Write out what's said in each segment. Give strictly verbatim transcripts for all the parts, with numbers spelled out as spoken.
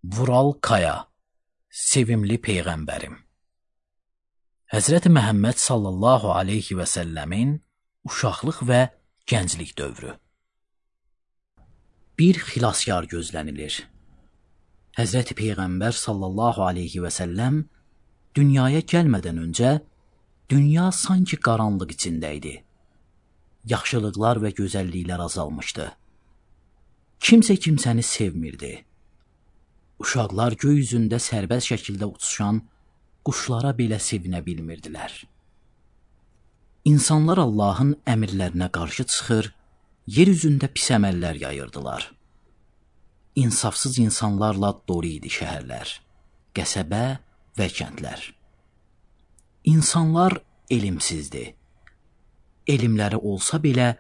Vural Kaya, sevimli Peyğəmbərim. Həzrəti Məhəmməd sallallahu aleyhi və səlləmin uşaqlıq və gənclik dövrü. Bir xilaskar gözlənilir. Həzrəti Peyğəmbər sallallahu aleyhi və səlləm dünyaya gəlmədən öncə dünya sanki qaranlıq içində idi. Yaxşılıqlar və gözəlliklər azalmışdı. Kimsə kimsəni sevmirdi. Uşaqlar göy üzündə sərbəst şəkildə uçuşan quşlara belə sevinə bilmirdilər. İnsanlar Allahın əmrlərinə qarşı çıxır, yer üzündə pis əməllər yayırdılar. İnsafsız insanlarla dolu idi şəhərlər, qəsəbə və kəndlər. İnsanlar elmsizdi. Elmləri olsa belə,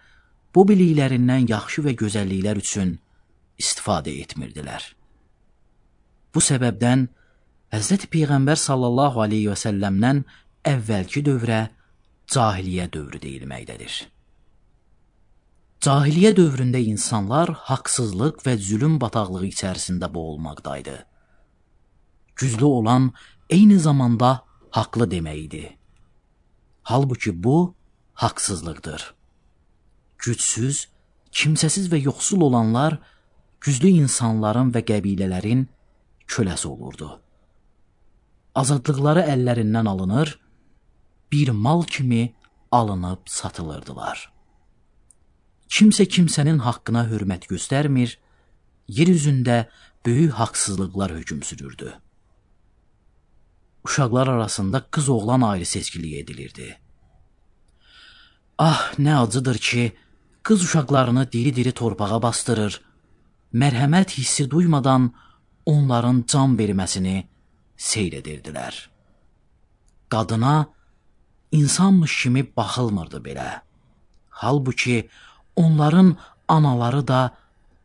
bu biliklərindən yaxşı və gözəlliklər üçün istifadə etmirdilər. Bu səbəbdən Həzrəti Peyğəmbər sallallahu aleyhi və səlləmdən əvvəlki dövrə cahiliyyə dövrü deyilməkdədir. Cahiliyyə dövründə insanlar haqsızlıq və zülüm bataqlığı içərisində boğulmaqdaydı. Güclü olan eyni zamanda haqlı demək idi. Halbuki bu haqsızlıqdır. Gücsüz, kimsəsiz və yoxsul olanlar güclü insanların və qəbilələrin köləsi olurdu. Azadlıqları əllərindən alınır, bir mal kimi alınıb satılırdılar. Kimsə kimsənin haqqına hörmət göstərmir, yer üzündə böyük haqsızlıqlar hökm sürürdü. Uşaqlar arasında qız-oğlan ayrı seçkilik edilirdi. Ah, nə acıdır ki, qız uşaqlarını diri-diri torpağa bastırır, mərhəmət hissi duymadan onların can verməsini seyr edirdilər. Qadına insanmış kimi baxılmırdı belə. Halbuki onların anaları da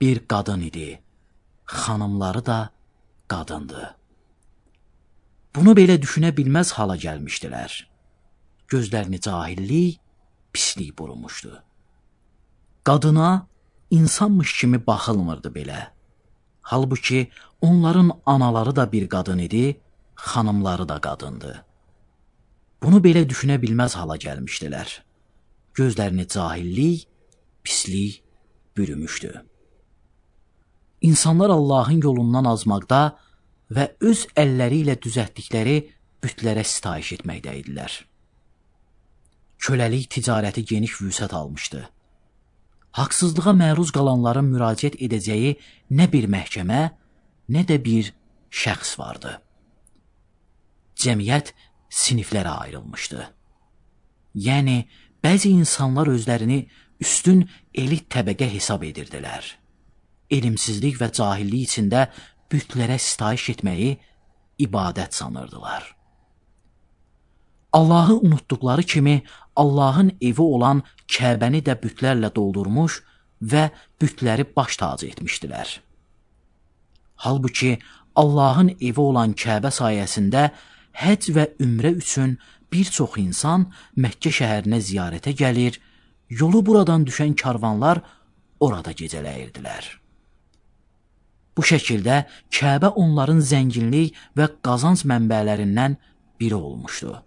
bir qadın idi, xanımları da qadındı. Bunu belə düşünə bilməz hala gəlmişdilər. Gözlərini cahillik, pislik burumuşdu. Qadına insanmış kimi baxılmırdı belə. Halbuki onların anaları da bir qadın idi, xanımları da qadındı. Bunu belə düşünə bilməz hala gəlmişdilər. Gözlərini cahillik, pislik bürümüşdü. İnsanlar Allahın yolundan azmaqda və öz əlləri ilə düzəltdikləri bütlərə sitayiş etməkdə idilər. Köləlik ticarəti geniş vüsət almışdı. Haqsızlığa məruz qalanların müraciət edəcəyi nə bir məhkəmə, nə də bir şəxs vardı. Cəmiyyət siniflərə ayrılmışdı. Yəni, bəzi insanlar özlərini üstün elit təbəqə hesab edirdilər. Elmsizlik və cahillik içində bütlərə sitayiş etməyi ibadət sanırdılar. Allahı unutduqları kimi Allahın evi olan Kəbəni də bütlərlə doldurmuş və bütləri baş tacı etmişdilər. Halbuki Allahın evi olan Kəbə sayəsində həcc və ümrə üçün bir çox insan Məkkə şəhərinə ziyarətə gəlir, yolu buradan düşən karvanlar orada gecələyirdilər. Bu şəkildə Kəbə onların zənginlik və qazanc mənbələrindən biri olmuşdu.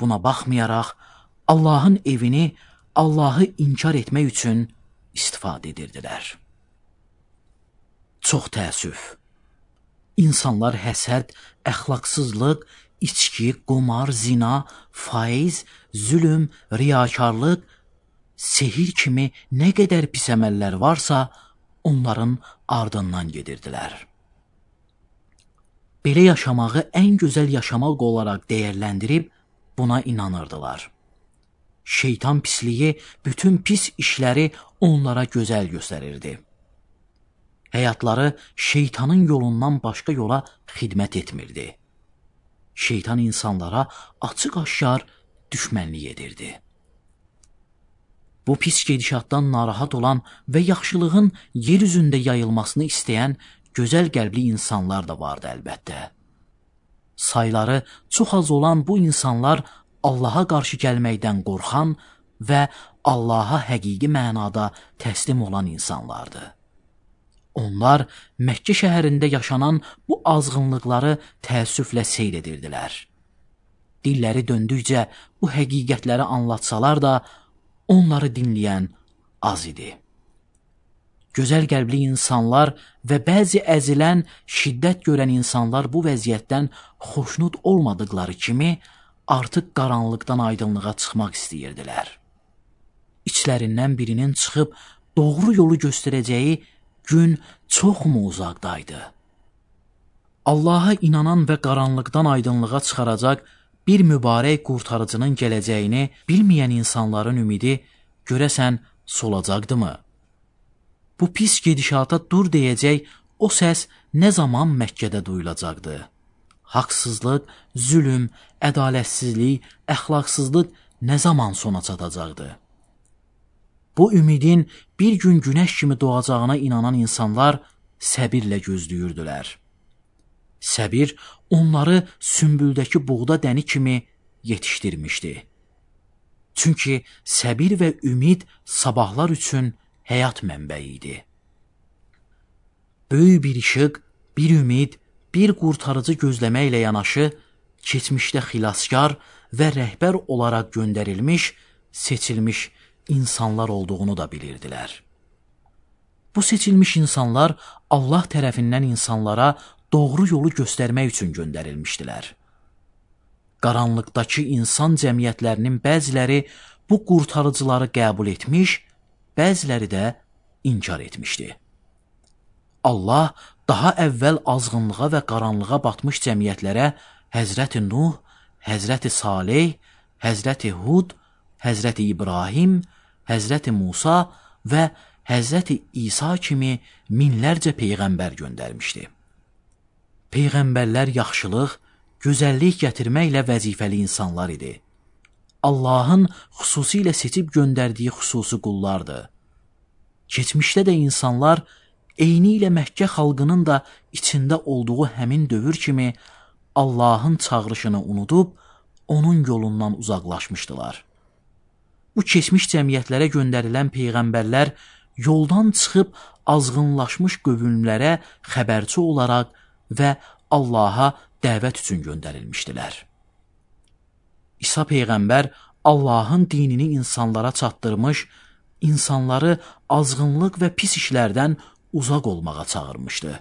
Buna baxmayaraq, Allahın evini Allahı inkar etmək üçün istifadə edirdilər. Çox təəssüf. İnsanlar həsəd, əxlaqsızlıq, içki, qumar, zina, faiz, zülüm, riyakarlıq, sehir kimi nə qədər pis əməllər varsa, onların ardından gedirdilər. Belə yaşamağı ən gözəl yaşamaq olaraq dəyərləndirib buna inanırdılar. Şeytan pisliyi bütün pis işləri onlara gözəl göstərirdi. Həyatları şeytanın yolundan başqa yola xidmət etmirdi. Şeytan insanlara açıq-aşkar düşmənlik edirdi. Bu pis gedişatdan narahat olan və yaxşılığın yer üzündə yayılmasını istəyən gözəl qəlbli insanlar da vardı əlbəttə. Sayları çox az olan bu insanlar Allaha qarşı gəlməkdən qorxan və Allaha həqiqi mənada təslim olan insanlardı. Onlar Məkkə şəhərində yaşanan bu azğınlıqları təəssüflə seyr edirdilər. Dilləri döndükcə bu həqiqətləri anlatsalar da, onları dinləyən az idi. Gözəl qəlbli insanlar və bəzi əzilən, şiddət görən insanlar bu vəziyyətdən xoşnut olmadıqları kimi artıq qaranlıqdan aydınlığa çıxmaq istəyirdilər. İçlərindən birinin çıxıb doğru yolu göstərəcəyi gün çoxmu uzaqdaydı? Allaha inanan və qaranlıqdan aydınlığa çıxaracaq bir mübarək qurtarıcının gələcəyini bilməyən insanların ümidi görəsən solacaqdımı? Bu pis gedişata dur deyəcək o səs nə zaman Məkkədə duyulacaqdı? Haqsızlıq, zülm, ədalətsizlik, əxlaqsızlıq nə zaman sona çatacaqdı? Bu ümidin bir gün günəş kimi doğacağına inanan insanlar səbirlə gözləyirdilər. Səbir onları sümbüldəki buğda dəni kimi yetişdirmişdi. Çünki səbir və ümid sabahlar üçün həyat mənbəyi idi. Böyük bir işıq, bir ümid, bir qurtarıcı gözləməklə yanaşı, keçmişdə xilaskar və rəhbər olaraq göndərilmiş, seçilmiş insanlar olduğunu da bilirdilər. Bu seçilmiş insanlar Allah tərəfindən insanlara doğru yolu göstərmək üçün göndərilmişdilər. Qaranlıqdakı insan cəmiyyətlərinin bəziləri bu qurtarıcıları qəbul etmiş, bəziləri də inkar etmişdi. Allah daha əvvəl azğınlığa və qaranlığa batmış cəmiyyətlərə Həzrəti Nuh, Həzrəti Salih, Həzrəti Hud, Həzrəti İbrahim, Həzrəti Musa və Həzrəti İsa kimi minlərcə peyğəmbər göndərmişdi. Peyğəmbərlər yaxşılıq, gözəllik gətirməklə vəzifəli insanlar idi. Allahın xüsusilə seçib göndərdiyi xüsusi qullardır. Keçmişdə də insanlar eyni ilə Məkkə xalqının da içində olduğu həmin dövr kimi Allahın çağırışını unudub, onun yolundan uzaqlaşmışdılar. Bu keçmiş cəmiyyətlərə göndərilən peyğəmbərlər yoldan çıxıb azğınlaşmış qövmlərə xəbərçi olaraq və Allaha dəvət üçün göndərilmişdilər. İsa peyğəmbər Allahın dinini insanlara çatdırmış, insanları azğınlıq və pis işlərdən uzaq olmağa çağırmışdı.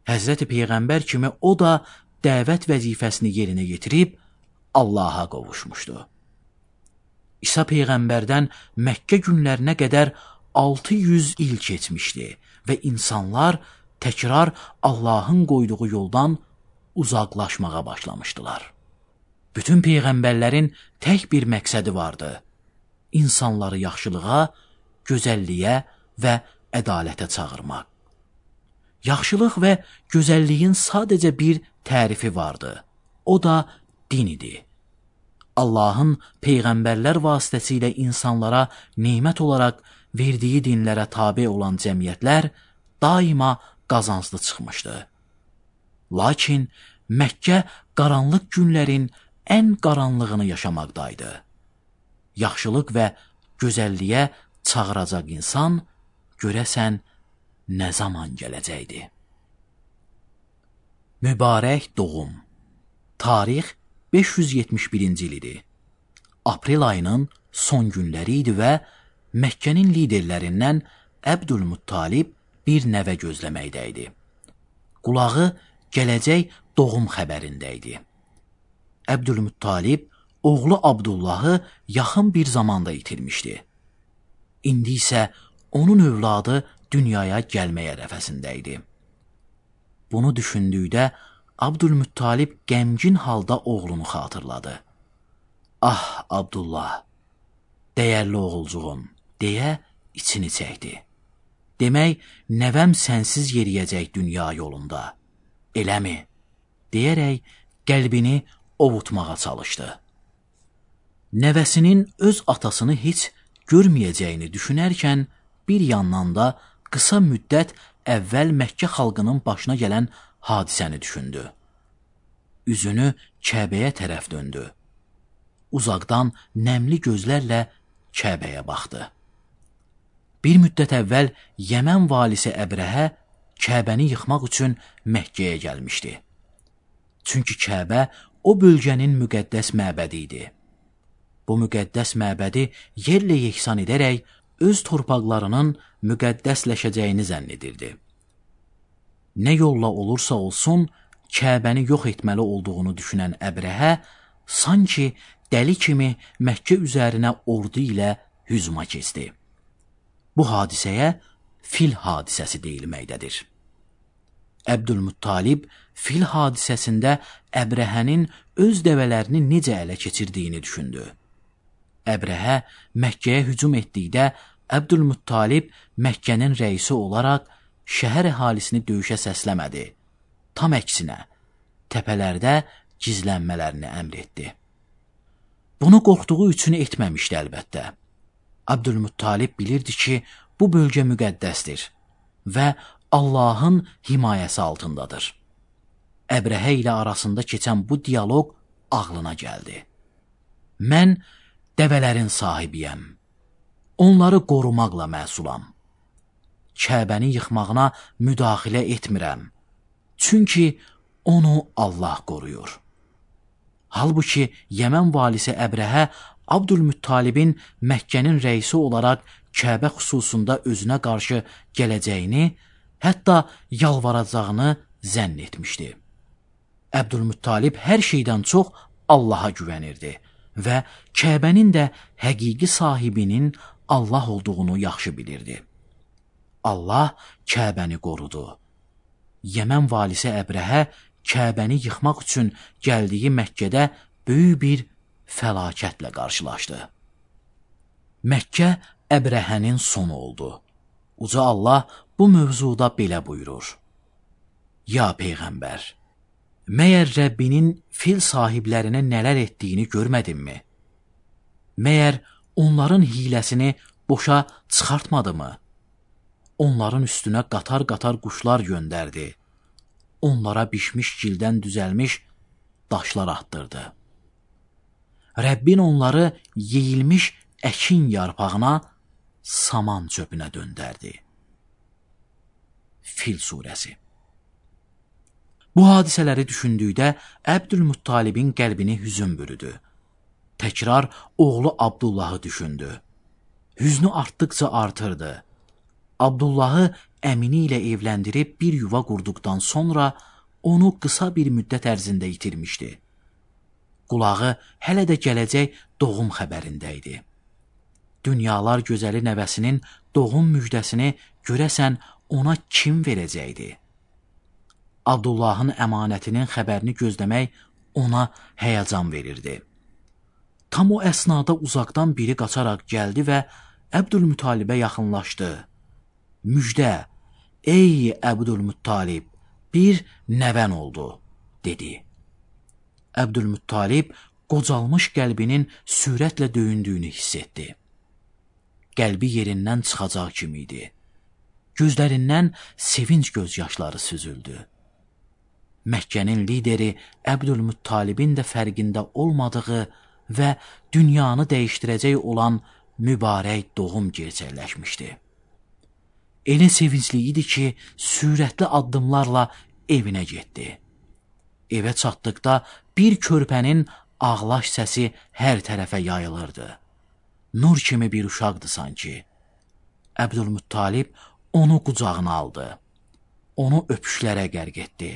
Həzrəti Peyğəmbər kimi o da dəvət vəzifəsini yerinə yetirib Allaha qovuşmuşdu. İsa Peyğəmbərdən Məkkə günlərinə qədər altı yüz il keçmişdi və insanlar təkrar Allahın qoyduğu yoldan uzaqlaşmağa başlamışdılar. Bütün peyğəmbərlərin tək bir məqsədi vardı: insanları yaxşılığa, gözəlliyə və ədalətə çağırmaq. Yaxşılıq və gözəlliyin sadəcə bir tərifi vardı. O da din idi. Allahın peyğəmbərlər vasitəsilə insanlara nemət olaraq verdiyi dinlərə tabe olan cəmiyyətlər daima qazanclı çıxmışdı. Lakin Məkkə qaranlıq günlərin ən qaranlığını yaşamaqdaydı. Yaxşılıq və gözəlliyə çağıracaq insan görəsən nə zaman gələcəkdi? Mübarək doğum. Tarix beş yüz yetmiş birinci il idi. Aprel ayının son günləri idi və Məkkənin liderlərindən Əbdülmuttalib bir nəvə gözləməkdə idi. Qulağı gələcək doğum xəbərində idi. Əbdülmuttalib oğlu Abdullahı yaxın bir zamanda itirmişdi. İndi isə onun övladı dünyaya gəlmək ərəfəsində idi. Bunu düşündükdə Abdülmuttalib qəmgin halda oğlunu xatırladı. Ah, Abdullah, dəyərli oğulcuğum, deyə içini çəkdi. Demək, nəvəm sənsiz yeriyəcək dünya yolunda. Eləmi? Deyərək qəlbini ovutmağa çalışdı. Nəvəsinin öz atasını heç görməyəcəyini düşünərkən bir yandan da qısa müddət əvvəl Məkkə xalqının başına gələn hadisəni düşündü. Üzünü Kəbəyə tərəf döndü. Uzaqdan nəmli gözlərlə Kəbəyə baxdı. Bir müddət əvvəl Yəmən valisi Əbrəhə Kəbəni yıxmaq üçün Məkkəyə gəlmişdi. Çünki Kəbə o bölgənin müqəddəs məbədi idi. Bu müqəddəs məbədi yerlə yeksan edərək öz torpaqlarının müqəddəsləşəcəyini zənn edirdi. Nə yolla olursa olsun, Kəbəni yox etməli olduğunu düşünən Əbrəhə sanki dəli kimi Məkkə üzərinə ordu ilə hücuma keçdi. Bu hadisəyə fil hadisəsi deyilməkdədir. Əbdülmuttalib fil hadisəsində Əbrəhənin öz dəvələrini necə ələ keçirdiyini düşündü. Əbrəhə Məkkəyə hücum etdikdə Əbdülmuttalib Məkkənin rəisi olaraq şəhər əhalisini döyüşə səsləmədi. Tam əksinə, təpələrdə gizlənmələrini əmr etdi. Bunu qorxduğu üçün etməmişdi əlbəttə. Əbdülmuttalib bilirdi ki, bu bölgə müqəddəsdir və Allahın himayəsi altındadır. Əbrəhə ilə arasında keçən bu diyaloq ağlına gəldi. Mən dəvələrin sahibiyəm. Onları qorumaqla məsulam. Kəbəni yıxmağına müdaxilə etmirəm. Çünki onu Allah qoruyur. Halbuki Yəmən valisi Əbrəhə Abdülmuttalibin Məkkənin rəisi olaraq Kəbə xüsusunda özünə qarşı gələcəyini, hətta yalvaracağını zənn etmişdi. Əbdülmuttalib hər şeydən çox Allaha güvənirdi və Kəbənin də həqiqi sahibinin Allah olduğunu yaxşı bilirdi. Allah Kəbəni qorudu. Yəmən valisi Əbrəhə Kəbəni yıxmaq üçün gəldiyi Məkkədə böyük bir fəlakətlə qarşılaşdı. Məkkə Əbrəhənin sonu oldu. Uca Allah bu mövzuda belə buyurur. Ya Peyğəmbər, məyər Rəbbinin fil sahiblərinə nələr etdiyini görmədinmi? Məyər onların hiləsini boşa çıxartmadı mı? Onların üstünə qatar-qatar quşlar göndərdi. Onlara bişmiş gildən düzəlmiş daşlar atdırdı. Rəbbin onları yeyilmiş əkin yarpağına, saman çöpünə döndərdi. Fil surəsi. Bu hadisələri düşündükdə Əbdülmuttalibin qəlbini hüzün bürüdü. Təkrar oğlu Abdullahı düşündü. Hüznü artdıqca artırdı. Abdullahı əmini ilə evləndirib bir yuva qurduqdan sonra onu qısa bir müddət ərzində itirmişdi. Qulağı hələ də gələcək doğum xəbərində idi. Dünyalar gözəli nəvəsinin doğum müjdəsini görəsən ona kim verəcəkdi? Abdullahın əmanətinin xəbərini gözləmək ona həyəcan verirdi. Tam o əsnada uzaqdan biri qaçaraq gəldi və Əbdülmuttalibə yaxınlaşdı. Müjdə, ey Əbdülmuttalib, bir nəvən oldu, dedi. Əbdülmuttalib qocalmış qəlbinin sürətlə döyündüyünü hiss etdi. Qəlbi yerindən çıxacaq kimi idi. Gözlərindən sevinç gözyaşları süzüldü. Məkkənin lideri Əbdülmuttalibin də fərqində olmadığı və dünyanı dəyişdirəcək olan mübarək doğum gerçəkləşmişdi. Elə sevincli idi ki, sürətli addımlarla evinə getdi. Evə çatdıqda bir körpənin ağlaş səsi hər tərəfə yayılırdı. Nur kimi bir uşaqdı sanki. Əbdülmuttalib onu qucağına aldı. Onu öpüşlərə qərq etdi.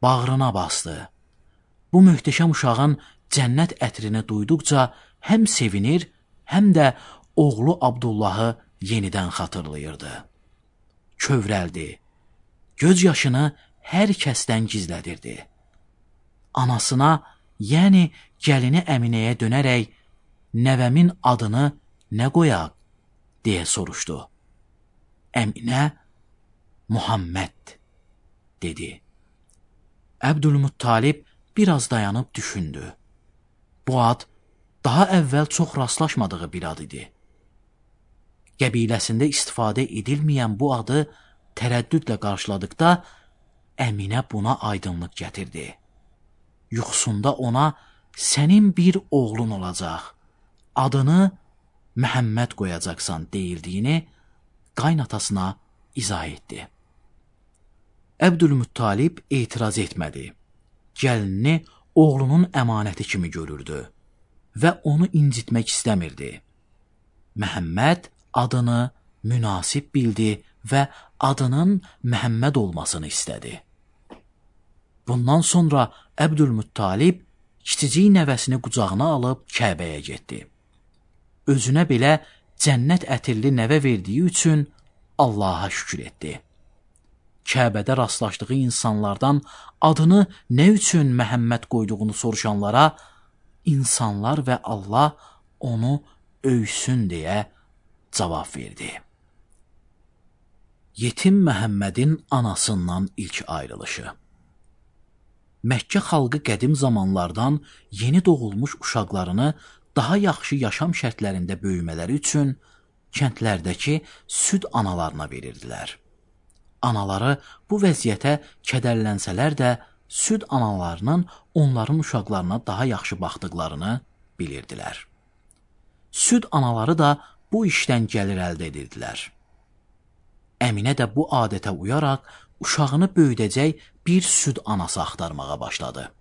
Bağrına bastı. Bu möhtəşəm uşağın cənnət ətrini duyduqca həm sevinir, həm də oğlu Abdullahı yenidən xatırlayırdı. Kövrəldi. Göz yaşını hər kəsdən gizlədirdi. Anasına, yəni gəlini Əminəyə dönərək, nəvəmin adını nə qoyaq, deyə soruşdu. Əminə, Muhammed, dedi. Əbdülmuttalib biraz dayanıb düşündü. Bu ad daha əvvəl çox rastlaşmadığı bir ad idi. Qəbiləsində istifadə edilməyən bu adı tərəddüdlə qarşıladıqda Əminə buna aydınlıq gətirdi. Yuxusunda ona sənin bir oğlun olacaq, adını Məhəmməd qoyacaqsan deyildiyini qaynatasına izah etdi. Əbdülmuttalib etiraz etmədi. Gəlinini oğlunun əmanəti kimi görürdü və onu incitmək istəmirdi. Məhəmməd adını münasib bildi və adının Məhəmməd olmasını istədi. Bundan sonra Əbdülmuttalib kiçicik nəvəsini qucağına alıb Kəbəyə getdi. Özünə belə cənnət ətirli nəvə verdiyi üçün Allaha şükür etdi. Kəbədə rastlaşdığı insanlardan adını nə üçün Məhəmməd qoyduğunu soruşanlara insanlar və Allah onu övsün deyə cavab verdi. Yetim Məhəmmədin anasından ilk ayrılışı. Məkkə xalqı qədim zamanlardan yeni doğulmuş uşaqlarını daha yaxşı yaşam şərtlərində böyümələri üçün kəndlərdəki süd analarına verirdilər. Anaları bu vəziyyətə kədərlənsələr də süd analarının onların uşaqlarına daha yaxşı baxdıqlarını bilirdilər. Süd anaları da bu işdən gəlir əldə edirdilər. Əminə də bu adətə uyaraq uşağını böyüdəcək bir süd anası axtarmağa başladı.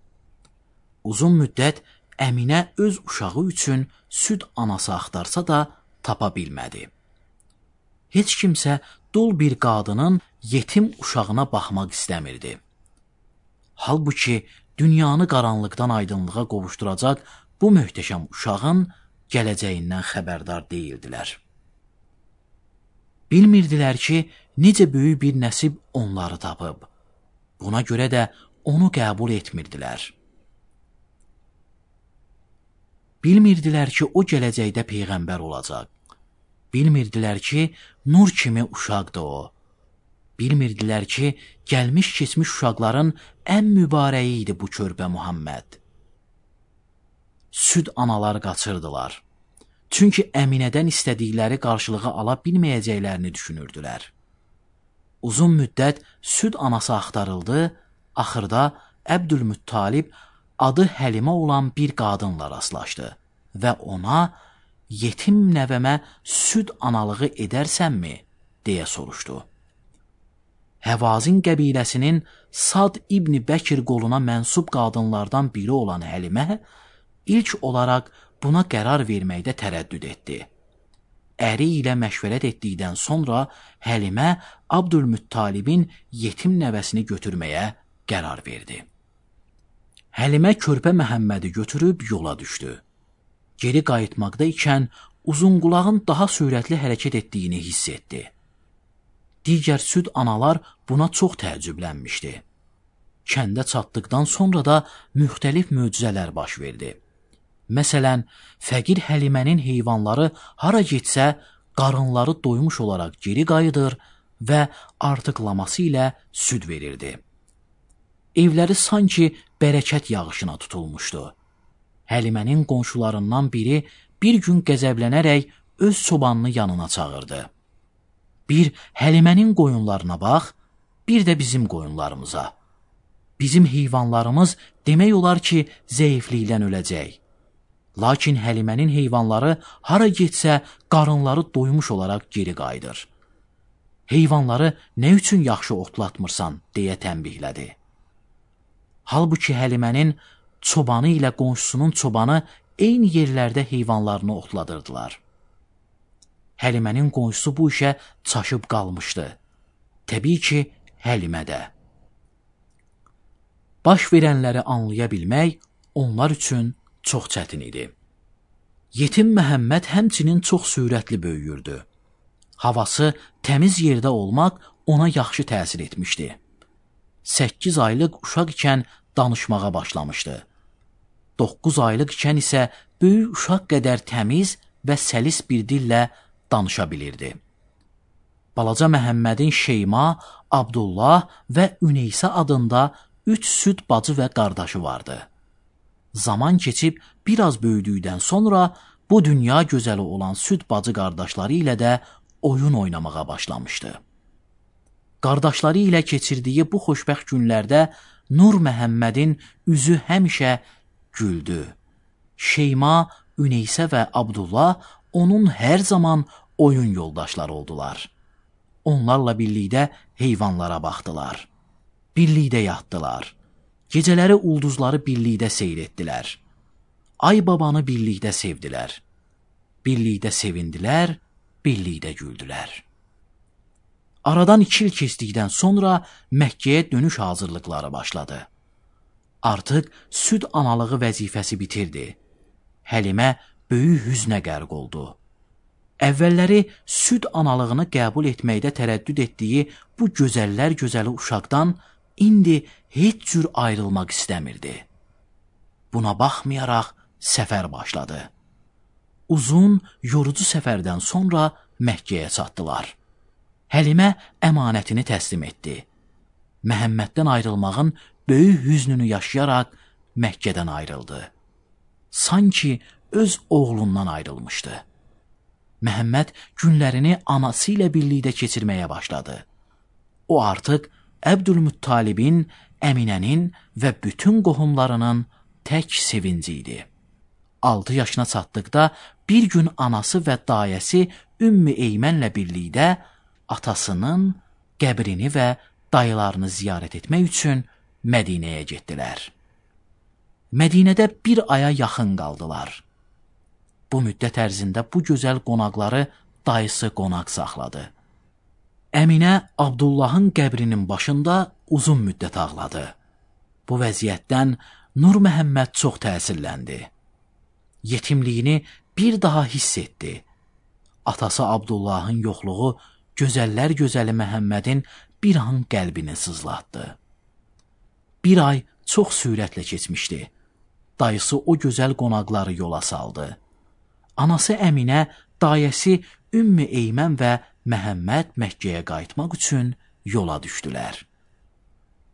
Uzun müddət Əminə öz uşağı üçün süd anası axtarsa da tapa bilmədi. Heç kimsə dul bir qadının yetim uşağına baxmaq istəmirdi. Halbuki dünyanı qaranlıqdan aydınlığa qovuşduracaq bu möhtəşəm uşağın gələcəyindən xəbərdar deyildilər. Bilmirdilər ki, necə böyük bir nəsib onları tapıb. Buna görə də onu qəbul etmirdilər. Bilmirdilər ki, o gələcəkdə peyğəmbər olacaq. Bilmirdilər ki, nur kimi uşaqdır o. Bilmirdilər ki, gəlmiş-keçmiş uşaqların ən mübarəyi idi bu körpə Muhammed. Süd analar qaçırdılar. Çünki Əminədən istədikləri qarşılığı ala bilməyəcəklərini düşünürdülər. Uzun müddət süd anası axtarıldı, axırda Əbdülmuttalib adı Həlimə olan bir qadınla rastlaşdı və ona yetim nəvəmə süd analığı edərsənmi, deyə soruşdu. Həvazin qəbiləsinin Sad İbni Bəkir qoluna mənsub qadınlardan biri olan Həlimə ilk olaraq buna qərar verməkdə tərəddüd etdi. Əri ilə məşvərət etdikdən sonra Həlimə Abdülmuttalibin yetim nəvəsini götürməyə qərar verdi. Həlimə körpə Məhəmmədi götürüb yola düşdü. Geri qayıtmaqda ikən Uzunqulağın daha sürətli hərəkət etdiyini hiss etdi. Digər süd analar buna çox təəccüblənmişdi. Kəndə çatdıqdan sonra da müxtəlif möcüzələr baş verdi. Məsələn, fəqir Həlimənin heyvanları hara getsə, qarınları doymuş olaraq geri qayıdır və artıqlaması ilə süd verirdi. Evləri sanki bərəkət yağışına tutulmuşdu. Həlimənin qonşularından biri bir gün qəzəblənərək öz çobanını yanına çağırdı. Bir Həlimənin qoyunlarına bax, bir də bizim qoyunlarımıza. Bizim heyvanlarımız demək olar ki, zəiflikdən öləcək. Lakin Həlimənin heyvanları hara getsə, qarınları doymuş olaraq geri qayıdır. Heyvanları nə üçün yaxşı otlatmırsan, deyə tənbihlədi. Halbuki Həlimənin çobanı ilə qonşusunun çobanı eyni yerlərdə heyvanlarını otladırdılar. Həlimənin qonşusu bu işə çaşıb qalmışdı. Təbii ki, Həlimə də. Baş verənləri anlaya bilmək onlar üçün çox çətin idi. Yetim Məhəmməd həmçinin çox sürətli böyüyürdü. Havası təmiz yerdə olmaq ona yaxşı təsir etmişdi. Səkkiz aylıq uşaq ikən danışmağa başlamışdı. Doqquz aylıq ikən isə böyük uşaq qədər təmiz və səlis bir dillə danışa bilirdi. Balaca Məhəmmədin Şeyma, Abdullah və Üneysə adında üç süd bacı və qardaşı vardı. Zaman keçib biraz böyüdükdən sonra bu dünya gözəli olan süd bacı qardaşları ilə də oyun oynamağa başlamışdı. Qardaşları ilə keçirdiyi bu xoşbəxt günlərdə Nur Məhəmmədin üzü həmişə güldü. Şeyma, Üneysə və Abdullah onun hər zaman oyun yoldaşları oldular. onlarla birlikdə heyvanlara baxdılar. Birlikdə yatdılar. Gecələri ulduzları birlikdə seyr etdilər. Ay babanı birlikdə sevdilər. Birlikdə sevindilər, birlikdə güldülər. Aradan iki il keçdikdən sonra Məkkəyə dönüş hazırlıqları başladı. Artıq süd analığı vəzifəsi bitirdi. Həlimə böyük hüznə qərq oldu. Əvvəlləri süd analığını qəbul etməkdə tərəddüd etdiyi bu gözəllər gözəli uşaqdan indi heç cür ayrılmaq istəmirdi. Buna baxmayaraq səfər başladı. Uzun, yorucu səfərdən sonra Məkkəyə çatdılar. Həlimə əmanətini təslim etdi. Məhəmməddən ayrılmağın böyük hüznünü yaşayaraq Məkkədən ayrıldı. Sanki öz oğlundan ayrılmışdı. Məhəmməd günlərini anası ilə birlikdə keçirməyə başladı. O artıq Əbdülmuttalibin, Əminənin və bütün qohumlarının tək sevinci idi. altı yaşına çatdıqda bir gün anası və dayəsi Ümmü Eymənlə birlikdə atasının qəbrini və dayılarını ziyarət etmək üçün Mədinəyə getdilər. Mədinədə bir aya yaxın qaldılar. Bu müddət ərzində bu gözəl qonaqları dayısı qonaq saxladı. Əminə Abdullahın qəbrinin başında uzun müddət ağladı. Bu vəziyyətdən Nur Məhəmməd çox təsirləndi. Yetimliyini bir daha hiss etdi. Atası Abdullahın yoxluğu gözəllər gözəli Məhəmmədin bir an qəlbini sızlatdı. Bir ay çox sürətlə keçmişdi. Dayısı o gözəl qonaqları yola saldı. Anası Əminə, dayəsi Ümmü Eymən və Məhəmməd Məkkəyə qayıtmaq üçün yola düşdülər.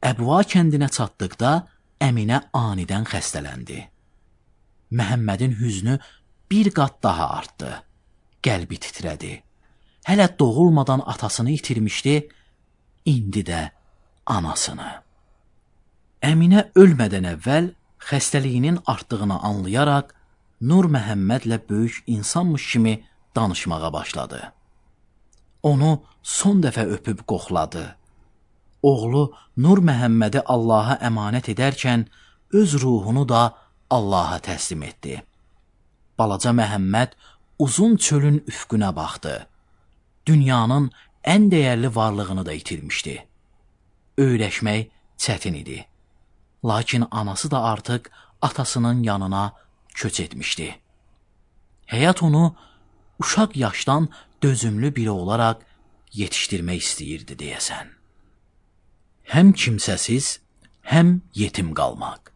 Əbva kəndinə çatdıqda Əminə anidən xəstələndi. Məhəmmədin hüznü bir qat daha artdı. Qəlbi titrədi. Hələ doğulmadan atasını itirmişdi, indi də anasını. Əminə ölmədən əvvəl xəstəliyinin artdığını anlayaraq Nur Məhəmmədlə böyük insanmış kimi danışmağa başladı. Onu son dəfə öpüb qoxladı. Oğlu Nur Məhəmmədi Allaha əmanət edərkən öz ruhunu da Allaha təslim etdi. Balaca Məhəmməd uzun çölün üfqünə baxdı. Dünyanın ən dəyərli varlığını da itirmişdi. Öyrəşmək çətin idi. Lakin anası da artıq atasının yanına köç etmişdi. Həyat onu uşaq yaşdan dözümlü biri olaraq yetişdirmək istəyirdi deyəsən. Həm kimsəsiz, həm yetim qalmaq.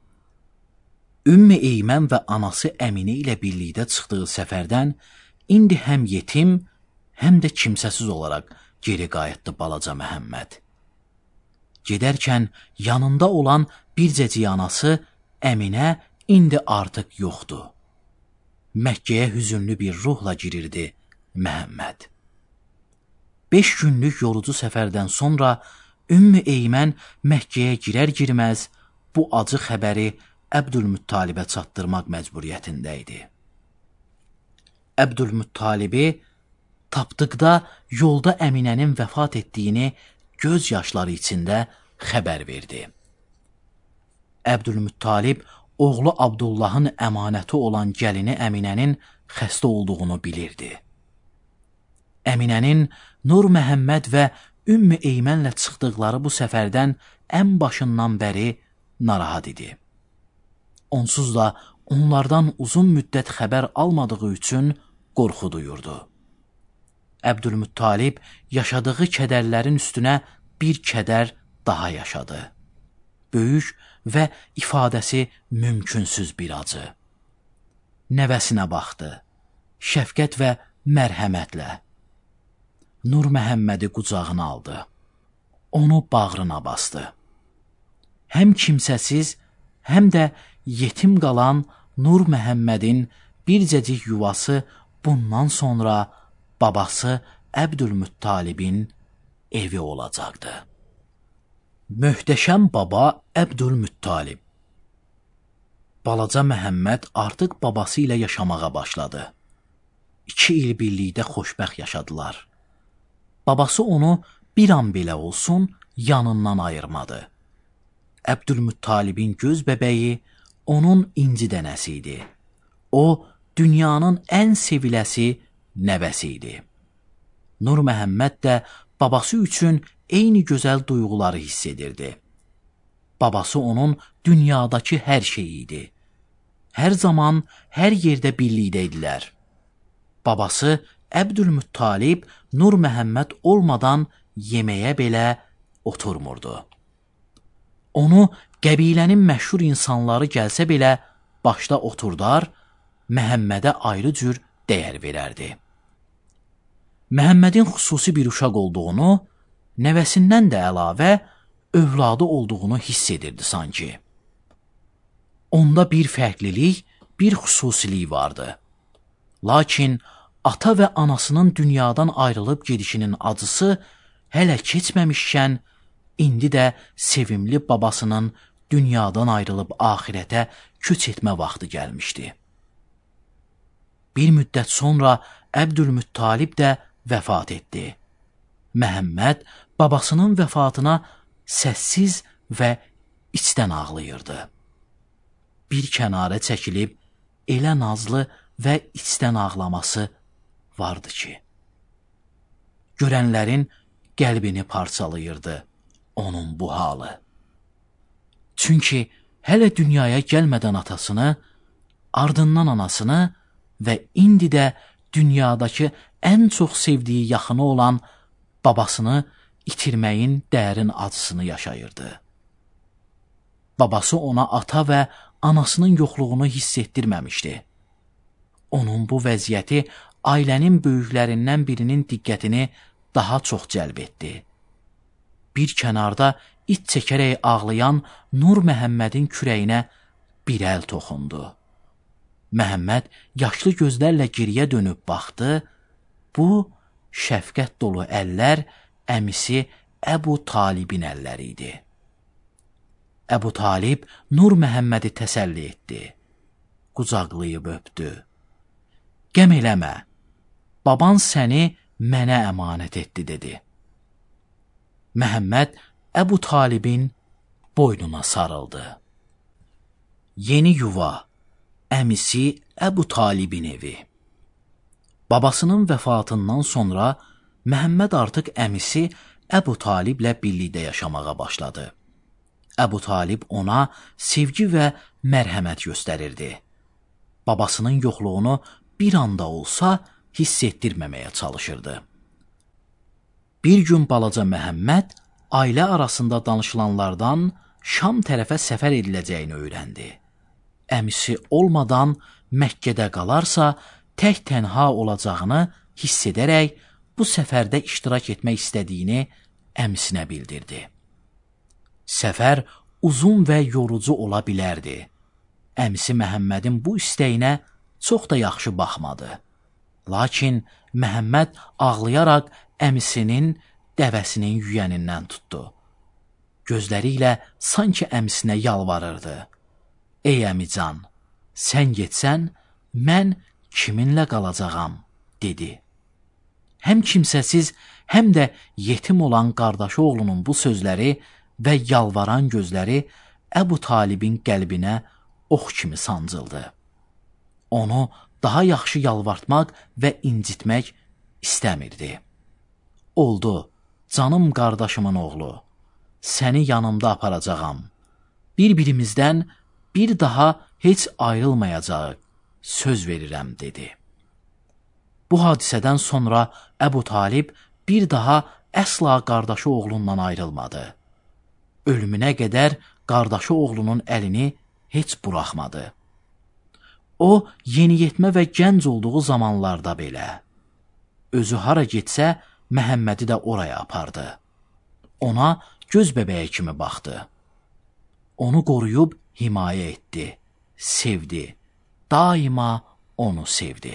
Ümmü Eymən və anası Əminə ilə birlikdə çıxdığı səfərdən indi həm yetim, həm də kimsəsiz olaraq geri qayıtdı balaca Məhəmməd. Gedərkən yanında olan bircəcik anası Əminə indi artıq yoxdur. Məkkəyə hüzünlü bir ruhla girirdi Məhəmməd. Beş günlük yorucu səfərdən sonra Ümmü Eymən Məkkəyə girər-girməz bu acı xəbəri Əbdülmuttalibə çatdırmaq məcburiyyətində idi. Əbdülmuttalibi tapdıqda yolda Əminənin vəfat etdiyini göz yaşları içində xəbər verdi. Əbdülmuttalib oğlu Abdullahın əmanəti olan gəlini Əminənin xəstə olduğunu bilirdi. Əminənin Nur Məhəmməd və Ümmü Eymənlə çıxdıqları bu səfərdən ən başından bəri narahat idi. Onsuz da onlardan uzun müddət xəbər almadığı üçün qorxu duyurdu. Əbdülmuttalib yaşadığı kədərlərin üstünə bir kədər daha yaşadı. Böyük və ifadəsi mümkünsüz bir acı. Nəvəsinə baxdı, şəfqət və mərhəmətlə. Nur Məhəmmədi qucağına aldı. Onu bağrına bastı. Həm kimsəsiz, həm də yetim qalan Nur Məhəmmədin bircəcik yuvası bundan sonra babası Əbdülmuttalibin evi olacaqdı. Möhtəşəm baba Əbdülmuttalib. Balaca Məhəmməd artıq babası ilə yaşamağa başladı. İki il birlikdə xoşbəxt yaşadılar. babası onu bir an belə olsun yanından ayırmadı. Əbdülmuttalibin göz bəbəyi onun inci dənəsi idi. O, dünyanın ən seviləsi nəvəsi idi. Nur Məhəmməd də babası üçün eyni gözəl duyğuları hiss edirdi. Babası onun dünyadakı hər şeyi idi. Hər zaman, hər yerdə birlikdə idilər. Babası Əbdülmuttalib Nur Məhəmməd olmadan yeməyə belə oturmurdu. Onu qəbilənin məşhur insanları gəlsə belə başda oturdar, Məhəmmədə ayrı cür dəyər verərdi. Məhəmmədin xüsusi bir uşaq olduğunu, nəvəsindən də əlavə övladı olduğunu hiss edirdi sanki. Onda bir fərqlilik, bir xüsusilik vardı. Lakin ata və anasının dünyadan ayrılıb gedişinin acısı hələ keçməmişkən, indi də sevimli babasının dünyadan ayrılıb axirətə köç etmə vaxtı gəlmişdi. Bir müddət sonra Əbdülmuttalib də vəfat etdi. Məhəmməd babasının vəfatına səssiz və içdən ağlayırdı. Bir kənara çəkilib elə nazlı və içdən ağlaması vardı ki, görənlərin qəlbini parçalayırdı onun bu halı. Çünki hələ dünyaya gəlmədən atasını, ardından anasını və indi də dünyadakı ən çox sevdiyi yaxını olan babasını itirməyin dərin acısını yaşayırdı. Babası ona ata və anasının yoxluğunu hiss etdirməmişdi. Onun bu vəziyyəti ailənin böyüklərindən birinin diqqətini daha çox cəlb etdi. Bir kənarda iç çəkərək ağlayan Nur Məhəmmədin kürəyinə bir əl toxundu. Məhəmməd yaşlı gözlərlə geriyə dönüb baxdı. Bu, şəfqət dolu əllər əmisi Əbu Talibin əlləri idi. Əbu Talib Nur Məhəmmədi təsəlli etdi. Qucaqlayıb öpdü. Qəm eləmə, baban səni mənə əmanət etdi, dedi. Məhəmməd Əbu Talibin boynuna sarıldı. Yeni yuva, əmisi Əbu Talibin evi. Babasının vəfatından sonra Məhəmməd artıq əmisi Əbu Taliblə birlikdə yaşamağa başladı. Əbu Talib ona sevgi və mərhəmət göstərirdi. Babasının yoxluğunu bir anda olsa hiss etdirməməyə çalışırdı. Bir gün balaca Məhəmməd ailə arasında danışılanlardan Şam tərəfə səfər ediləcəyini öyrəndi. Əmisi olmadan Məkkədə qalarsa tək tənha olacağını hiss edərək bu səfərdə iştirak etmək istədiyini əmisinə bildirdi. Səfər uzun və yorucu ola bilərdi. Əmisi Məhəmmədin bu istəyinə çox da yaxşı baxmadı. Lakin Məhəmməd ağlayaraq əmisinin dəvəsinin yüyənindən tutdu. Gözləri ilə sanki əmisinə yalvarırdı. Ey əmican, sən getsən, mən kiminlə qalacağam, dedi. Həm kimsəsiz, həm də yetim olan qardaşı oğlunun bu sözləri və yalvaran gözləri Əbu Talibin qəlbinə ox kimi sancıldı. Onu daha yaxşı yalvartmaq və incitmək istəmirdi. Oldu, canım qardaşımın oğlu, səni yanımda aparacağam. Bir-birimizdən bir daha heç ayrılmayacaq, söz verirəm, dedi. Bu hadisədən sonra Əbu Talib bir daha əsla qardaşı oğlundan ayrılmadı. Ölümünə qədər qardaşı oğlunun əlini heç buraxmadı. O, yeniyetmə və gənc olduğu zamanlarda belə. Özü hara getsə, Məhəmmədi də oraya apardı. Ona göz bəbəyi kimi baxdı. Onu qoruyub himayə etdi, sevdi, daima onu sevdi.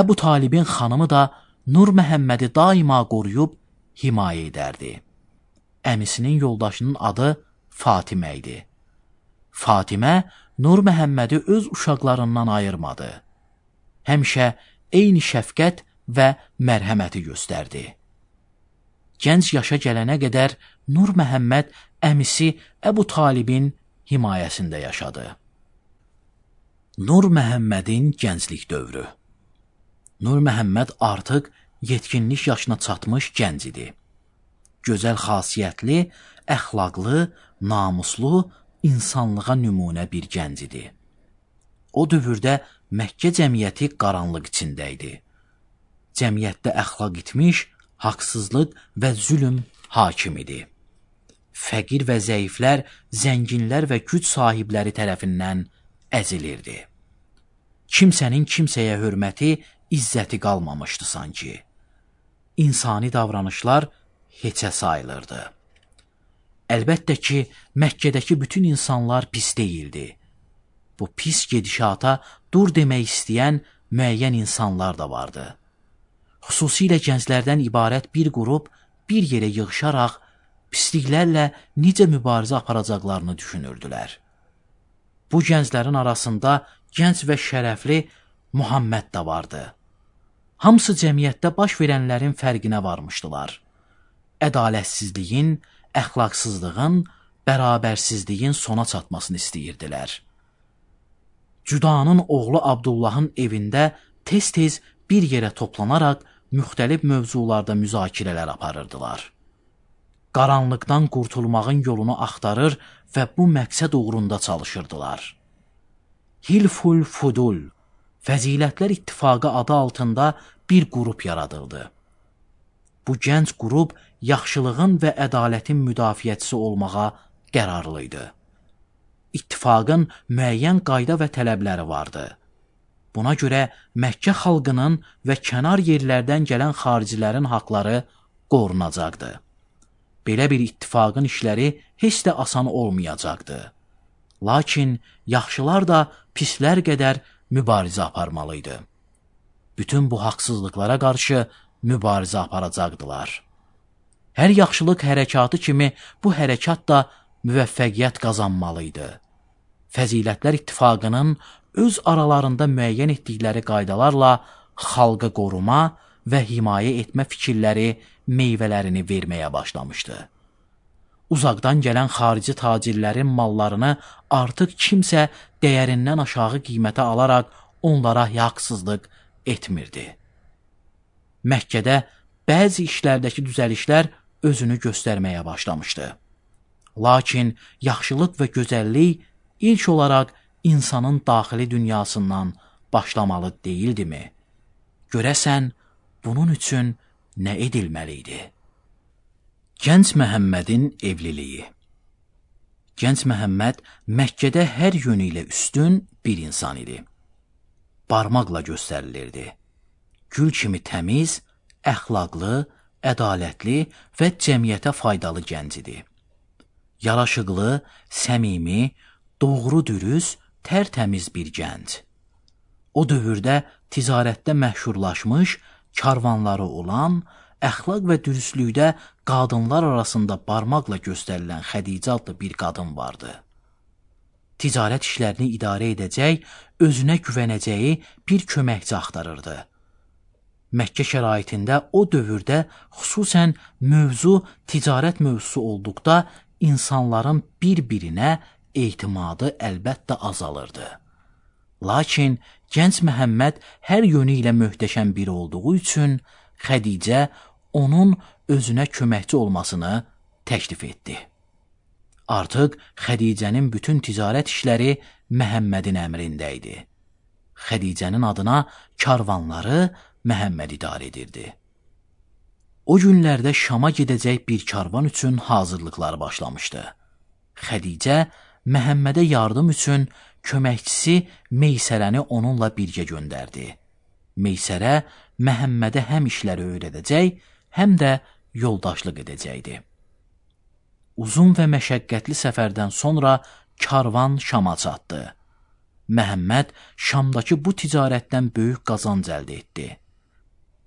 Əbu Talibin xanımı da Nur Məhəmmədi daima qoruyub himayə edərdi. Əmisinin yoldaşının adı Fatimə idi. Fatimə Nur Məhəmmədi öz uşaqlarından ayırmadı. Həmişə eyni şəfqət və mərhəməti göstərdi. Gənc yaşa gələnə qədər Nur Məhəmməd əmisi Əbu Talibin himayəsində yaşadı. Nur Məhəmmədin gənclik dövrü. Nur Məhəmməd artıq yetkinlik yaşına çatmış gənc idi. Gözəl xasiyyətli, əxlaqlı, namuslu, insanlığa nümunə bir gənc idi. O dövrdə Məkkə cəmiyyəti qaranlıq içində idi. Cəmiyyətdə əxlaq itmiş, haqsızlıq və zülm hakim idi. Fəqir və zəiflər, zənginlər və güc sahibləri tərəfindən əzilirdi. Kimsənin kimsəyə hörməti, izzəti qalmamışdı sanki. İnsani davranışlar heçə sayılırdı. Əlbəttə ki, Məkkədəki bütün insanlar pis deyildi. Bu pis gedişata dur demək istəyən müəyyən insanlar da vardı. Xüsusilə gənclərdən ibarət bir qrup bir yerə yığışaraq pisliklərlə necə mübarizə aparacaqlarını düşünürdülər. Bu gənclərin arasında gənc və şərəfli Muhammed də vardı. Hamısı cəmiyyətdə baş verənlərin fərqinə varmışdılar. Ədalətsizliyin, əxlaqsızlığın, bərabərsizliyin sona çatmasını istəyirdilər. Cüdanın oğlu Abdullahın evində tez-tez bir yerə toplanaraq müxtəlif mövzularda müzakirələr aparırdılar. Qaranlıqdan qurtulmağın yolunu axtarır və bu məqsəd uğrunda çalışırdılar. Hilful Fudul, Fəzilətlər İttifaqı adı altında bir qrup yaradıldı. Bu gənc qrup yaxşılığın və ədalətin müdafiəçisi olmağa qərarlı idi. İttifaqın müəyyən qayda və tələbləri vardı. Buna görə Məkkə xalqının və kənar yerlərdən gələn xaricilərin haqları qorunacaqdı. Belə bir ittifaqın işləri heç də asan olmayacaqdı. Lakin yaxşılar da pislər qədər mübarizə aparmalıydı. Bütün bu haqsızlıqlara qarşı mübarizə aparacaqdılar. Hər yaxşılıq hərəkatı kimi bu hərəkat da müvəffəqiyyət qazanmalıydı. Fəzilətlər İttifaqının öz aralarında müəyyən etdikləri qaydalarla xalqı qoruma və himayə etmə fikirləri meyvələrini verməyə başlamışdı. Uzaqdan gələn xarici tacirlərin mallarını artıq kimsə dəyərindən aşağı qiymətə alaraq onlara haqsızlıq etmirdi. Məkkədə bəzi işlərdəki düzəlişlər özünü göstərməyə başlamışdı. Lakin yaxşılıq və gözəllik ilk olaraq insanın daxili dünyasından başlamalı deyildimi? Görəsən, bunun üçün nə edilməli idi? Gənc Məhəmmədin evliliyi. Gənc Məhəmməd Məkkədə hər yönü ilə üstün bir insan idi. Barmaqla göstərilirdi. Gül kimi təmiz, əxlaqlı, ədalətli və cəmiyyətə faydalı gənc idi. Yaraşıqlı, səmimi, doğru dürüst, tərtəmiz bir gənc. O dövrdə ticarətdə məşhurlaşmış, karvanları olan, əxlaq və dürüstlükdə qadınlar arasında barmaqla göstərilən Xədicə adlı bir qadın vardı. Ticarət işlərini idarə edəcək, özünə güvənəcəyi bir köməkçi axtarırdı. Məkkə şəraitində o dövrdə xüsusən mövzu ticarət mövzusu olduqda insanların bir-birinə etimadı əlbəttə azalırdı. Lakin gənc Məhəmməd hər yönü ilə möhtəşəm biri olduğu üçün Xədicə onun özünə köməkçi olmasını təklif etdi. Artıq Xədicənin bütün ticarət işləri Məhəmmədin əmrində idi. Xədicənin adına karvanları Məhəmməd idarə edirdi. O günlərdə Şama gedəcək bir karvan üçün hazırlıqlar başlamışdı. Xədicə Məhəmmədə yardım üçün köməkçisi Meysərəni onunla birgə göndərdi. Meysərə Məhəmmədə həm işləri öyrədəcək, həm də yoldaşlıq edəcəkdi. Uzun və məşəqqətli səfərdən sonra karvan Şama çatdı. Məhəmməd Şamdakı bu ticarətdən böyük qazanc əldə etdi.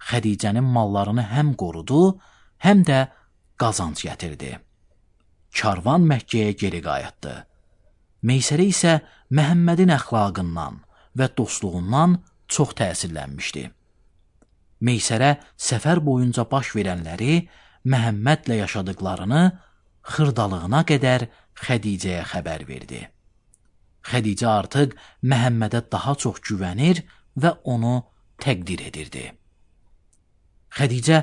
Xədicənin mallarını həm qorudu, həm də qazanc gətirdi. Karvan Məkkəyə geri qayıtdı. Meysərə isə Məhəmmədin əxlaqından və dostluğundan çox təsirlənmişdi. Meysərə səfər boyunca baş verənləri, Məhəmmədlə yaşadıqlarını xırdalığına qədər Xədicəyə xəbər verdi. Xədicə artıq Məhəmmədə daha çox güvənir və onu təqdir edirdi. Xədicə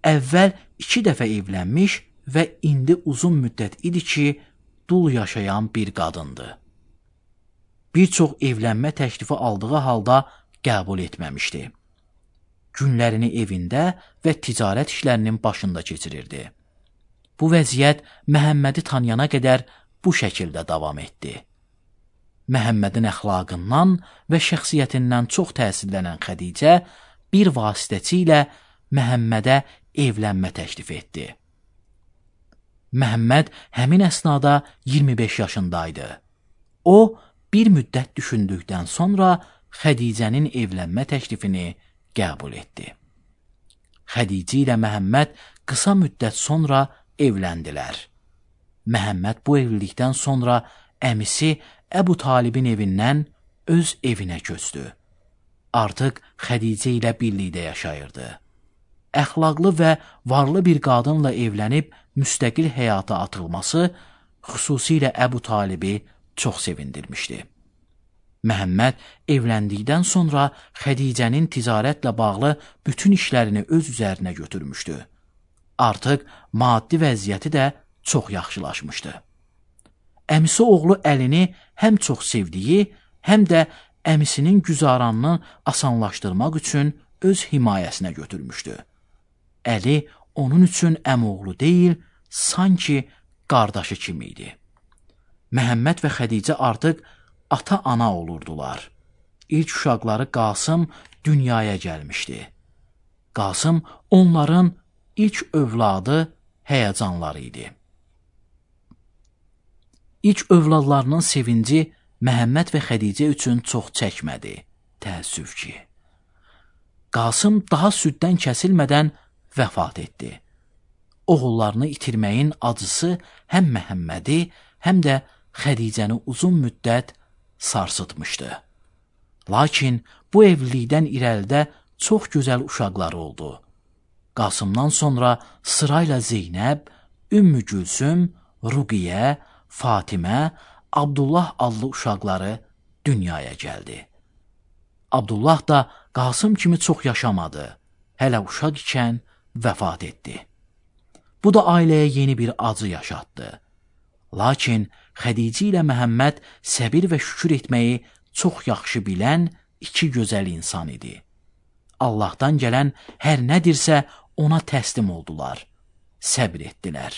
əvvəl iki dəfə evlənmiş və indi uzun müddət idi ki, dul yaşayan bir qadındı. Bir çox evlənmə təklifi aldığı halda qəbul etməmişdi. Günlərini evində və ticarət işlərinin başında keçirirdi. Bu vəziyyət Məhəmmədi tanıyana qədər bu şəkildə davam etdi. Məhəmmədin əxlaqından və şəxsiyyətindən çox təsirlənən Xədicə bir vasitəçi ilə Məhəmmədə evlənmə təklif etdi. Məhəmməd həmin əsnada iyirmi beş yaşındaydı. O, bir müddət düşündükdən sonra Xədicənin evlənmə təklifini qəbul etdi. Xədicə ilə Məhəmməd qısa müddət sonra evləndilər. Məhəmməd bu evlilikdən sonra əmisi Əbu Talibin evindən öz evinə köçdü. Artıq Xədicə ilə birlikdə yaşayırdı. Əxlaqlı və varlı bir qadınla evlənib müstəqil həyata atılması xüsusilə Əbu Talibi çox sevindirmişdi. Məhəmməd evləndikdən sonra Xədicənin ticarətlə bağlı bütün işlərini öz üzərinə götürmüşdü. Artıq maddi vəziyyəti də çox yaxşılaşmışdı. Əmisi oğlu Əlini həm çox sevdiyi, həm də əmisinin güzaranını asanlaşdırmaq üçün öz himayəsinə götürmüşdü. Əli onun üçün əmoğlu deyil, sanki qardaşı kimi idi. Məhəmməd və Xədicə artıq ata-ana olurdular. İlk uşaqları Qasım dünyaya gəlmişdi. Qasım onların ilk övladı, həyəcanları idi. İlk övladlarının sevinci Məhəmməd və Xədicə üçün çox çəkmədi, təəssüf ki. Qasım daha süddən kəsilmədən vəfat etdi. Oğullarını itirməyin acısı həm Məhəmmədi, həm də Xədicəni uzun müddət sarsıtmışdı. Lakin bu evlilikdən irəlidə çox gözəl uşaqları oldu. Qasımdan sonra sırayla Zeynəb, Ümmü Gülsüm, Ruqiyyə, Fatimə, Abdullah adlı uşaqları dünyaya gəldi. Abdullah da Qasım kimi çox yaşamadı. Hələ uşaq ikən vəfat etdi. Bu da ailəyə yeni bir acı yaşatdı. Lakin Xədicə ilə Məhəmməd səbir və şükür etməyi çox yaxşı bilən iki gözəl insan idi. Allahdan gələn hər nədirsə ona təslim oldular, səbr etdilər.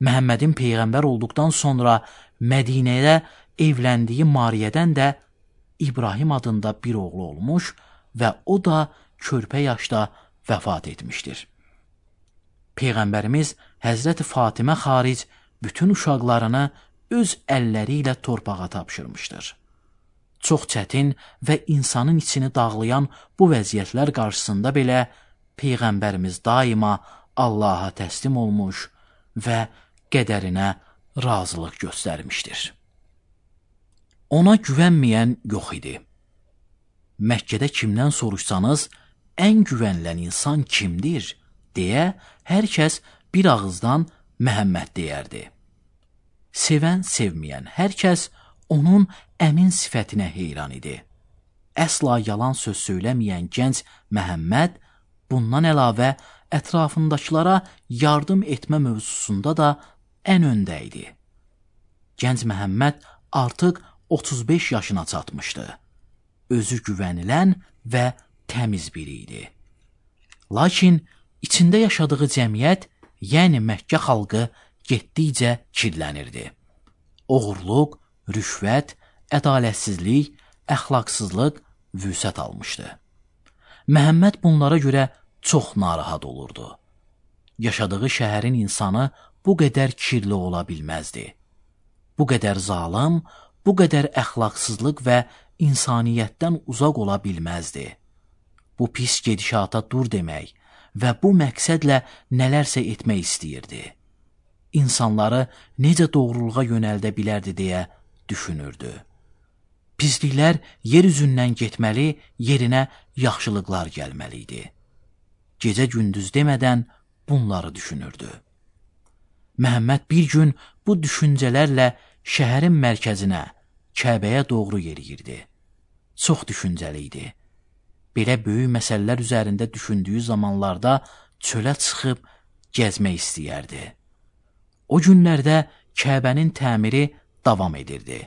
Məhəmmədin peyğəmbər olduqdan sonra Mədinəyə evləndiyi Mariyyədən də İbrahim adında bir oğlu olmuş və o da körpə yaşda vəfat etmişdir. Peyğəmbərimiz Həzrəti Fatimə xaric bütün uşaqlarını öz əlləri ilə torpağa tapşırmışdır. Çox çətin və insanın içini dağlayan bu vəziyyətlər qarşısında belə Peyğəmbərimiz daima Allaha təslim olmuş və qədərinə razılıq göstərmişdir. Ona güvənməyən yox idi. Məkkədə kimdən soruşsanız, ən güvənilən insan kimdir, deyə hər kəs bir ağızdan Məhəmməd deyərdi. Sevən, sevməyən hər kəs onun əmin sifətinə heyran idi. Əsla yalan söz söyləməyən gənc Məhəmməd bundan əlavə ətrafındakılara yardım etmə mövzusunda da ən öndə idi. Gənc Məhəmməd artıq otuz beş yaşına çatmışdı. Özü güvənilən və təmiz biri idi. Lakin içində yaşadığı cəmiyyət, yəni Məkkə xalqı getdikcə kirlənirdi. Oğurluq, rüşvət, ədalətsizlik, əxlaqsızlıq vüsət almışdı. Məhəmməd bunlara görə çox narahat olurdu. Yaşadığı şəhərin insanı bu qədər kirli ola bilməzdi. Bu qədər zalım, bu qədər əxlaqsızlıq və insaniyyətdən uzaq ola bilməzdi. Bu pis gedişata dur demək və bu məqsədlə nələrsə etmək istəyirdi. İnsanları necə doğruluğa yönəldə bilərdi deyə düşünürdü. Pisliklər yer üzündən getməli, yerinə yaxşılıqlar gəlməli idi. gecə-gündüz demədən bunları düşünürdü. Məhəmməd bir gün bu düşüncələrlə şəhərin mərkəzinə, Kəbəyə doğru yeriyirdi. Çox düşüncəli idi. Belə böyük məsələlər üzərində düşündüyü zamanlarda çölə çıxıb gəzmək istəyərdi. O günlərdə Kəbənin təmiri davam edirdi.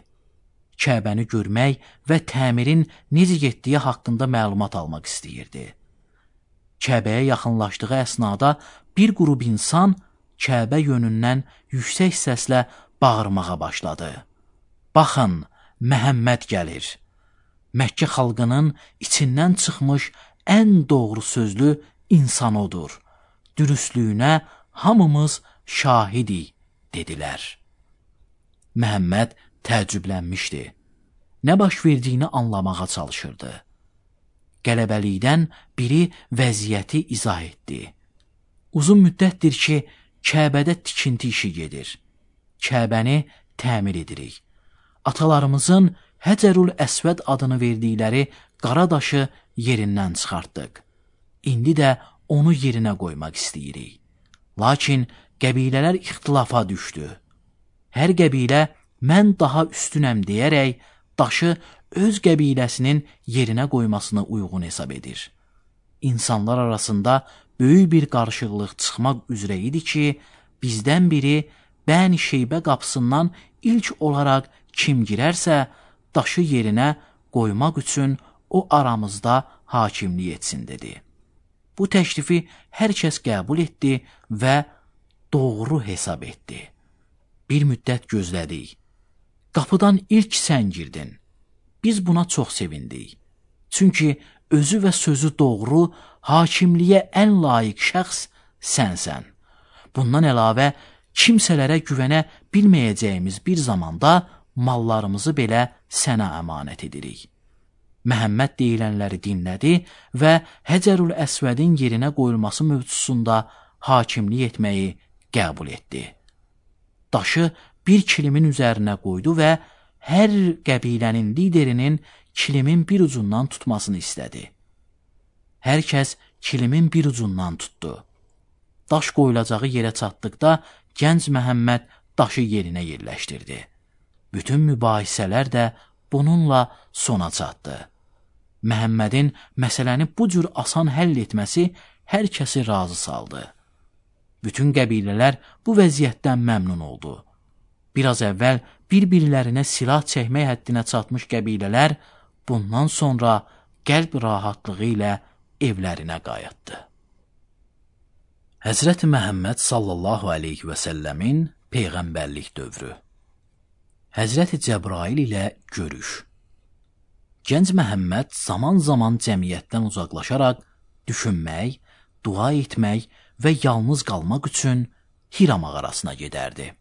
Kəbəni görmək və təmirin necə getdiyi haqqında məlumat almaq istəyirdi. Kəbəyə yaxınlaşdığı əsnada bir qrup insan Kəbə yönündən yüksək səslə bağırmağa başladı. Baxın, Məhəmməd gəlir. Məkkə xalqının içindən çıxmış ən doğru sözlü insan odur. Dürüstlüyünə hamımız şahidik, dedilər. Məhəmməd təəccüblənmişdi. Nə baş verdiyini anlamağa çalışırdı. Qələbəlikdən biri vəziyyəti izah etdi. Uzun müddətdir ki, Kəbədə tikinti işi gedir. Kəbəni təmir edirik. Atalarımızın Həcərül Əsvəd adını verdikləri qara daşı yerindən çıxartdıq. İndi də onu yerinə qoymaq istəyirik. Lakin qəbilələr ixtilafa düşdü. Hər qəbilə mən daha üstünəm deyərək daşı öz qəbiləsinin yerinə qoymasını uyğun hesab edir. İnsanlar arasında böyük bir qarışıqlıq çıxmaq üzrə idi ki, bizdən biri Bəni Şeybə qapısından ilk olaraq kim girərsə, daşı yerinə qoymaq üçün o aramızda hakimlik etsin, dedi. Bu təklifi hər kəs qəbul etdi və doğru hesab etdi. Bir müddət gözlədik. Qapıdan ilk sən girdin. Biz buna çox sevindik. Çünki özü və sözü doğru, hakimliyə ən layiq şəxs sənsən. Bundan əlavə, kimsələrə güvənə bilməyəcəyimiz bir zamanda mallarımızı belə sənə əmanət edirik. Məhəmməd deyilənləri dinlədi və Həcərül Əsvədin yerinə qoyulması mövzusunda hakimlik etməyi qəbul etdi. Daşı bir kilimin üzərinə qoydu və hər qəbilənin liderinin kilimin bir ucundan tutmasını istədi. Hər kəs kilimin bir ucundan tutdu. Daş qoyulacağı yerə çatdıqda gənc Məhəmməd daşı yerinə yerləşdirdi. Bütün mübahisələr də bununla sona çatdı. Məhəmmədin məsələni bu cür asan həll etməsi hər kəsi razı saldı. Bütün qəbilələr bu vəziyyətdən məmnun oldu. Biraz əvvəl bir-birlərinə silah çəkmək həddinə çatmış qəbilələr bundan sonra qəlb rahatlığı ilə evlərinə qayıtdı. Həzrəti Məhəmməd sallallahu aleyhi və səlləmin peyğəmbərlik dövrü. Həzrəti Cəbrail ilə görüş. Gənc Məhəmməd zaman-zaman cəmiyyətdən uzaqlaşaraq düşünmək, dua etmək və yalnız qalmaq üçün Hira mağarasına gedərdi.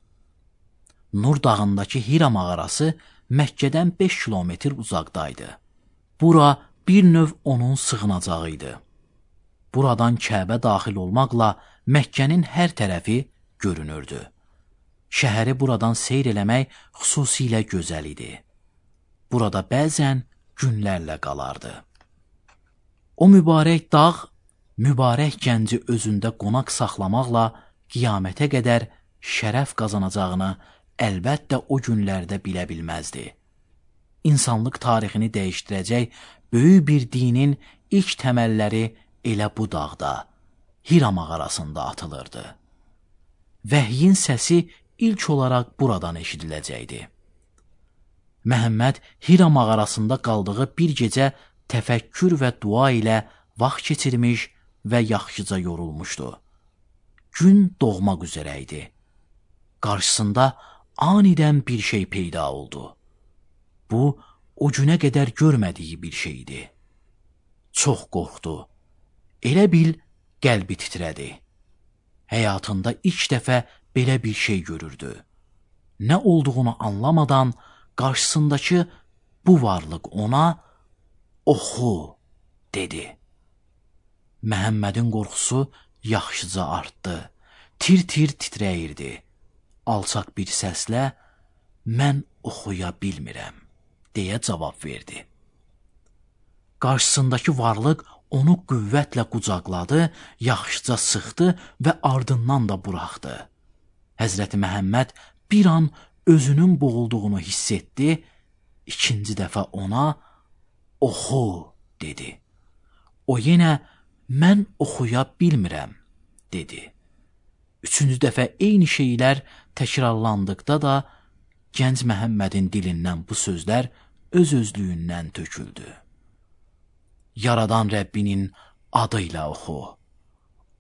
Nur dağındakı Hira mağarası Məkkədən beş kilometr uzaqdaydı. Bura bir növ onun sığınacağı idi. Buradan Kəbə daxil olmaqla Məkkənin hər tərəfi görünürdü. Şəhəri buradan seyr eləmək xüsusilə gözəl idi. Burada bəzən günlərlə qalardı. O mübarək dağ, mübarək gənci özündə qonaq saxlamaqla qiyamətə qədər şərəf qazanacağını əlbəttə o günlərdə bilə bilməzdi. İnsanlıq tarixini dəyişdirəcək böyük bir dinin ilk təməlləri elə bu dağda, Hira mağarasında atılırdı. Vəhyin səsi ilk olaraq buradan eşidiləcəkdi. Məhəmməd Hira mağarasında qaldığı bir gecə təfəkkür və dua ilə vaxt keçirmiş və yaxşıca yorulmuşdu. Gün doğmaq üzrə idi. Qarşısında anidən bir şey peyda oldu. Bu, o günə qədər görmədiyi bir şeydi. Çox qorxdu. Elə bil qəlbi titrədi. Həyatında ilk dəfə belə bir şey görürdü. Nə olduğunu anlamadan qarşısındakı bu varlıq ona "Oxu" dedi. Məhəmmədin qorxusu yaxşıca artdı. Tir-tir titrəyirdi. Alçaq bir səslə "Mən oxuya bilmirəm" deyə cavab verdi. Qarşısındakı varlıq onu qüvvətlə qucaqladı, yaxşıca sıxdı və ardından da buraxdı. Həzrəti Məhəmməd bir an özünün boğulduğunu hiss etdi, ikinci dəfə ona oxu dedi. O yenə mən oxuya bilmirəm dedi. Üçüncü dəfə eyni şeylər təkrarlandıqda da gənc Məhəmmədin dilindən bu sözlər öz-özlüyündən töküldü. Yaradan Rəbbinin adıyla oxu.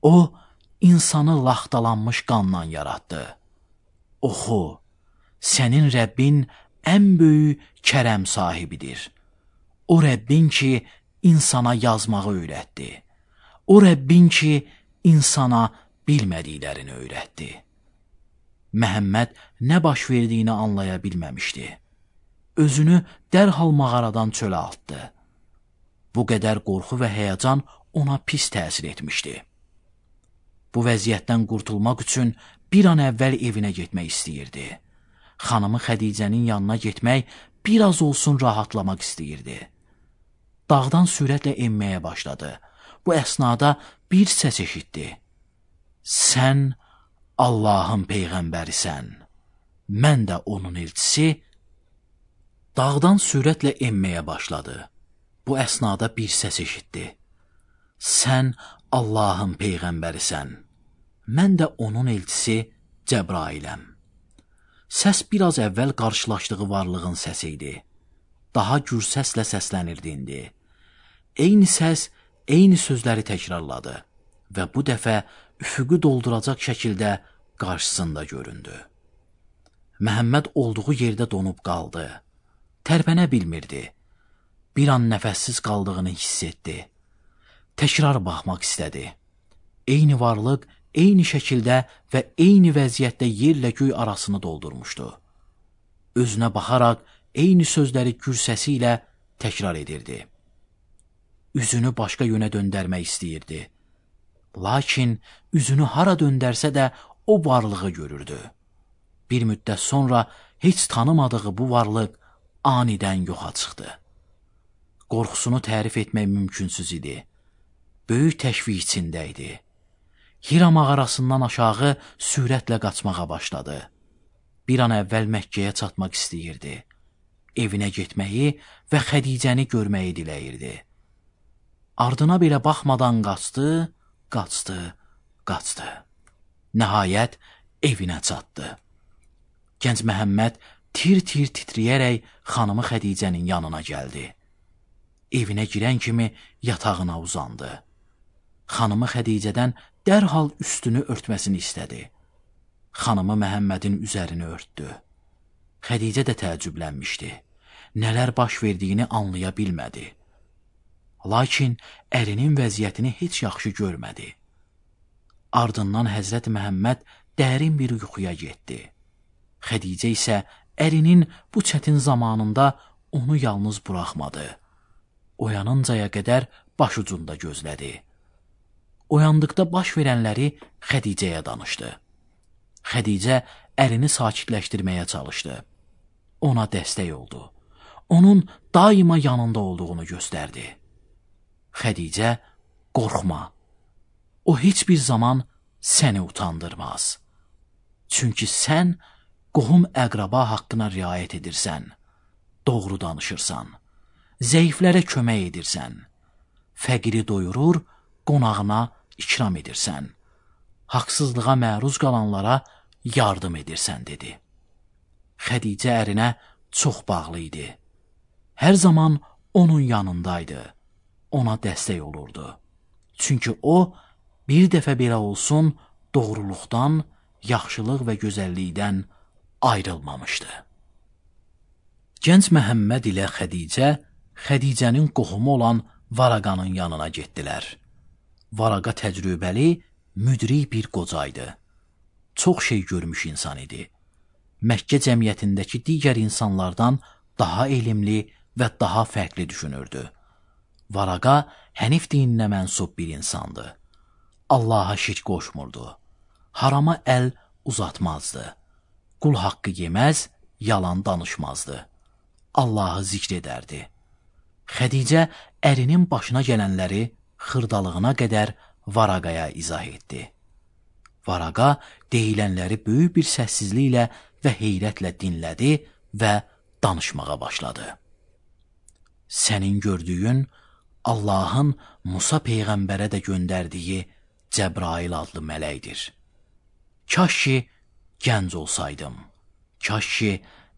O, insanı laxtalanmış qanla yaratdı. Oxu, sənin Rəbbin ən böyük kərəm sahibidir. O Rəbbin ki, insana yazmağı öyrətdi. O Rəbbin ki, insana bilmədiklərini öyrətdi. Məhəmməd nə baş verdiyini anlaya bilməmişdi. Özünü dərhal mağaradan çölə atdı. Bu qədər qorxu və həyəcan ona pis təsir etmişdi. Bu vəziyyətdən qurtulmaq üçün bir an əvvəl evinə getmək istəyirdi. Xanımı Xədicənin yanına getmək, bir az olsun rahatlamaq istəyirdi. Dağdan sürətlə enməyə başladı. Bu əsnada bir səs eşitdi. Sən Allahın peyğəmbərisən, mən də onun elçisi. Dağdan sürətlə enməyə başladı. Bu əsnada bir səs eşitdi. Sən Allahın peyğəmbərisən, mən də onun elçisi Cəbrailəm. Səs biraz əvvəl qarşılaşdığı varlığın səsi idi. Daha gür səslə səslənirdi indi. Eyni səs, eyni sözləri təkrarladı və bu dəfə üfüqü dolduracaq şəkildə qarşısında göründü. Məhəmməd olduğu yerdə donub qaldı. Tərpənə bilmirdi. Bir an nəfəssiz qaldığını hiss etdi. Təkrar baxmaq istədi. Eyni varlıq, eyni şəkildə və eyni vəziyyətdə yerlə göy arasını doldurmuşdu. Özünə baxaraq eyni sözləri gür səsi ilə təkrar edirdi. Üzünü başqa yönə döndərmək istəyirdi. Lakin üzünü hara döndərsə də o varlığı görürdü. Bir müddət sonra heç tanımadığı bu varlıq anidən yoxa çıxdı. Qorxusunu tərif etmək mümkünsüz idi. Böyük təşviq içində idi. Hira mağarasından aşağı sürətlə qaçmağa başladı. Bir an əvvəl Məkkəyə çatmaq istəyirdi. Evinə getməyi və Xədicəni görməyi diləyirdi. Ardına belə baxmadan qaçdı, qaçdı, qaçdı. Nəhayət evinə çatdı. Gənc Məhəmməd tir-tir titrəyərək xanımı Xədicənin yanına gəldi. Evinə girən kimi yatağına uzandı. Xanımı Xədicədən dərhal üstünü örtməsini istədi. Xanımı Məhəmmədin üzərini örtdü. Xədicə də təəccüblənmişdi. Nələr baş verdiyini anlaya bilmədi. Lakin ərinin vəziyyətini heç yaxşı görmədi. Ardından Həzrət Məhəmməd dərin bir yuxuya getdi. Xədicə isə ərinin bu çətin zamanında onu yalnız buraxmadı. Oyanıncaya qədər başucunda gözlədi. Oyandıqda baş verənləri Xədicəyə danışdı. Xədicə ərini sakitləşdirməyə çalışdı. Ona dəstək oldu. Onun daima yanında olduğunu göstərdi. Xədicə, qorxma. O heç bir zaman səni utandırmaz. Çünki sən qohum əqraba haqqına riayət edirsən, doğru danışırsan, zəiflərə kömək edirsən, fəqiri doyurur, qonağına ikram edirsən, haqsızlığa məruz qalanlara yardım edirsən, dedi. Xədicə ərinə çox bağlı idi. Hər zaman onun yanındaydı, ona dəstək olurdu. Çünki o, bir dəfə belə olsun, doğruluqdan, yaxşılıq və gözəllikdən ayrılmamışdı. Gənc Məhəmməd ilə Xədicə, Xədicənin qohumu olan Varaqanın yanına getdilər. Varaqa təcrübəli, müdrik bir qocaydı. Çox şey görmüş insan idi. Məkkə cəmiyyətindəki digər insanlardan daha elmli və daha fərqli düşünürdü. Varaqa Hənif dininə mənsub bir insandı. Allaha şirk qoşmurdu. Harama əl uzatmazdı. Qul haqqı yeməz, yalan danışmazdı. Allahı zikr edərdi. Xədicə ərinin başına gələnləri xırdalığına qədər Varaqaya izah etdi. Varaqa deyilənləri böyük bir səssizliklə və heyrətlə dinlədi və danışmağa başladı. Sənin gördüyün Allahın Musa Peyğəmbərə də göndərdiyi Cəbrail adlı mələkdir. Kaş ki, gənc olsaydım. Kaş ki,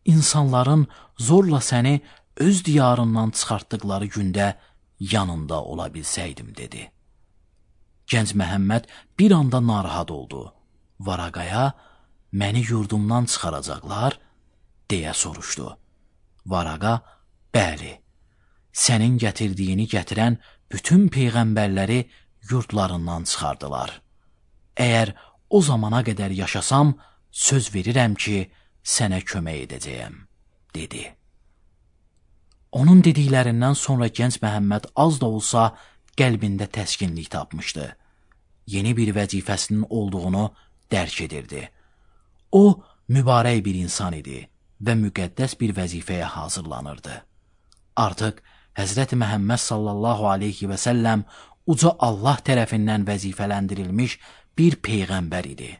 insanların zorla səni öz diyarından çıxartdıqları gündə yanında ola bilsəydim, dedi. Gənc Məhəmməd bir anda narahat oldu. Varaqaya, məni yurdumdan çıxaracaqlar, deyə soruşdu. Varaqa, bəli, sənin gətirdiyini gətirən bütün peyğəmbərləri yurdlarından çıxardılar. Əgər o zamana qədər yaşasam, söz verirəm ki, sənə kömək edəcəyəm, dedi. Onun dediklərindən sonra gənc Məhəmməd az da olsa qəlbində təskinlik tapmışdı. Yeni bir vəzifəsinin olduğunu dərk edirdi. O, mübarək bir insan idi və müqəddəs bir vəzifəyə hazırlanırdı. Artıq Həzrəti Məhəmməd sallallahu aleyhi və səlləm uca Allah tərəfindən vəzifələndirilmiş bir peyğəmbər idi.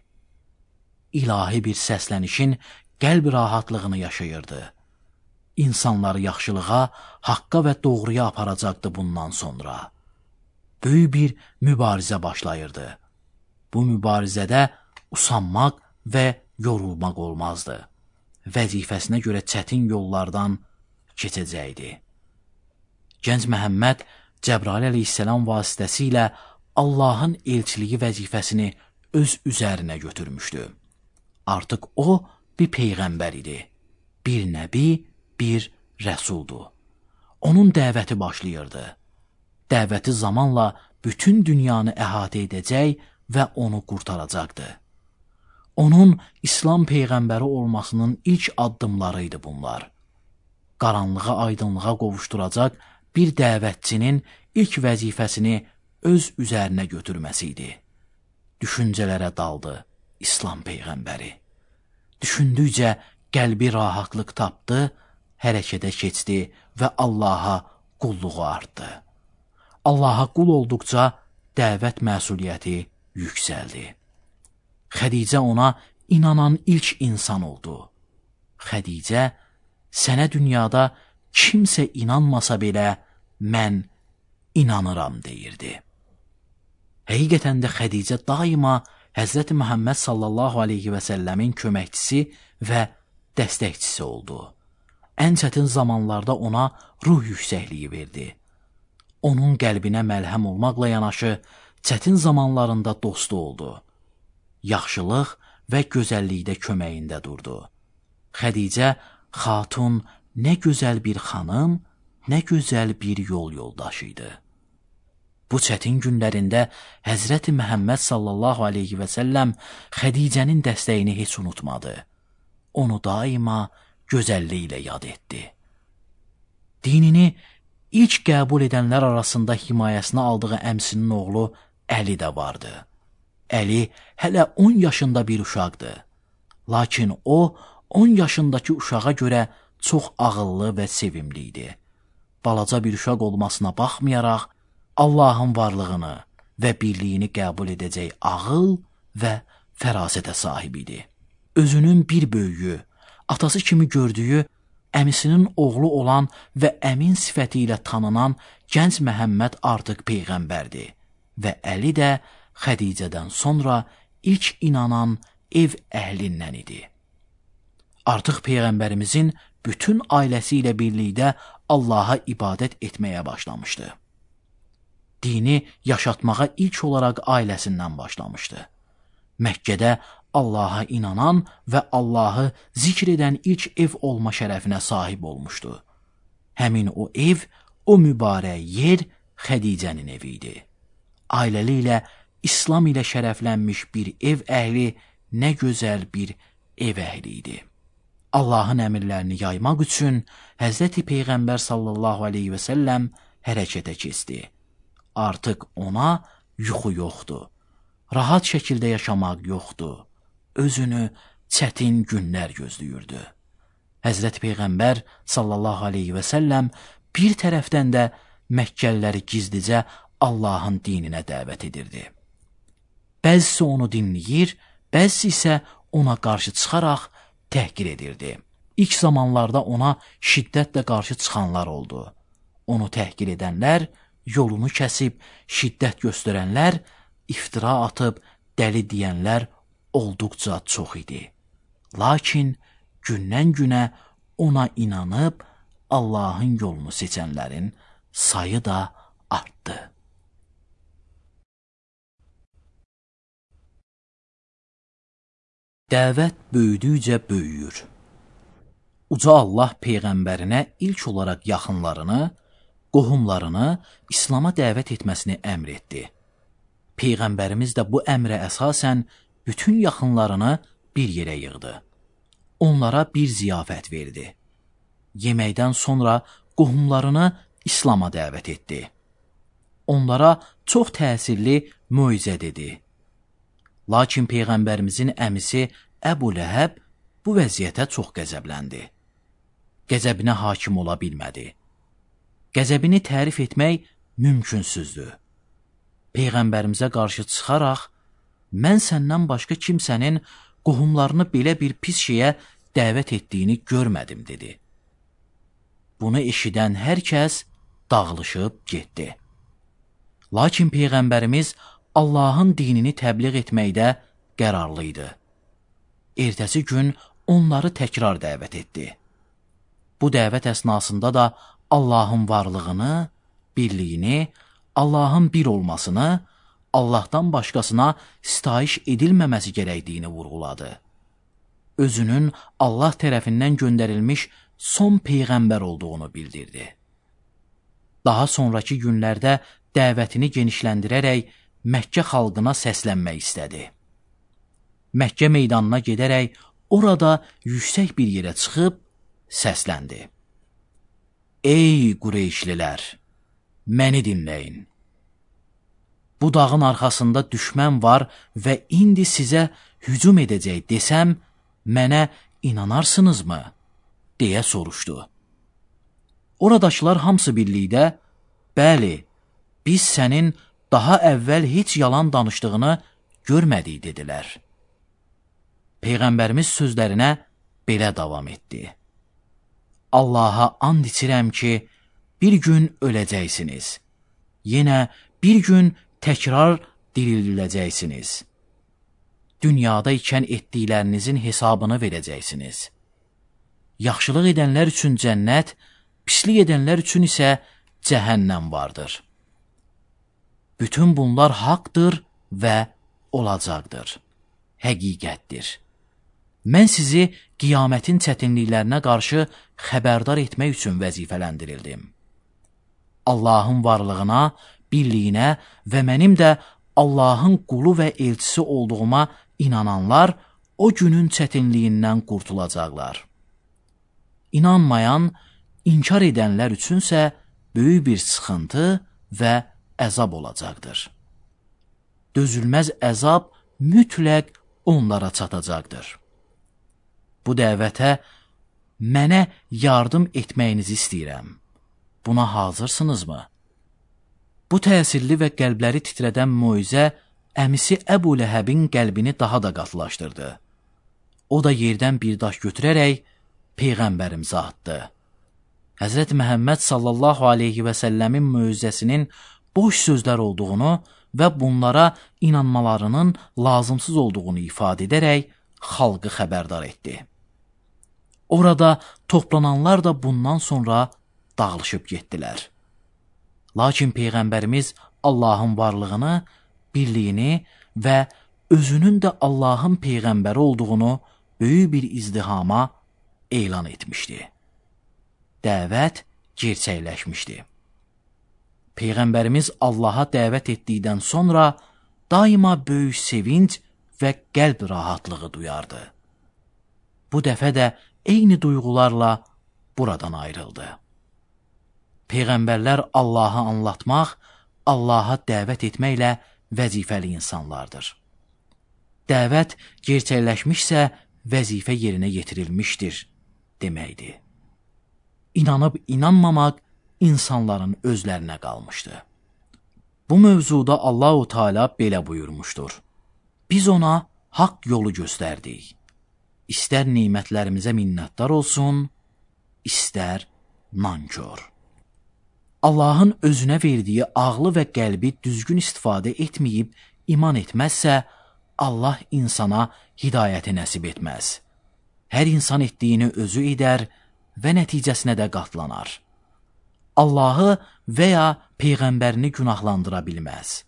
İlahi bir səslənişin qəlb rahatlığını yaşayırdı. İnsanları yaxşılığa, haqqa və doğruya aparacaqdı bundan sonra. Böyük bir mübarizə başlayırdı. Bu mübarizədə usanmaq və yorulmaq olmazdı. Vəzifəsinə görə çətin yollardan keçəcəkdi. Gənc Məhəmməd Cəbrail əleyhissalam vasitəsilə Allahın elçiliyi vəzifəsini öz üzərinə götürmüşdü. Artıq o bir peyğəmbər idi. Bir nəbi, bir rəsuldu. Onun dəvəti başlayırdı. Dəvəti zamanla bütün dünyanı əhatə edəcək və onu qurtaracaqdı. Onun İslam peyğəmbəri olmasının ilk addımlarıydı bunlar. Qaranlığa aydınlığa qovuşduracaq bir dəvətçinin ilk vəzifəsini öz üzərinə götürməsi idi. Düşüncələrə daldı İslam peyğəmbəri. Düşündükcə qəlbi rahatlıq tapdı, hərəkətə keçdi və Allaha qulluğu artdı. Allaha qul olduqca dəvət məsuliyyəti yüksəldi. Xədicə ona inanan ilk insan oldu. Xədicə, sənə dünyada kimsə inanmasa belə mən inanıram, deyirdi. Həqiqətən də Xədicə daima Həzrəti Məhəmməd sallallahu aleyhi və səlləmin köməkçisi və dəstəkçisi oldu. Ən çətin zamanlarda ona ruh yüksəkliyi verdi. Onun qəlbinə məlhəm olmaqla yanaşı, çətin zamanlarında dostu oldu. Yaxşılıq və gözəllikdə köməyində durdu. Xədicə, xatun nə gözəl bir xanım, nə gözəl bir yol yoldaşıydı. Bu çətin günlərində Həzrəti Məhəmməd sallallahu aleyhi və səlləm Xədicənin dəstəyini heç unutmadı. Onu daima gözəlliklə yad etdi. Dinini ilk qəbul edənlər arasında himayəsinə aldığı əmsinin oğlu Əli də vardı. Əli hələ on yaşında bir uşaqdı. Lakin o, on yaşındakı uşağa görə çox ağıllı və sevimli idi. Balaca bir uşaq olmasına baxmayaraq, Allahın varlığını və birliyini qəbul edəcək ağıl və fərasətə sahib idi. Özünün bir böyüyü, atası kimi gördüyü, əmisinin oğlu olan və əmin sifəti ilə tanınan gənc Məhəmməd artıq peyğəmbərdi və Əli də Xədicədən sonra ilk inanan ev əhlindən idi. Artıq peyğəmbərimizin bütün ailəsi ilə birlikdə Allaha ibadət etməyə başlamışdı. Dini yaşatmağa ilk olaraq ailəsindən başlamışdı. Məkkədə Allaha inanan və Allahı zikr edən ilk ev olma şərəfinə sahib olmuşdu. Həmin o ev, o mübarək yer Xədicənin evi idi. Ailəliklə İslam ilə şərəflənmiş bir ev əhli nə gözəl bir ev əhli idi. Allahın əmrlərini yaymaq üçün Həzrəti Peyğəmbər sallallahu aleyhi və səlləm hərəkətə keçdi. Artıq ona yuxu yoxdur. Rahat şəkildə yaşamaq yoxdur. Özünü çətin günlər gözləyirdi. Həzrəti Peyğəmbər sallallahu aleyhi və səlləm bir tərəfdən də Məkkəliləri gizlicə Allahın dininə dəvət edirdi. Bəzisi onu dinləyir, bəzisi isə ona qarşı çıxaraq təhqir edirdi. İlk zamanlarda ona şiddətlə qarşı çıxanlar oldu. Onu təhqir edənlər, yolunu kəsib, şiddət göstərənlər, iftira atıb, dəli deyənlər olduqca çox idi. Lakin gündən günə ona inanıb Allahın yolunu seçənlərin sayı da artdı. Dəvət böyüdükcə böyüyür. Uca Allah Peyğəmbərinə ilk olaraq yaxınlarını, qohumlarını İslama dəvət etməsini əmr etdi. Peyğəmbərimiz də bu əmrə əsasən bütün yaxınlarını bir yerə yığdı. Onlara bir ziyafət verdi. Yeməkdən sonra qohumlarını İslama dəvət etdi. Onlara çox təsirli möizə dedi. Lakin Peyğəmbərimizin əmisi Əbu Ləhəb bu vəziyyətə çox qəzəbləndi. Qəzəbinə hakim ola bilmədi. Qəzəbini tərif etmək mümkünsüzdür. Peyğəmbərimizə qarşı çıxaraq, mən səndən başqa kimsənin qohumlarını belə bir pis şeyə dəvət etdiyini görmədim, dedi. Bunu eşidən hər kəs dağılışıb getdi. Lakin Peyğəmbərimiz Allahın dinini təbliğ etməkdə qərarlı idi. Ertəsi gün onları təkrar dəvət etdi. Bu dəvət əsnasında da Allahın varlığını, birliyini, Allahın bir olmasını, Allahdan başqasına sitayiş edilməməsi gərəkdiyini vurğuladı. Özünün Allah tərəfindən göndərilmiş son Peyğəmbər olduğunu bildirdi. Daha sonraki günlərdə dəvətini genişləndirərək Məkkə xalqına səslənmək istədi. Məkkə meydanına gedərək orada yüksək bir yerə çıxıb səsləndi. Ey Qureyşlilər, məni dinləyin. Bu dağın arxasında düşmən var və indi sizə hücum edəcək desəm, mənə inanarsınızmı? Deyə soruşdu. Oradakılar hamısı birlikdə, bəli, biz sənin daha əvvəl heç yalan danışdığını görmədik, dedilər. Peyğəmbərimiz sözlərinə belə davam etdi. Allaha and içirəm ki, bir gün öləcəksiniz. Yenə bir gün təkrar dirildiləcəksiniz. Dünyada ikən etdiklərinizin hesabını verəcəksiniz. Yaxşılıq edənlər üçün cənnət, pislik edənlər üçün isə cəhənnəm vardır. Bütün bunlar haqdır və olacaqdır. Həqiqətdir. Mən sizi qiyamətin çətinliklərinə qarşı xəbərdar etmək üçün vəzifələndirildim. Allahın varlığına, birliyinə və mənim də Allahın qulu və elçisi olduğuma inananlar o günün çətinliyindən qurtulacaqlar. İnanmayan, inkar edənlər üçünsə böyük bir sıxıntı və əzab olacaqdır. Dözülməz əzab mütləq onlara çatacaqdır. Bu dəvətə mənə yardım etməyinizi istəyirəm. Buna hazırsınızmı? Bu təsirli və qəlbləri titrədən möizə əmisi Əbu Ləhəbin qəlbini daha da qatılaşdırdı. O da yerdən bir daş götürərək Peyğəmbərimizə atdı. Həzrət Məhəmməd sallallahu aleyhi və səlləmin möizəsinin boş sözlər olduğunu və bunlara inanmalarının lazımsız olduğunu ifadə edərək xalqı xəbərdar etdi. Orada toplananlar da bundan sonra dağılışıb getdilər. Lakin Peyğəmbərimiz Allahın varlığını, birliyini və özünün də Allahın Peyğəmbəri olduğunu böyük bir izdihama elan etmişdi. Dəvət gerçəkləşmişdi. Peyğəmbərimiz Allaha dəvət etdikdən sonra daima böyük sevinç və qəlb rahatlığı duyardı. Bu dəfə də eyni duyğularla buradan ayrıldı. Peyğəmbərlər Allahı anlatmaq, Allaha dəvət etməklə vəzifəli insanlardır. Dəvət gerçəkləşmişsə vəzifə yerinə yetirilmişdir deməkdir. İnanıb inanmamaq insanların özlərinə qalmışdı. Bu mövzuda Allahu Teala belə buyurmuşdur: Biz ona haqq yolu göstərdik. İstər nemətlərimizə minnətdar olsun, istər nankor. Allahın özünə verdiyi ağlı və qəlbi düzgün istifadə etməyib iman etməzsə, Allah insana hidayəti nəsib etməz. Hər insan etdiyini özü edər və nəticəsinə də qatlanar. Allahı və ya Peyğəmbərini günahlandıra bilməz.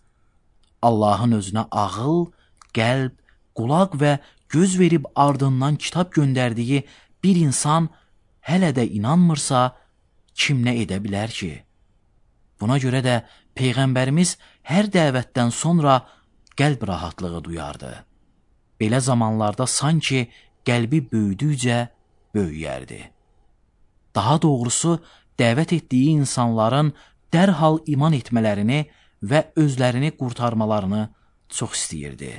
Allahın özünə ağıl, qəlb, qulaq və göz verib ardından kitab göndərdiyi bir insan hələ də inanmırsa, kim nə edə bilər ki? Buna görə də Peyğəmbərimiz hər dəvətdən sonra qəlb rahatlığı duyardı. Belə zamanlarda sanki qəlbi böyüdükcə böyüyərdi. Daha doğrusu, dəvət etdiyi insanların dərhal iman etmələrini və özlərini qurtarmalarını çox istəyirdi.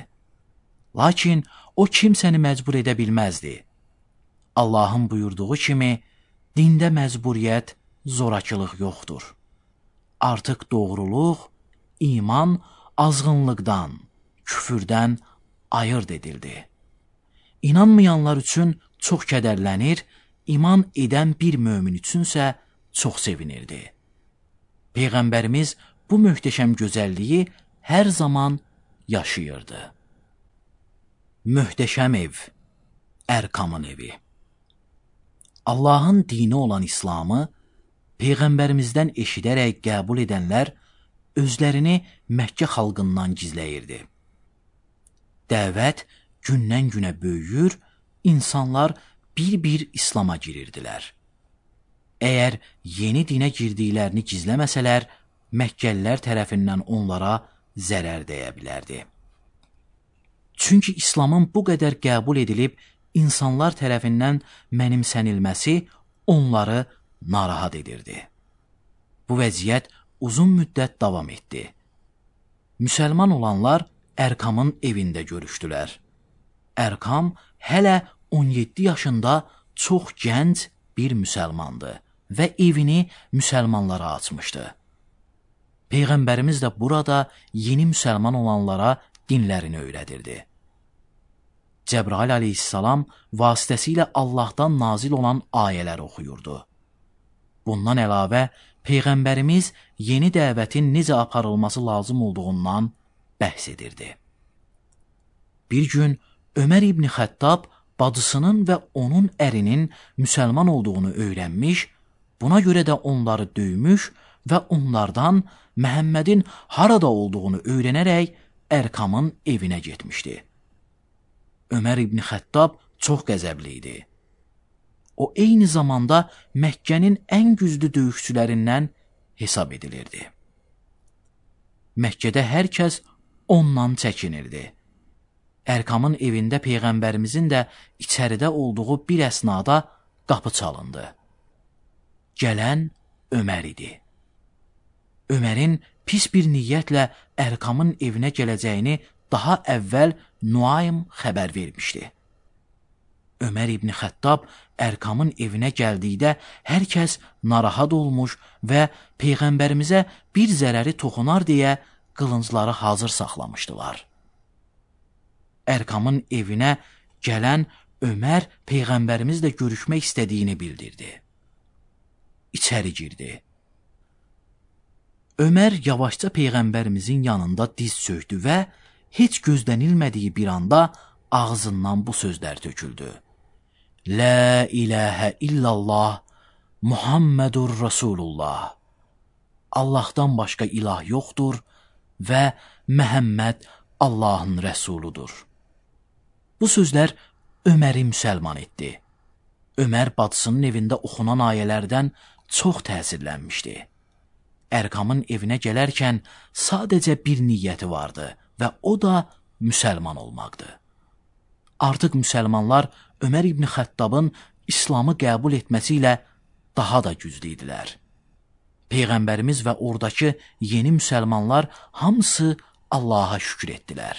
Lakin o kimsəni məcbur edə bilməzdi. Allahın buyurduğu kimi, dində məcburiyyət, zorakılıq yoxdur. Artıq doğruluq, iman azğınlıqdan, küfürdən ayırd edildi. İnanmayanlar üçün çox kədərlənir, iman edən bir mömin üçünsə çox sevinirdi. Peyğəmbərimiz bu möhtəşəm gözəlliyi hər zaman yaşayırdı. Möhtəşəm ev, Ərkamın evi. Allahın dini olan İslamı Peyğəmbərimizdən eşidərək qəbul edənlər özlərini Məkkə xalqından gizləyirdi. Dəvət gündən günə böyüyür, insanlar bir-bir İslama girirdilər. Əgər yeni dinə girdiklərini gizləməsələr, Məkkəlilər tərəfindən onlara zərər dəyə bilərdi. Çünki İslamın bu qədər qəbul edilib, insanlar tərəfindən mənimsənilməsi onları narahat edirdi. Bu vəziyyət uzun müddət davam etdi. Müsəlman olanlar Ərkamın evində görüşdülər. Ərkam hələ on yeddi yaşında çox gənc bir müsəlmandı və evini müsəlmanlara açmışdı. Peyğəmbərimiz də burada yeni müsəlman olanlara dinlərini öyrədirdi. Cəbrail aleyhissalam vasitəsilə Allahdan nazil olan ayələr oxuyurdu. Bundan əlavə, Peyğəmbərimiz yeni dəvətin necə aparılması lazım olduğundan bəhs edirdi. Bir gün Ömər İbni Xəttab bacısının və onun ərinin müsəlman olduğunu öyrənmiş, buna görə də onları döymüş və onlardan Məhəmmədin harada olduğunu öyrənərək Ərkamın evinə getmişdi. Ömər İbni Xəttab çox qəzəbli idi. O, eyni zamanda Məkkənin ən güclü döyüşçülərindən hesab edilirdi. Məkkədə hər kəs ondan çəkinirdi. Ərkamın evində Peyğəmbərimizin də içəridə olduğu bir əsnada qapı çalındı. Gələn Ömər idi. Ömərin pis bir niyyətlə Ərkamın evinə gələcəyini daha əvvəl Nuaym xəbər vermişdi. Ömər İbni Xəttab Ərkamın evinə gəldikdə hər kəs narahat olmuş və Peyğəmbərimizə bir zərəri toxunar deyə qılıncları hazır saxlamışdılar. Ərkamın evinə gələn Ömər Peyğəmbərimizlə görüşmək istədiyini bildirdi. İçəri girdi. Ömər yavaşca Peyğəmbərimizin yanında diz çöktü və heç gözlənilmədiyi bir anda ağzından bu sözlər töküldü. La ilahə illallah, Muhammedur Rasulullah. Allahdan başqa ilah yoxdur və Məhəmməd Allahın rəsuludur. Bu sözlər Öməri müsəlman etdi. Ömər bacısının evində oxunan ayələrdən çox təsirlənmişdi. Ərkamın evinə gələrkən sadəcə bir niyyəti vardı və o da müsəlman olmaqdı. Artıq müsəlmanlar Ömər İbni Xəttabın İslamı qəbul etməsi ilə daha da güclü idilər. Peyğəmbərimiz və oradakı yeni müsəlmanlar hamısı Allaha şükür etdilər.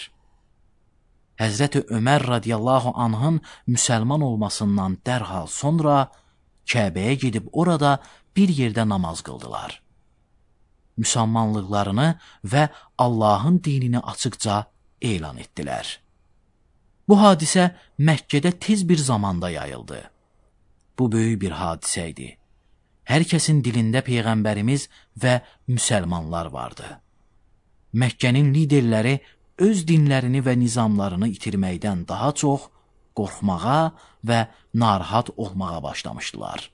Həzrəti Ömər radiyallahu anhın müsəlman olmasından dərhal sonra Kəbəyə gedib orada bir yerdə namaz qıldılar. müsəlmanlıqlarını və Allahın dinini açıqca elan etdilər. Bu hadisə Məkkədə tez bir zamanda yayıldı. Bu böyük bir hadisə idi. Hər kəsin dilində Peyğəmbərimiz və müsəlmanlar vardı. Məkkənin liderləri öz dinlərini və nizamlarını itirməkdən daha çox qorxmağa və narahat olmağa başlamışdılar.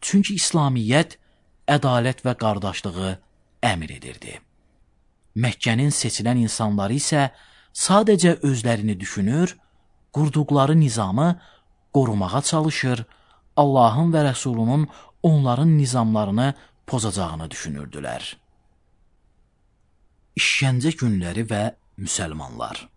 Çünki İslamiyyət ədalət və qardaşlığı əmr edirdi. Məkkənin seçilən insanları isə sadəcə özlərini düşünür, qurduqları nizamı qorumağa çalışır, Allahın və Rəsulunun onların nizamlarını pozacağını düşünürdülər. İşgəncə günləri və müsəlmanlar.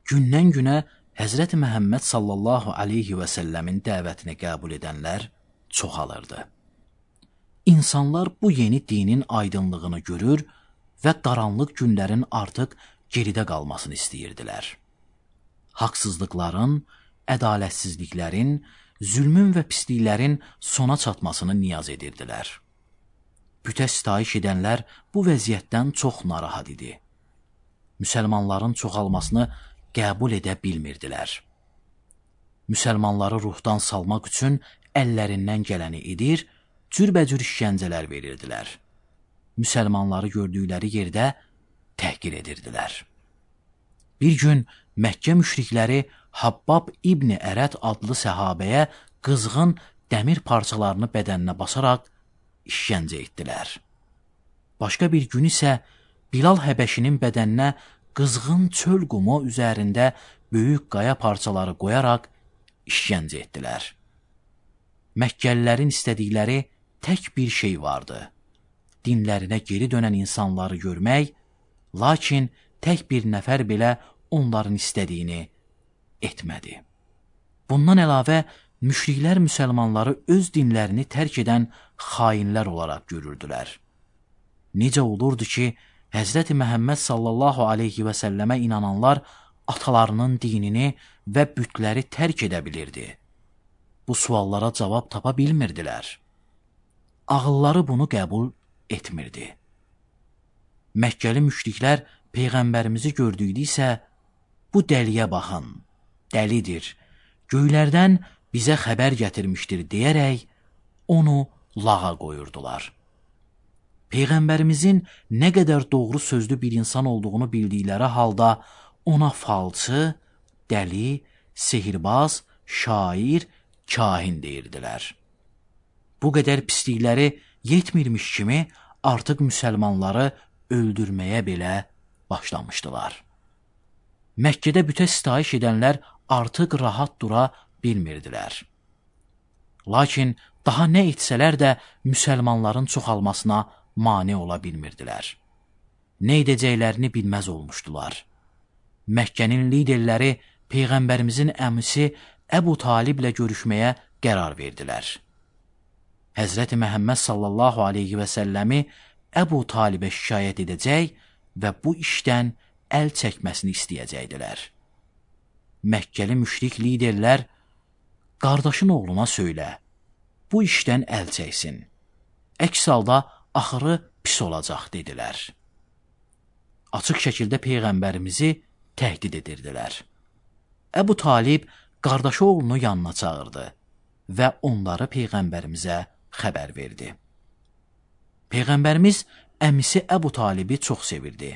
Gündən günə Həzrəti Məhəmməd sallallahu aleyhi və səlləmin dəvətini qəbul edənlər çoxalırdı. İnsanlar bu yeni dinin aydınlığını görür və qaranlıq günlərin artıq geridə qalmasını istəyirdilər. Haqsızlıqların, ədalətsizliklərin, zülmün və pisliklərin sona çatmasını niyaz edirdilər. Bütə sitayiş edənlər bu vəziyyətdən çox narahat idi. Müsəlmanların çoxalmasını qəbul edə bilmirdilər. Müsəlmanları ruhdan salmaq üçün əllərindən gələni edir, cürbəcür işgəncələr verirdilər. Müsəlmanları gördükləri yerdə təhqir edirdilər. Bir gün Məkkə müşrikləri Habbab İbni Ərəd adlı səhabəyə qızğın dəmir parçalarını bədəninə basaraq işgəncə etdilər. Başqa bir gün isə Bilal Həbəşinin bədəninə qızğın çöl qumu üzərində böyük qaya parçaları qoyaraq işgəncə etdilər. Məkkəlilərin istədikləri tək bir şey vardı. Dinlərinə geri dönən insanları görmək, lakin tək bir nəfər belə onların istədiyini etmədi. Bundan əlavə, müşriklər müsəlmanları öz dinlərini tərk edən xainlər olaraq görürdülər. Necə olurdu ki, Həzrəti Məhəmməd sallallahu aleyhi və səlləmə inananlar atalarının dinini və bütləri tərk edə bilirdi? Bu suallara cavab tapa bilmirdilər. Ağılları bunu qəbul etmirdi. Məkkəli müşriklər Peyğəmbərimizi gördükdə isə, bu dəliyə baxın, dəlidir, göylərdən bizə xəbər gətirmişdir deyərək onu lağa qoyurdular. Peyğəmbərimizin nə qədər doğru sözlü bir insan olduğunu bildikləri halda ona falçı, dəli, sehirbaz, şair, kahin deyirdilər. Bu qədər pislikləri yetmirmiş kimi artıq müsəlmanları öldürməyə belə başlamışdılar. Məkkədə bütə sitayiş edənlər artıq rahat dura bilmirdilər. Lakin daha nə etsələr də müsəlmanların çoxalmasına mane ola bilmirdilər. Nə edəcəklərini bilməz olmuşdular. Məkkənin liderləri Peyğəmbərimizin əmisi Əbu Taliblə görüşməyə qərar verdilər. Həzrəti Məhəmməd sallallahu aleyhi və səlləmi Əbu Talibə şikayət edəcək və bu işdən əl çəkməsini istəyəcəkdilər. Məkkəli müşrik liderlər, qardaşın oğluna söylə, bu işdən əl çəksin. Əks halda axırı pis olacaq, dedilər. Açıq şəkildə Peyğəmbərimizi təhdid edirdilər. Əbu Talib qardaşı oğlunu yanına çağırdı və onları Peyğəmbərimizə xəbər verdi. Peyğəmbərimiz əmisi Əbu Talibi çox sevirdi.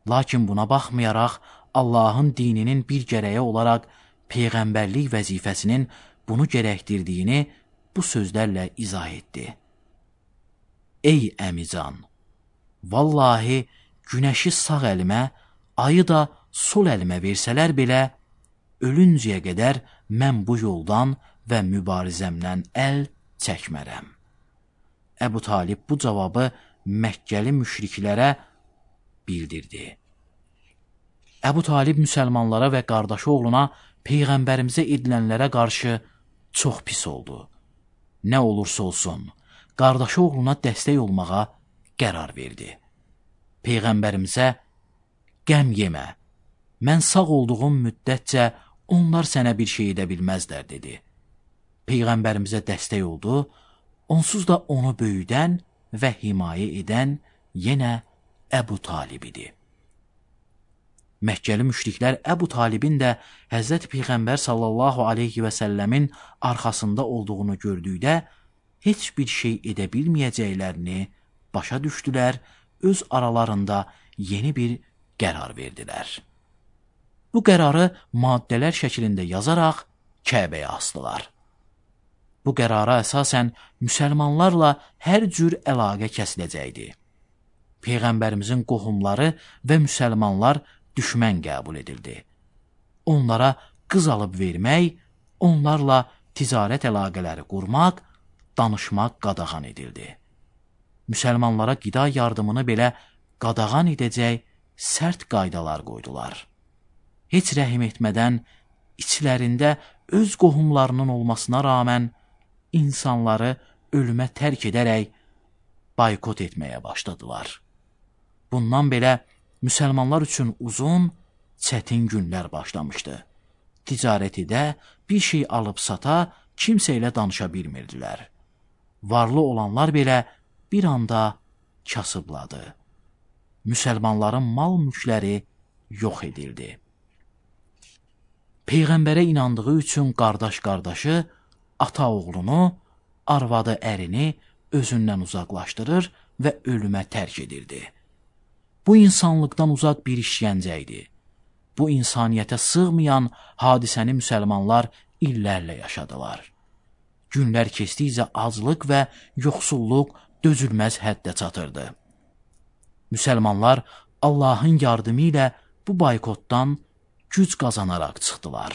Lakin buna baxmayaraq, Allahın dininin bir gərəyi olaraq Peyğəmbərlik vəzifəsinin bunu gərəkdirdiyini bu sözlərlə izah etdi. Ey əmican, vallahi günəşi sağ əlimə, ayı da sol əlimə versələr belə, ölüncəyə qədər mən bu yoldan və mübarizəmdən əl çəkmərəm. Əbu Talib bu cavabı Məkkəli müşriklərə bildirdi. Əbu Talib müsəlmanlara və qardaşı oğluna Peyğəmbərimizə edilənlərə qarşı çox pis oldu. Nə olursa olsun, qardaşı oğluna dəstək olmağa qərar verdi. Peyğəmbərimizə, qəm yemə, mən sağ olduğum müddətcə onlar sənə bir şey edə bilməzlər, dedi. Peyğəmbərimizə dəstək oldu, onsuz da onu böyüdən və himayə edən yenə Əbu Talib idi. Məkkəli müşriklər Əbu Talibin də Həzrət Peyğəmbər sallallahu aleyhi və səlləmin arxasında olduğunu gördükdə heç bir şey edə bilməyəcəklərini başa düşdülər, öz aralarında yeni bir qərar verdilər. Bu qərarı maddələr şəklində yazaraq Kəbəyə asdılar. Bu qərara əsasən müsəlmanlarla hər cür əlaqə kəsiləcəkdi. Peyğəmbərimizin qohumları və müsəlmanlar düşmən qəbul edildi. Onlara qız alıb vermək, onlarla ticarət əlaqələri qurmaq, danışmaq qadağan edildi. Müsəlmanlara qida yardımını belə qadağan edəcək sərt qaydalar qoydular. Heç rəhim etmədən içlərində öz qohumlarının olmasına rağmen insanları ölümə tərk edərək baykot etməyə başladılar. Bundan belə müsəlmanlar üçün uzun, çətin günlər başlamışdı. Ticarətidə bir şey alıb sata, kimsə ilə danışa bilmirdilər. Varlı olanlar belə bir anda kasıbladı. Müsəlmanların mal-mülkləri yox edildi. Peyğəmbərə inandığı üçün qardaş qardaşı, ata oğlunu, arvadı ərini özündən uzaqlaşdırır və ölümə tərk edirdi. Bu insanlıqdan uzaq bir işgəncə idi. Bu insaniyyətə sığmayan hadisəni müsəlmanlar illərlə yaşadılar. Günlər keçdikcə aclıq və yoxsulluq dözülməz həddə çatırdı. Müsəlmanlar Allahın yardımı ilə bu baykotdan güc qazanaraq çıxdılar.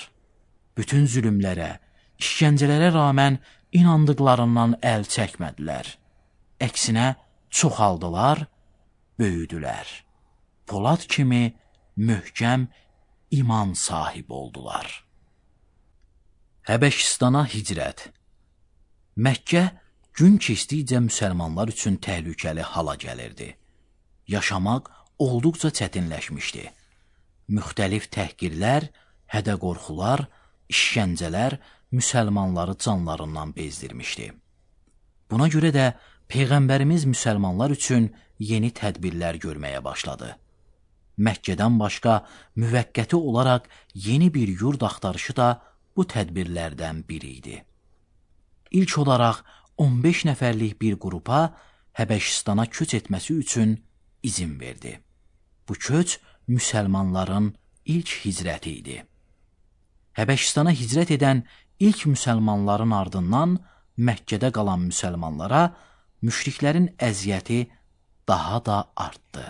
Bütün zülümlərə, işgəncələrə rağmen inandıqlarından əl çəkmədilər. Əksinə çoxaldılar, böyüdülər. Polad kimi möhkəm iman sahibi oldular. Həbəşistana hicrət. Məkkə gün keçdikcə müsəlmanlar üçün təhlükəli hala gəlirdi. Yaşamaq olduqca çətinləşmişdi. Müxtəlif təhqirlər, hədə-qorxular, işgəncələr müsəlmanları canlarından bezdirmişdi. Buna görə də Peyğəmbərimiz müsəlmanlar üçün yeni tədbirlər görməyə başladı. Məkkədən başqa müvəqqəti olaraq yeni bir yurd axtarışı da bu tədbirlərdən biri idi. İlk olaraq on beş nəfərlik bir qrupa Həbəşistana köç etməsi üçün izin verdi. Bu köç müsəlmanların ilk hicrəti idi. Həbəşistana hicrət edən ilk müsəlmanların ardından Məkkədə qalan müsəlmanlara müşriklərin əziyyəti daha da artdı.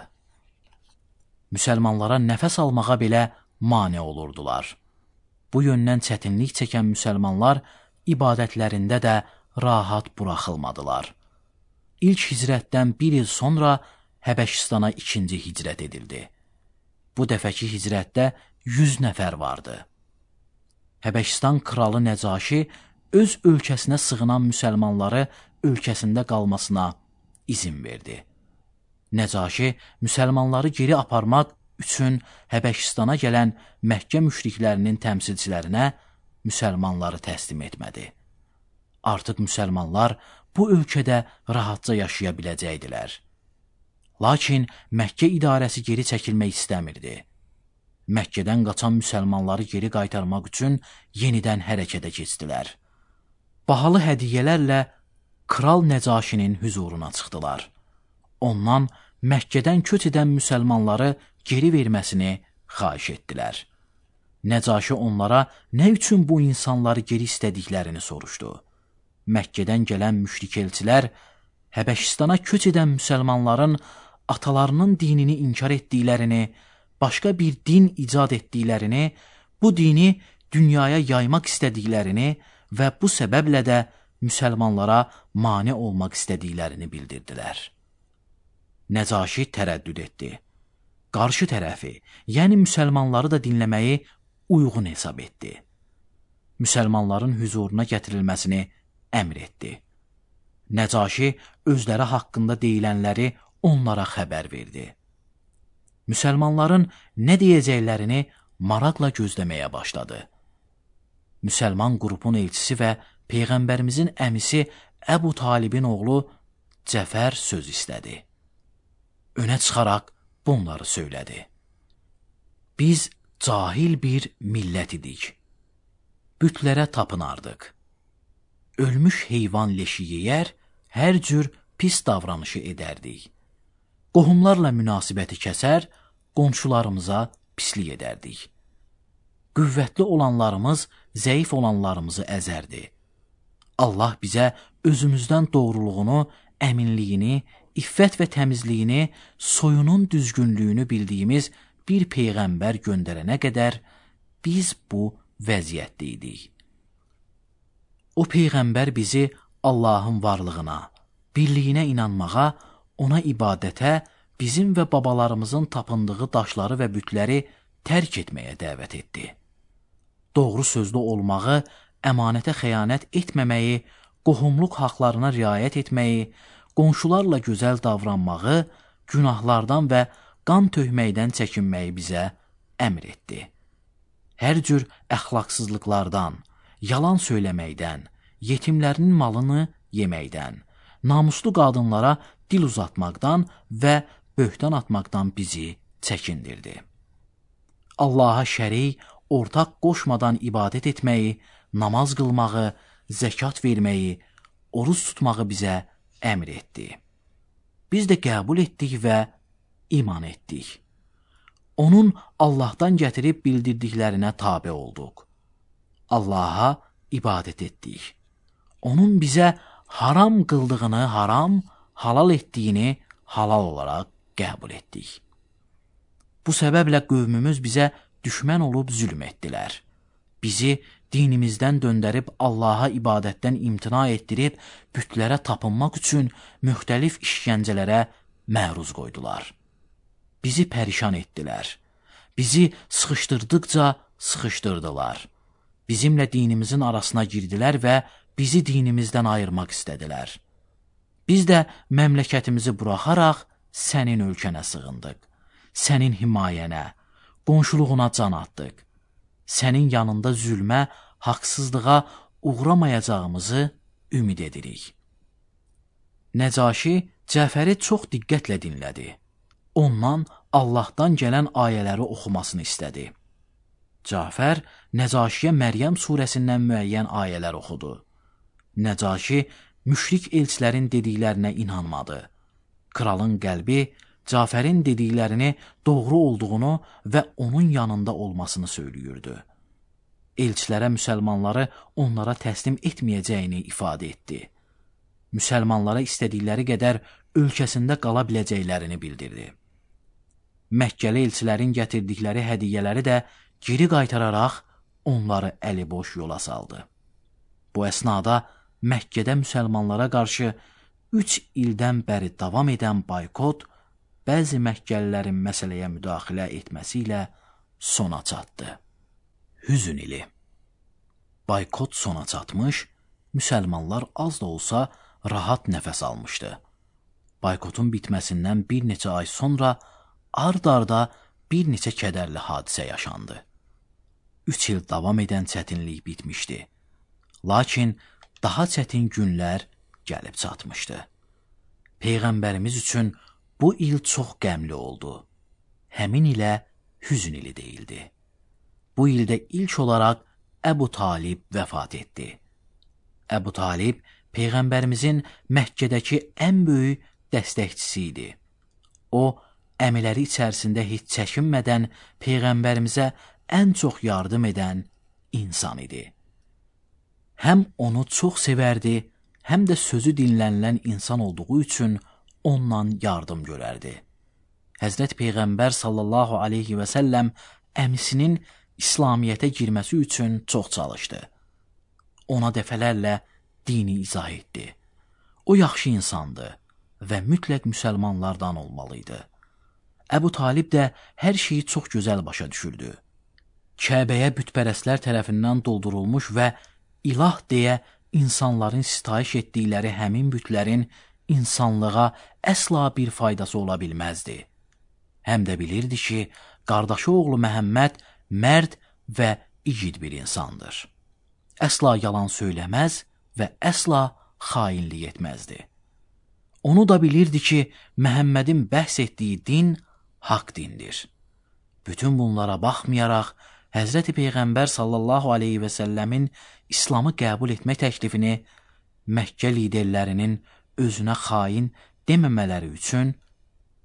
Müsəlmanlara nəfəs almağa belə mane olurdular. Bu yöndən çətinlik çəkən müsəlmanlar ibadətlərində də rahat buraxılmadılar. İlk hicrətdən bir il sonra Həbəşistana ikinci hicrət edildi. Bu dəfəki hicrətdə yüz nəfər vardı. Həbəşistan kralı Nəcaşi öz ölkəsinə sığınan müsəlmanları ölkəsində qalmasına izin verdi. Nəcaşi müsəlmanları geri aparmaq üçün Həbəşistana gələn Məkkə müşriklərinin təmsilçilərinə müsəlmanları təslim etmədi. Artıq müsəlmanlar bu ölkədə rahatca yaşaya biləcəkdilər. Lakin Məkkə idarəsi geri çəkilmək istəmirdi. Məkkədən qaçan müsəlmanları geri qaytarmaq üçün yenidən hərəkətə keçdilər. Bahalı hədiyyələrlə Kral Nəcaşinin hüzuruna çıxdılar. Ondan Məkkədən köç edən müsəlmanları geri verməsini xahiş etdilər. Nəcaşi onlara nə üçün bu insanları geri istədiklərini soruşdu. Məkkədən gələn müşrik elçilər Həbəşistana köç edən müsəlmanların atalarının dinini inkar etdiklərini, başqa bir din icad etdiklərini, bu dini dünyaya yaymaq istədiklərini və bu səbəblə də müsəlmanlara mane olmaq istədiklərini bildirdilər. Nəcaşi tərəddüd etdi. Qarşı tərəfi, yəni müsəlmanları da dinləməyi uyğun hesab etdi. Müsəlmanların hüzuruna gətirilməsini əmr etdi. Nəcaşi özləri haqqında deyilənləri onlara xəbər verdi. Müsəlmanların nə deyəcəklərini maraqla gözləməyə başladı. Müsəlman qrupun elçisi və Peyğəmbərimizin əmisi Əbu Talibin oğlu Cəfər söz istədi. önə çıxaraq bunları söylədi. Biz cahil bir millət idik. Bütlərə tapınardıq. Ölmüş heyvan leşi yeyər, hər cür pis davranışı edərdik. Qohumlarla münasibəti kəsər, qonşularımıza pislik edərdik. Qüvvətli olanlarımız zəif olanlarımızı əzərdi. Allah bizə özümüzdən doğruluğunu, əminliyini, iffət və təmizliyini, soyunun düzgünlüyünü bildiyimiz bir peyğəmbər göndərənə qədər biz bu vəziyyətdə idik. O peyğəmbər bizi Allahın varlığına, birliyinə inanmağa, ona ibadətə, bizim və babalarımızın tapındığı daşları və bütləri tərk etməyə dəvət etdi. Doğru sözlü olmağı, əmanətə xəyanət etməməyi, qohumluq haqlarına riayət etməyi, qonşularla gözəl davranmağı, günahlardan və qan tökməkdən çəkinməyi bizə əmr etdi. Hər cür əxlaqsızlıqlardan, yalan söyləməkdən, yetimlərinin malını yeməkdən, namuslu qadınlara dil uzatmaqdan və böhtan atmaqdan bizi çəkindirdi. Allaha şərik, ortaq qoşmadan ibadət etməyi, namaz qılmağı, zəkat verməyi, oruç tutmağı bizə əmr etdi. Biz də qəbul etdik və iman etdik. Onun Allahdan gətirib bildirdiklərinə tabe olduq. Allaha ibadət etdik. Onun bizə haram qıldığını haram, halal etdiyini halal olaraq qəbul etdik. Bu səbəblə qövmümüz bizə düşmən olub zülm etdilər. Bizi dinimizdən döndərib Allaha ibadətdən imtina etdirib, bütlərə tapınmaq üçün müxtəlif işgəncələrə məruz qoydular. Bizi pərişan etdilər. Bizi sıxışdırdıqca sıxışdırdılar. Bizimlə dinimizin arasına girdilər və bizi dinimizdən ayırmaq istədilər. Biz də məmləkətimizi buraxaraq sənin ölkənə sığındıq. Sənin himayənə, qonşuluğuna can atdıq. Sənin yanında zülmə, haqsızlığa uğramayacağımızı ümid edirik. Nəcaşi Cəfəri çox diqqətlə dinlədi. Ondan Allahdan gələn ayələri oxumasını istədi. Cəfər Nəcaşiyə Məryəm surəsindən müəyyən ayələr oxudu. Nəcaşi müşrik elçilərin dediklərinə inanmadı. Kralın qəlbi Cəfərin dediklərini doğru olduğunu və onun yanında olmasını söylüyürdü. Elçilərə müsəlmanları onlara təslim etməyəcəyini ifadə etdi. Müsəlmanlara istədikləri qədər ölkəsində qala biləcəklərini bildirdi. Məkkəli elçilərin gətirdikləri hədiyyələri də geri qaytararaq onları əliboş yola saldı. Bu əsnada Məkkədə müsəlmanlara qarşı üç ildən bəri davam edən boykot bəzi Məkkəlilərin məsələyə müdaxilə etməsi ilə sona çatdı. Hüzün ili. Boykot sona çatmış, müsəlmanlar az da olsa rahat nəfəs almışdı. Boykotun bitməsindən bir neçə ay sonra ard-arda bir neçə kədərli hadisə yaşandı. Üç il davam edən çətinlik bitmişdi. Lakin daha çətin günlər gəlib çatmışdı. Peyğəmbərimiz üçün bu il çox qəmli oldu. Həmin ilə hüzün ili deyildi. Bu ildə ilk olaraq Əbu Talib vəfat etdi. Əbu Talib Peyğəmbərimizin Məkkədəki ən böyük dəstəkçisi idi. O, əmiləri içərisində heç çəkinmədən Peyğəmbərimizə ən çox yardım edən insan idi. Həm onu çox sevərdi, həm də sözü dinlənilən insan olduğu üçün ondan yardım görərdi. Həzrət Peyğəmbər sallallahu aleyhi və səlləm əmisinin İslamiyyətə girməsi üçün çox çalışdı. Ona dəfələrlə dini izah etdi. O yaxşı insandı və mütləq müsəlmanlardan olmalıydı. Əbu Talib də hər şeyi çox gözəl başa düşürdü. Kəbəyə bütpərəstlər tərəfindən doldurulmuş və ilah deyə insanların sitayiş etdikləri həmin bütlərin insanlığa əsla bir faydası ola bilməzdi. Həm də bilirdi ki, qardaşı oğlu Məhəmməd mərd və igid bir insandır. Əsla yalan söyləməz və əsla xainlik etməzdi. Onu da bilirdi ki, Məhəmmədin bəhs etdiyi din haqq dindir. Bütün bunlara baxmayaraq, Həzrəti Peyğəmbər sallallahu aleyhi və səlləmin İslamı qəbul etmək təklifini Məkkə liderlərinin özünə xain deməmələri üçün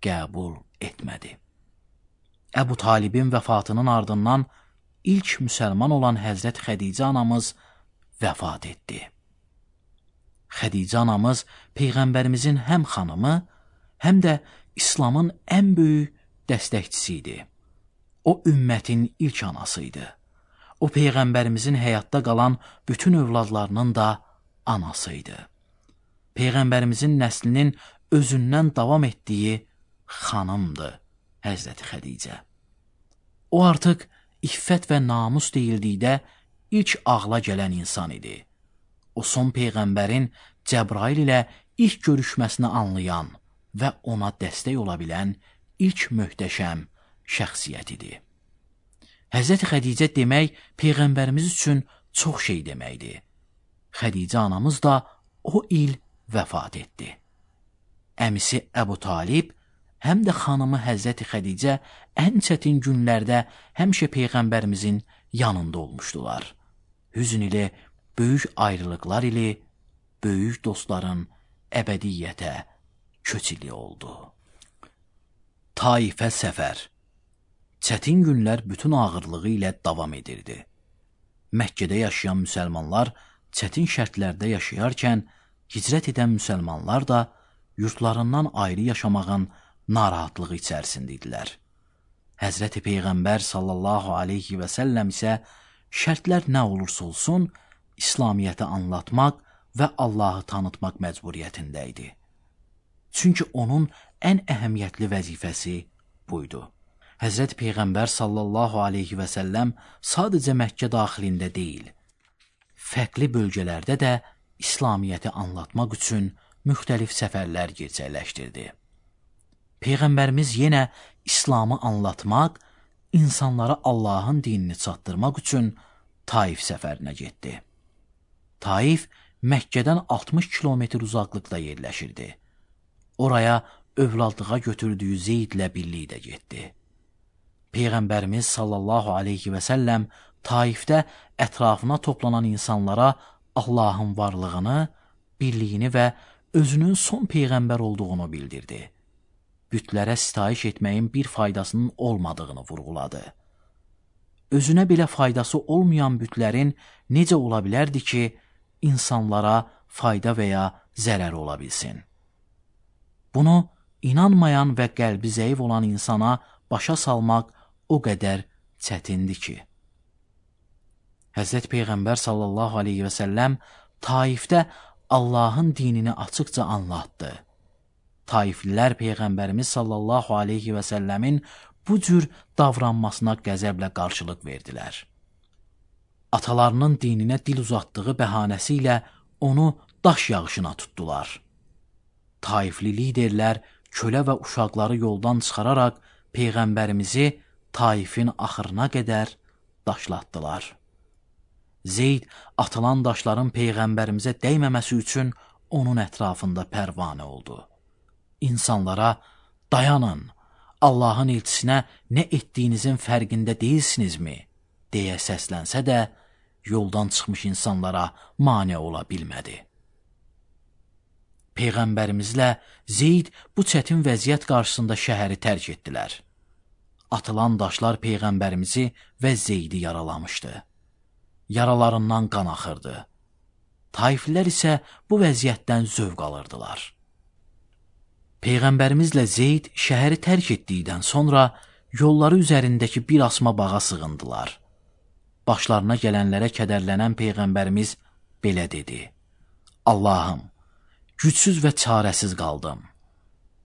qəbul etmədi. Əbu Talibin vəfatının ardından ilk müsəlman olan Həzrət Xədicə anamız vəfat etdi. Xədicə anamız Peyğəmbərimizin həm xanımı, həm də İslamın ən böyük dəstəkçisi idi. O, ümmətin ilk anasıydı. O, Peyğəmbərimizin həyatda qalan bütün övladlarının da anasıydı. Peyğəmbərimizin nəslinin özündən davam etdiyi xanımdı Həzrəti Xədicə. O, artıq iffət və namus deyildikdə ilk ağla gələn insan idi. O, son Peyğəmbərin Cəbrail ilə ilk görüşməsini anlayan və ona dəstək ola bilən ilk möhtəşəm şəxsiyyət idi. Həzrəti Xədicə demək Peyğəmbərimiz üçün çox şey deməkdir. Xədicə anamız da o il vəfat etdi. Əmisi Əbu Talib, həm də xanımı Həzrəti Xədicə ən çətin günlərdə həmişə Peyğəmbərimizin yanında olmuşdular. Hüzn ilə, böyük ayrılıqlar ilə, böyük dostların əbədiyyətə köçili oldu. Taifə səfər. Çətin günlər bütün ağırlığı ilə davam edirdi. Məkkədə yaşayan müsəlmanlar çətin şərtlərdə yaşayarkən, hicrət edən müsəlmanlar da yurtlarından ayrı yaşamağın narahatlığı içərisində idilər. Həzrəti Peyğəmbər sallallahu aleyhi və səlləm isə şərtlər nə olursa olsun, İslamiyyəti anlatmaq və Allahı tanıtmaq məcburiyyətində idi. Çünki onun ən əhəmiyyətli vəzifəsi buydu. Həzrət Peyğəmbər sallallahu aleyhi və səlləm sadəcə Məkkə daxilində deyil, fərqli bölgələrdə də İslamiyyəti anlatmaq üçün müxtəlif səfərlər gerçəkləşdirdi. Peyğəmbərimiz yenə İslamı anlatmaq, insanlara Allahın dinini çatdırmaq üçün Taif səfərinə getdi. Taif Məkkədən altmış kilometr uzaqlıqda yerləşirdi. Oraya övladlığa götürdüyü Zeydlə birlikdə getdi. Peyğəmbərimiz sallallahu aleyhi və səlləm Taifdə ətrafına toplanan insanlara Allahın varlığını, birliyini və özünün son Peyğəmbər olduğunu bildirdi. Bütlərə sitayiş etməyin bir faydasının olmadığını vurğuladı. Özünə belə faydası olmayan bütlərin necə ola bilərdi ki, insanlara fayda və ya zərər ola bilsin? Bunu inanmayan və qəlbi zəif olan insana başa salmaq o qədər çətindir ki. Həzrət Peyğəmbər sallallahu aleyhi və səlləm Taifdə Allahın dinini açıqca anlatdı. Taiflilər Peyğəmbərimiz sallallahu aleyhi və səlləmin bu cür davranmasına qəzəblə qarşılıq verdilər. Atalarının dininə dil uzatdığı bəhanəsi ilə onu daş yağışına tutdular. Taifli liderlər kölə və uşaqları yoldan çıxararaq Peyğəmbərimizi Taifin axırına qədər daşlatdılar. Zeyd atılan daşların Peyğəmbərimizə dəyməməsi üçün onun ətrafında pərvanə oldu. İnsanlara, dayanın, Allahın elçisinə nə etdiyinizin fərqində deyilsinizmi, deyə səslənsə də, yoldan çıxmış insanlara mane ola bilmədi. Peyğəmbərimizlə Zeyd bu çətin vəziyyət qarşısında şəhəri tərk etdilər. Atılan daşlar Peyğəmbərimizi və Zeydi yaralamışdı. Yaralarından qan axırdı. Taiflilər isə bu vəziyyətdən zövq alırdılar. Peyğəmbərimizlə Zeyd şəhəri tərk etdikdən sonra yolları üzərindəki bir asma bağa sığındılar. Başlarına gələnlərə kədərlənən Peyğəmbərimiz belə dedi: Allahım, gücsüz və çarəsiz qaldım.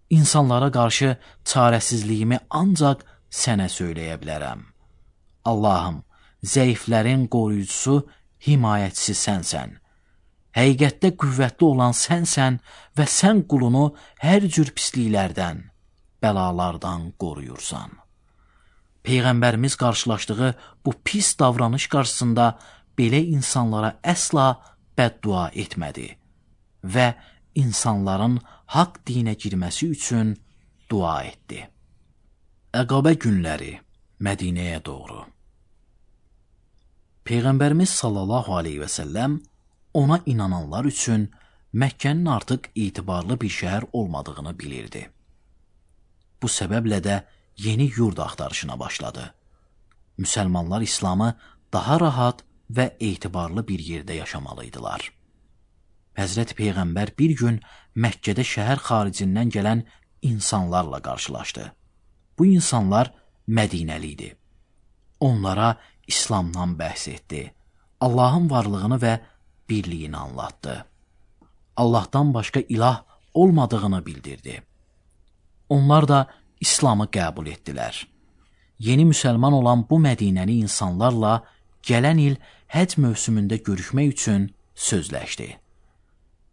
İnsanlara qarşı çarəsizliyimi ancaq sənə söyləyə bilərəm. Allahım, zəiflərin qoruyucusu, himayətçisi sənsən. Həqiqətdə qüvvətli olan sənsən və sən qulunu hər cür pisliklərdən, bəlalardan qoruyursan. Peyğəmbərimiz qarşılaşdığı bu pis davranış qarşısında belə insanlara əsla bəddua etmədi və insanların haqq dinə girməsi üçün dua etdi. Əqabə günləri Mədinəyə doğru. Peyğəmbərimiz sallallahu aleyhi və səlləm ona inananlar üçün Məkkənin artıq etibarlı bir şəhər olmadığını bilirdi. Bu səbəblə də yeni yurd axtarışına başladı. Müsəlmanlar İslamı daha rahat və etibarlı bir yerdə yaşamalıydılar. Həzrəti Peyğəmbər bir gün Məkkədə şəhər xaricindən gələn insanlarla qarşılaşdı. Bu insanlar Mədinəli idi. Onlara İslamdan bəhs etdi. Allahın varlığını və birliyini anlattı. Allahdan başqa ilah olmadığını bildirdi. Onlar da İslamı qəbul etdilər. Yeni müsəlman olan bu Mədinəli insanlarla gələn il həcc mövsümündə görüşmək üçün sözləşdi.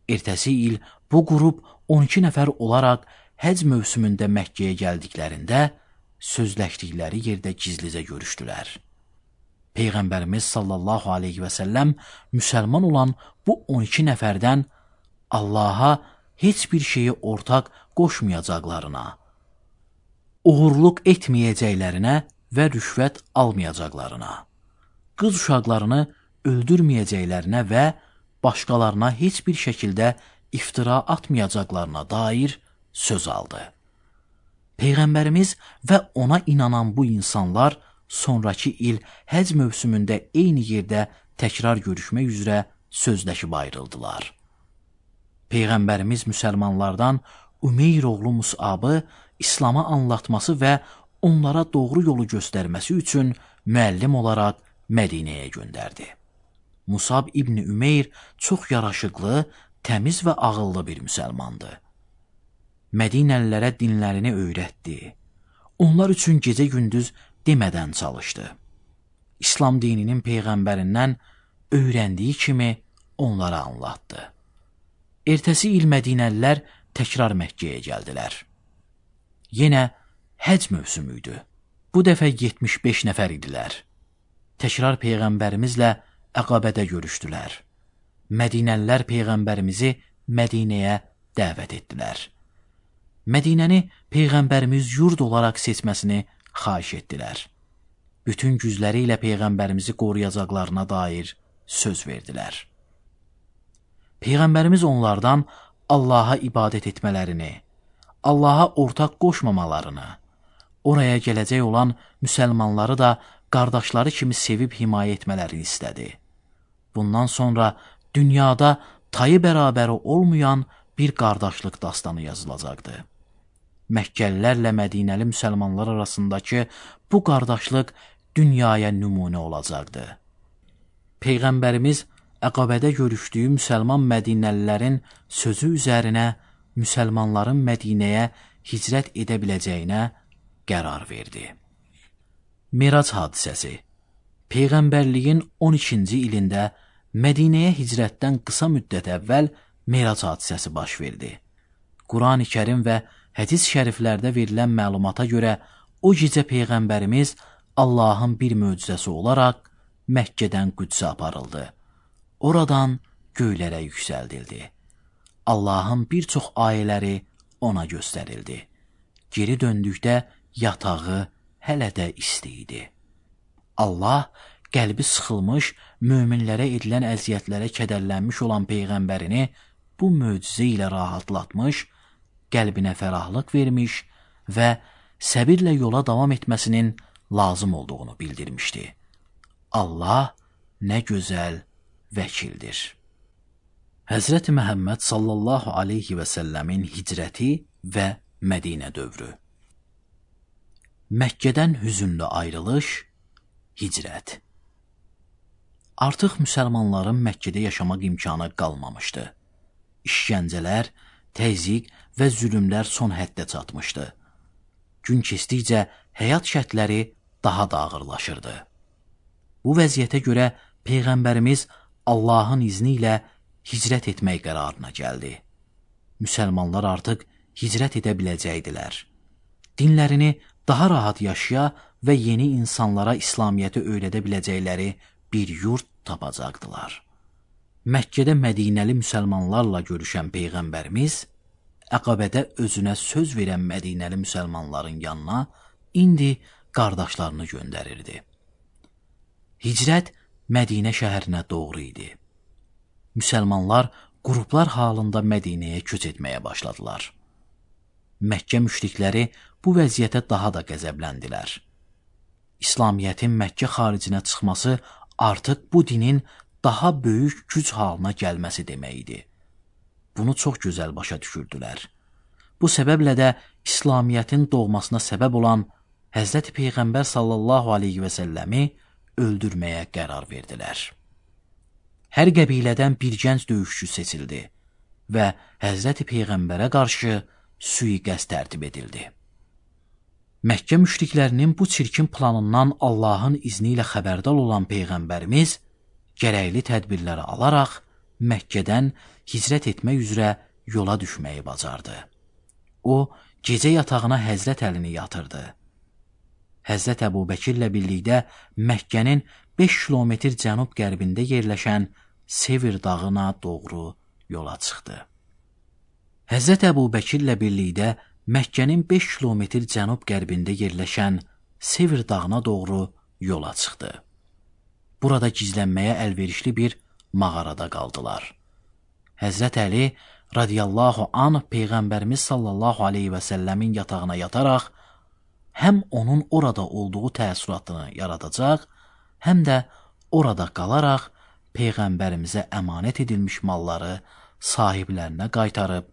Ertəsi il bu qrup on iki nəfər olaraq həcc mövsümündə Məkkəyə gəldiklərində sözləşdikləri yerdə gizlicə görüşdülər. Peyğəmbərimiz sallallahu aleyhi və səlləm müsəlman olan bu on iki nəfərdən Allaha heç bir şeyi ortaq qoşmayacaqlarına, uğurluq etməyəcəklərinə və rüşvət almayacaqlarına, qız uşaqlarını öldürməyəcəklərinə və başqalarına heç bir şəkildə iftira atmayacaqlarına dair söz aldı. Peyğəmbərimiz və ona inanan bu insanlar sonraki il həcc mövsümündə eyni yerdə təkrar görüşmək üzrə sözləşib ayrıldılar. Peyğəmbərimiz müsəlmanlardan Ümeyr oğlu Musabı İslamı anlatması və onlara doğru yolu göstərməsi üçün müəllim olaraq Mədinəyə göndərdi. Musab İbni Ümeyr çox yaraşıqlı, təmiz və ağıllı bir müsəlmandı. Mədinəlilərə dinlərini öyrətdi. Onlar üçün gecə-gündüz demədən çalışdı. İslam dininin Peyğəmbərindən öyrəndiyi kimi onlara anlattı. Ertəsi il Mədinəlilər təkrar Məkkəyə gəldilər. Yenə həcc mövsümü idi. Bu dəfə yetmiş beş nəfər idilər. Təkrar Peyğəmbərimizlə Əqabədə görüşdülər. Mədinəlilər Peyğəmbərimizi Mədinəyə dəvət etdilər. Mədinəni Peyğəmbərimiz yurd olaraq seçməsini xahiş etdilər. Bütün gücləri ilə Peyğəmbərimizi qoruyacaqlarına dair söz verdilər. Peyğəmbərimiz onlardan Allaha ibadət etmələrini, Allaha ortaq qoşmamalarını, oraya gələcək olan müsəlmanları da qardaşları kimi sevib himayə etmələrini istədi. Bundan sonra dünyada tayı bərabəri olmayan bir qardaşlıq dastanı yazılacaqdı. Məkkəlilərlə Mədinəli müsəlmanlar arasındakı bu qardaşlıq dünyaya nümunə olacaqdı. Peyğəmbərimiz Əqabədə görüşdüyü müsəlman Mədinəlilərin sözü üzərinə müsəlmanların Mədinəyə hicrət edə biləcəyinə qərar verdi. Mirac hadisəsi. Peyğəmbərliyin on ikinci ilində Mədinəyə hicrətdən qısa müddət əvvəl Mirac hadisəsi baş verdi. Quran-ı Kərim və hədis şəriflərdə verilən məlumata görə o gecə Peyğəmbərimiz Allahın bir möcüzəsi olaraq Məkkədən Qüdsə aparıldı. Oradan göylərə yüksəldildi. Allahın bir çox ayələri ona göstərildi. Geri döndükdə yatağı hələ də isti idi. Allah qəlbi sıxılmış, möminlərə edilən əziyyətlərə kədərlənmiş olan Peyğəmbərini bu möcüzə ilə rahatlatmış, qəlbinə fərahlıq vermiş və səbirlə yola davam etməsinin lazım olduğunu bildirmişdi. Allah nə gözəl vəkildir. Həzrəti Məhəmməd sallallahu aleyhi və səlləmin hicrəti və Mədinə dövrü. Məkkədən hüzünlü ayrılış, hicrət. Artıq müsəlmanların Məkkədə yaşamaq imkanı qalmamışdı. İşgəncələr, təzyiq və zülümlər son həddə çatmışdı. Gün keçdikcə həyat şərtləri daha da ağırlaşırdı. Bu vəziyyətə görə Peyğəmbərimiz Allahın izni ilə hicrət etmək qərarına gəldi. Müsəlmanlar artıq hicrət edə biləcəkdilər. Dinlərini daha rahat yaşaya və yeni insanlara İslamiyyəti öyrədə biləcəkləri bir yurt tapacaqdılar. Məkkədə Mədinəli müsəlmanlarla görüşən Peyğəmbərimiz Əqabədə özünə söz verən Mədinəli müsəlmanların yanına indi qardaşlarını göndərirdi. Hicrət Mədinə şəhərinə doğru idi. Müsəlmanlar qruplar halında Mədinəyə köç etməyə başladılar. Məkkə müşrikləri bu vəziyyətə daha da qəzəbləndilər. İslamiyyətin Məkkə xaricinə çıxması artıq bu dinin daha böyük güc halına gəlməsi demək idi. Bunu çox gözəl başa düşürdülər. Bu səbəblə də İslamiyyətin doğmasına səbəb olan Həzrəti Peyğəmbər sallallahu aleyhi və səlləmi öldürməyə qərar verdilər. Hər qəbilədən bir gənc döyüşçü seçildi və Həzrəti Peyğəmbərə qarşı sui-qəsd tərtib edildi. Məkkə müşriklərinin bu çirkin planından Allahın izni ilə xəbərdar olan Peyğəmbərimiz gərəkli tədbirləri alaraq Məkkədən hicrət etmək üzrə yola düşməyi bacardı. O, gecə yatağına Həzrət Əlini yatırdı. Həzrət Əbubəkirlə birlikdə Məkkənin beş kilometr cənub-qərbində yerləşən Sevir dağına doğru yola çıxdı. Həzrət Əbubəkirlə birlikdə Məkkənin beş kilometr cənub-qərbində yerləşən Sevir dağına doğru yola çıxdı. Burada gizlənməyə əlverişli bir mağarada qaldılar. Həzrət Əli radiyallahu anh Peyğəmbərimiz sallallahu aleyhi və səlləmin yatağına yataraq həm onun orada olduğu təəssüratını yaradacaq, həm də orada qalaraq Peyğəmbərimizə əmanət edilmiş malları sahiblərinə qaytarıb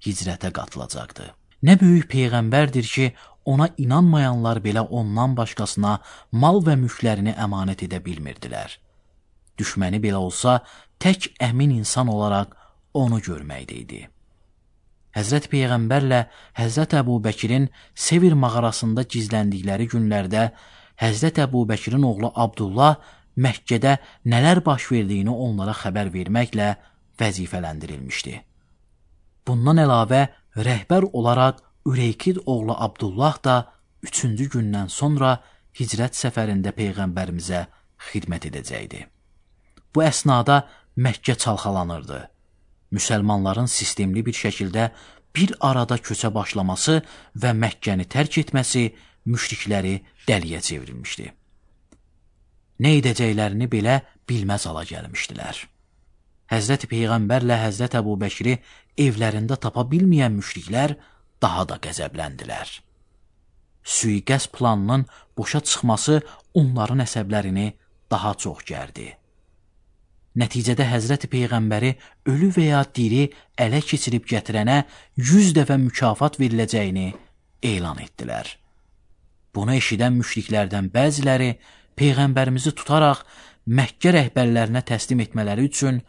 hicrətə qatılacaqdı. Nə böyük Peyğəmbərdir ki, ona inanmayanlar belə ondan başqasına mal və mülklərini əmanət edə bilmirdilər. Düşməni belə olsa, tək əmin insan olaraq onu görməkdə idi. Həzrət Peyğəmbərlə Həzrət Əbubəkirin Sevir mağarasında gizləndikləri günlərdə Həzrət Əbubəkirin oğlu Abdullah Məkkədə nələr baş verdiyini onlara xəbər verməklə vəzifələndirilmişdi. Bundan əlavə rəhbər olaraq Üreykid oğlu Abdullah da üçüncü gündən sonra hicrət səfərində Peyğəmbərimizə xidmət edəcəkdi. Bu əsnada Məkkə çalxalanırdı. Müsəlmanların sistemli bir şəkildə bir arada köçə başlaması və Məkkəni tərk etməsi müşrikləri dəliyə çevrilmişdi. Nə edəcəklərini belə bilməz hala gəlmişdilər. Həzrət Peyğəmbərlə Həzrət Əbubəkiri evlərində tapa bilməyən müşriklər daha da qəzəbləndilər. Sui-qəsd planının boşa çıxması onların əsəblərini daha çox gərdi. Nəticədə Həzrət Peyğəmbəri ölü və ya diri ələ keçirib gətirənə yüz dəfə mükafat veriləcəyini elan etdilər. Bunu eşidən müşriklərdən bəziləri Peyğəmbərimizi tutaraq Məkkə rəhbərlərinə təslim etmələri üçün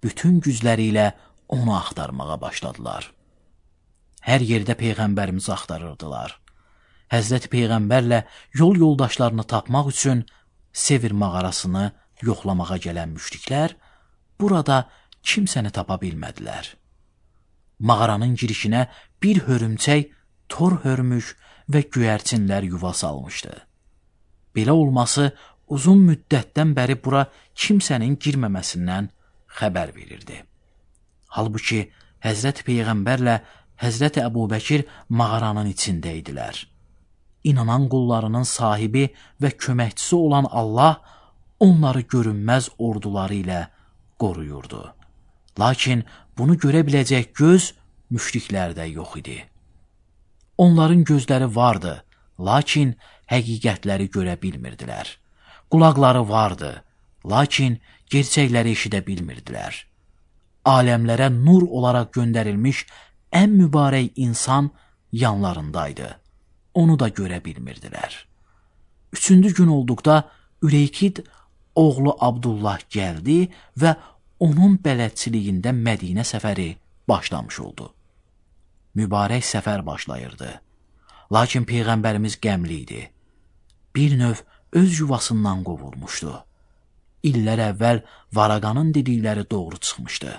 bütün gücləri ilə onu axtarmağa başladılar. Hər yerdə Peyğəmbərimizi axtarırdılar. Həzrət Peyğəmbərlə yol yoldaşlarını tapmaq üçün Sevir mağarasını yoxlamağa gələn müşriklər burada kimsəni tapa bilmədilər. Mağaranın girişinə bir hörümçək tor hörmüş və göyərçinlər yuva salmışdı. Belə olması uzun müddətdən bəri bura kimsənin girməməsindən xəbər verirdi. Halbuki Həzrət Peyğəmbərlə Həzrət Əbubəkir mağaranın içində idilər. İnanan qullarının sahibi və köməkçisi olan Allah onları görünməz orduları ilə qoruyurdu. Lakin bunu görə biləcək göz müşriklərdə yox idi. Onların gözləri vardı, lakin həqiqətləri görə bilmirdilər. Qulaqları vardı, lakin gerçəkləri eşidə bilmirdilər. Aləmlərə nur olaraq göndərilmiş ən mübarək insan yanlarındaydı. Onu da görə bilmirdilər. Üçüncü gün olduqda Üreykid oğlu Abdullah gəldi və onun bələdçiliyində Mədinə səfəri başlamış oldu. Mübarək səfər başlayırdı. Lakin Peyğəmbərimiz qəmli idi. Bir növ öz yuvasından qovulmuşdu. İllər əvvəl Varaqanın dedikləri doğru çıxmışdı.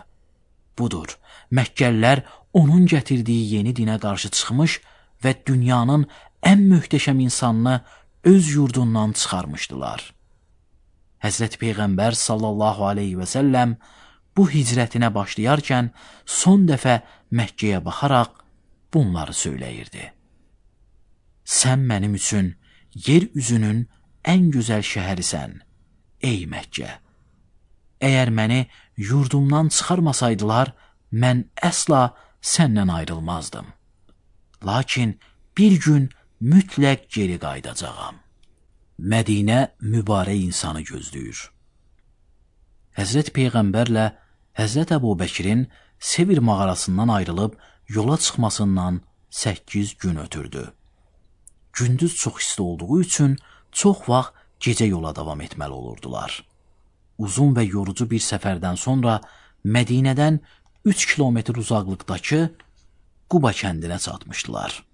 Budur, Məkkəllər onun gətirdiyi yeni dinə qarşı çıxmış və dünyanın ən möhtəşəm insanını öz yurdundan çıxarmışdılar. Həzrət Peyğəmbər sallallahu aleyhi və səlləm bu hicrətinə başlayarkən son dəfə Məkkəyə baxaraq bunları söyləyirdi. Sən mənim üçün yer üzünün ən gözəl şəhərisən, ey Məkkə. Əgər məni yurdumdan çıxarmasaydılar, mən əsla səndən ayrılmazdım. Lakin bir gün mütləq geri qayıdacağam. Mədinə mübarək insanı gözləyir. Həzrət Peyğəmbərlə Həzrət Əbu Bəkirin Sevir mağarasından ayrılıb yola çıxmasından səkkiz gün ötürdü. Gündüz çox isti olduğu üçün çox vaxt gecə yola davam etməli olurdular. Uzun və yorucu bir səfərdən sonra Mədinədən üç kilometr uzaqlıqdakı Quba kəndinə çatmışdılar.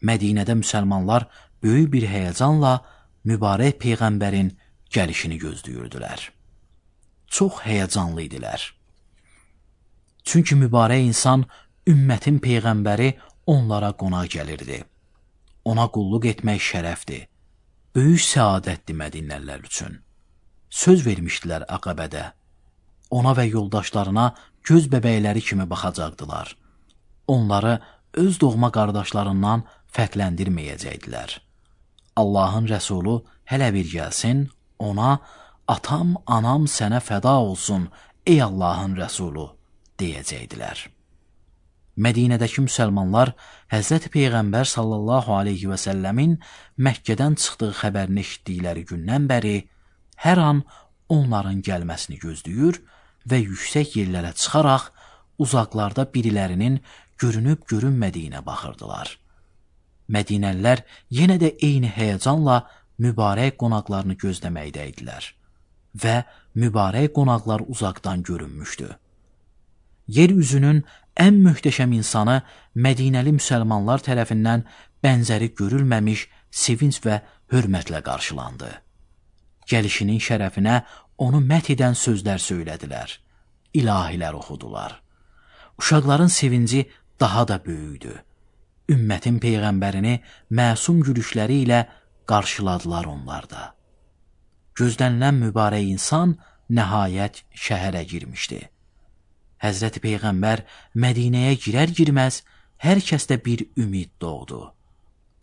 Mədinədə müsəlmanlar böyük bir həyəcanla mübarək Peyğəmbərin gəlişini gözləyirdilər. Çox həyəcanlı idilər. Çünki mübarək insan, ümmətin Peyğəmbəri onlara qonaq gəlirdi. Ona qulluq etmək şərəfdir. Böyük səadətdir Mədinəlilər üçün. Söz vermişdilər Əqəbədə. Ona və yoldaşlarına göz bəbəkləri kimi baxacaqdılar. Onları öz doğma qardaşlarından fərqləndirməyəcəkdilər. Allahın Rəsulu hələ bir gəlsin, ona atam, anam sənə fəda olsun, ey Allahın Rəsulu, deyəcəkdilər. Mədinədəki müsəlmanlar Həzrət Peyğəmbər sallallahu aleyhi və səlləmin Məkkədən çıxdığı xəbərini eşitdikləri gündən bəri hər an onların gəlməsini gözləyir və yüksək yerlərə çıxaraq uzaqlarda birilərinin görünüb görünmədiyinə baxırdılar. Mədinəlilər yenə də eyni həyəcanla mübarək qonaqlarını gözləməkdəydilər və mübarək qonaqlar uzaqdan görünmüşdü. Yer üzünün ən möhtəşəm insanı Mədinəli müsəlmanlar tərəfindən bənzəri görülməmiş sevinç və hörmətlə qarşılandı. Gəlişinin şərəfinə onu məth edən sözlər söylədilər, ilahilər oxudular. Uşaqların sevinci daha da böyüdü. Ümmətin Peyğəmbərini məsum gülüşləri ilə qarşıladılar onlar da. Gözlənilən mübarək insan nəhayət şəhərə girmişdi. Həzrəti Peyğəmbər Mədinəyə girər-girməz hər kəsdə bir ümid doğdu.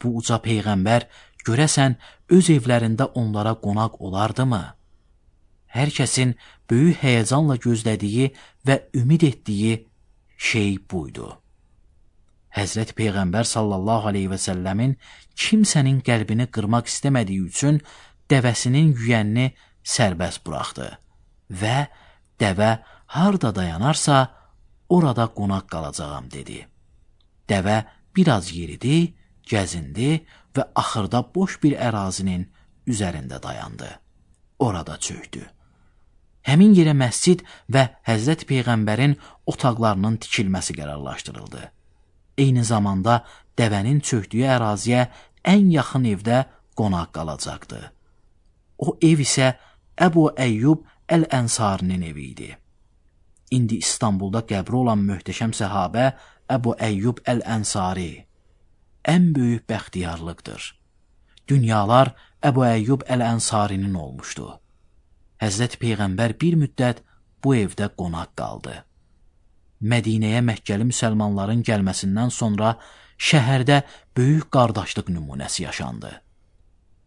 Bu uca Peyğəmbər görəsən öz evlərində onlara qonaq olardımı? Hər kəsin böyük həyəcanla gözlədiyi və ümid etdiyi şey buydu. Həzrət Peyğəmbər sallallahu aleyhi və səlləmin kimsənin qəlbini qırmaq istəmədiyi üçün dəvəsinin yüyənini sərbəst buraxdı və dəvə harda dayanarsa orada qonaq qalacağam dedi. Dəvə biraz yeridi, gəzindi və axırda boş bir ərazinin üzərində dayandı. Orada çöktü. Həmin yerə məscid və Həzrət Peyğəmbərin otaqlarının tikilməsi qərarlaşdırıldı. Eyni zamanda dəvənin çöktüyü əraziyə ən yaxın evdə qonaq qalacaqdı. O ev isə Əbu Əyyub Əl-Ənsarinin evi idi. İndi İstanbulda qəbri olan möhtəşəm səhabə Əbu Əyyub Əl-Ənsari ən böyük bəxtiyarlıqdır. Dünyalar Əbu Əyyub Əl-Ənsarinin olmuşdu. Həzrət Peyğəmbər bir müddət bu evdə qonaq qaldı. Mədinəyə Məkkəli müsəlmanların gəlməsindən sonra şəhərdə böyük qardaşlıq nümunəsi yaşandı.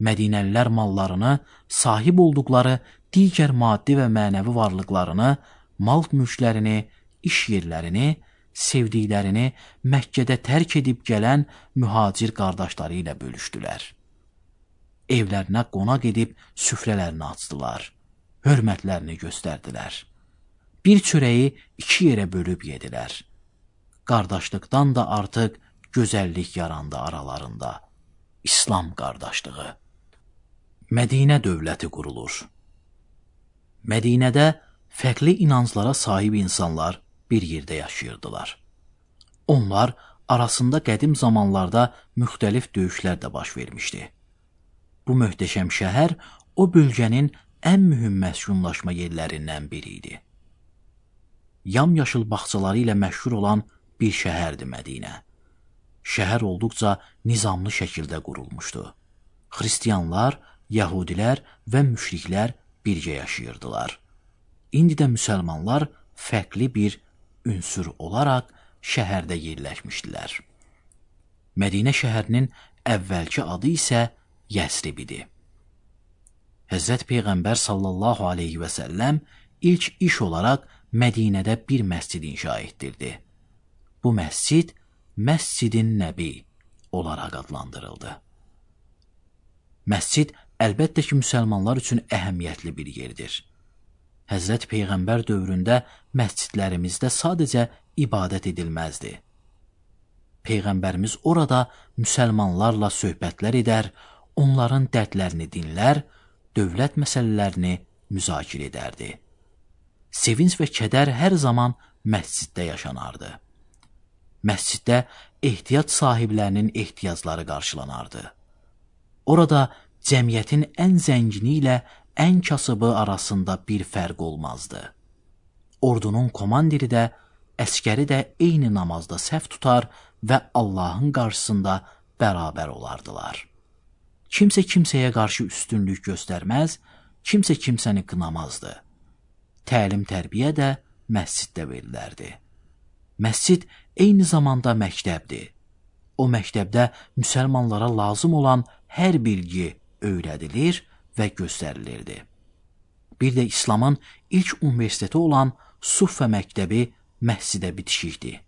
Mədinəlilər mallarını, sahib olduqları digər maddi və mənəvi varlıqlarını, mal mülklərini, iş yerlərini, sevdiklərini Məkkədə tərk edib gələn mühacir qardaşları ilə bölüşdülər. Evlərinə qonaq edib süfrələrini açdılar, hörmətlərini göstərdilər. Bir çörəyi iki yerə bölüb yedilər. Qardaşlıqdan da artıq gözəllik yarandı aralarında. İslam qardaşlığı. Mədinə dövləti qurulur. Mədinədə fərqli inanclara sahib insanlar bir yerdə yaşayırdılar. Onlar arasında qədim zamanlarda müxtəlif döyüşlər də baş vermişdi. Bu möhtəşəm şəhər o bölgənin ən mühüm məskunlaşma yerlərindən biri idi. Yamyaşıl bağçaları ilə məşhur olan bir şəhərdir Mədinə. Şəhər olduqca nizamlı şəkildə qurulmuşdu. Xristiyanlar, Yəhudilər və müşriklər birgə yaşayırdılar. indi də müsəlmanlar fərqli bir ünsür olaraq şəhərdə yerləşmişdilər. Mədinə şəhərinin əvvəlki adı isə Yəsrib idi. Həzrət Peyğəmbər sallallahu aleyhi və səlləm ilk iş olaraq Mədinədə bir məscid inşa etdirdi. Bu məscid Məscid-i Nəbi olaraq adlandırıldı. Məscid əlbəttə ki, müsəlmanlar üçün əhəmiyyətli bir yerdir. Həzrət Peyğəmbər dövründə məscidlərimizdə sadəcə ibadət edilməzdi. Peyğəmbərimiz orada müsəlmanlarla söhbətlər edər, onların dərdlərini dinlər, dövlət məsələlərini müzakirə edərdi. Sevinç və kədər hər zaman məsciddə yaşanardı. Məsciddə ehtiyac sahiblərinin ehtiyacları qarşılanardı. Orada cəmiyyətin ən zəngini ilə ən kasıbı arasında bir fərq olmazdı. Ordunun komandiri də, əskəri də eyni namazda səhv tutar və Allahın qarşısında bərabər olardılar. Kimsə kimsəyə qarşı üstünlük göstərməz, kimsə kimsəni qınamazdı. Təlim-tərbiyə də məsciddə verilərdi. Məscid eyni zamanda məktəbdir. O məktəbdə müsəlmanlara lazım olan hər bilgi öyrədilir və göstərilirdi. Bir də İslamın ilk universiteti olan Suffə məktəbi məscidə bitişikdir.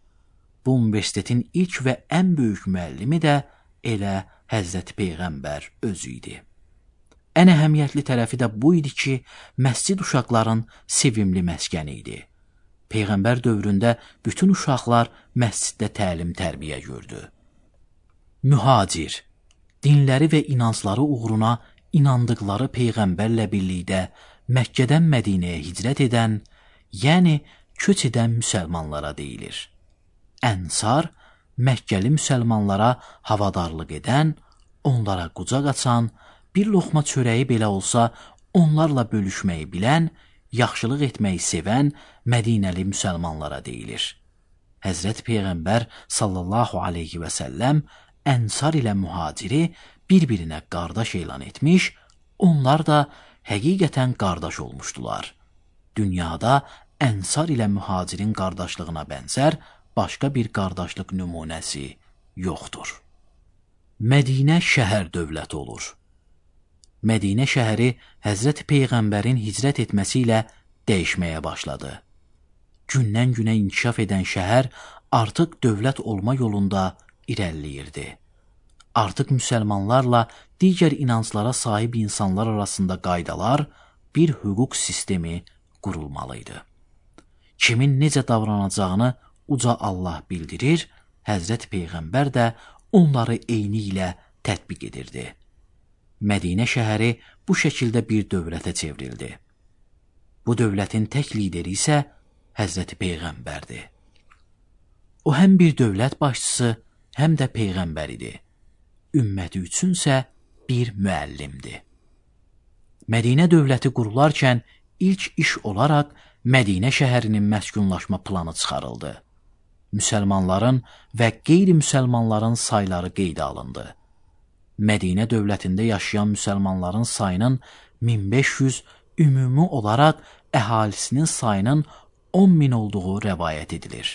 Bu universitetin ilk və ən böyük müəllimi də elə Həzrəti Peyğəmbər özü idi. Ən əhəmiyyətli tərəfi də bu idi ki, məscid uşaqların sevimli məskəni idi. Peyğəmbər dövründə bütün uşaqlar məsciddə təlim-tərbiyə gördü. Mühacir, dinləri və inancları uğruna inandıqları Peyğəmbərlə birlikdə Məkkədən Mədinəyə hicrət edən, yəni köç edən müsəlmanlara deyilir. Ənsar, Məkkəli müsəlmanlara havadarlıq edən, onlara qucaq açan, bir loxma çörəyi belə olsa onlarla bölüşməyi bilən, yaxşılıq etməyi sevən Mədinəli müsəlmanlara deyilir. Həzrət Peyğəmbər sallallahu aleyhi və səlləm Ənsar ilə mühaciri bir-birinə qardaş elan etmiş, onlar da həqiqətən qardaş olmuşdular. Dünyada Ənsar ilə mühacirin qardaşlığına bənzər başqa bir qardaşlıq nümunəsi yoxdur. Mədinə şəhər dövləti olur. Mədinə şəhəri Həzrət Peyğəmbərin hicrət etməsi ilə dəyişməyə başladı. Gündən-günə inkişaf edən şəhər artıq dövlət olma yolunda irəliləyirdi. Artıq müsəlmanlarla digər inanclara sahib insanlar arasında qaydalar, bir hüquq sistemi qurulmalıydı. Kimin necə davranacağını uca Allah bildirir, Həzrət Peyğəmbər də onları eyni ilə tətbiq edirdi. Mədinə şəhəri bu şəkildə bir dövlətə çevrildi. Bu dövlətin tək lideri isə Həzrəti Peyğəmbərdir. O həm bir dövlət başçısı, həm də Peyğəmbər idi. Ümməti üçünsə bir müəllimdir. Mədinə dövləti qurularkən ilk iş olaraq Mədinə şəhərinin məskunlaşma planı çıxarıldı. Müsəlmanların və qeyri-müsəlmanların sayları qeydə alındı. Mədinə dövlətində yaşayan müsəlmanların sayının min beş yüz, ümumi olaraq əhalisinin sayının on min olduğu rəvayət edilir.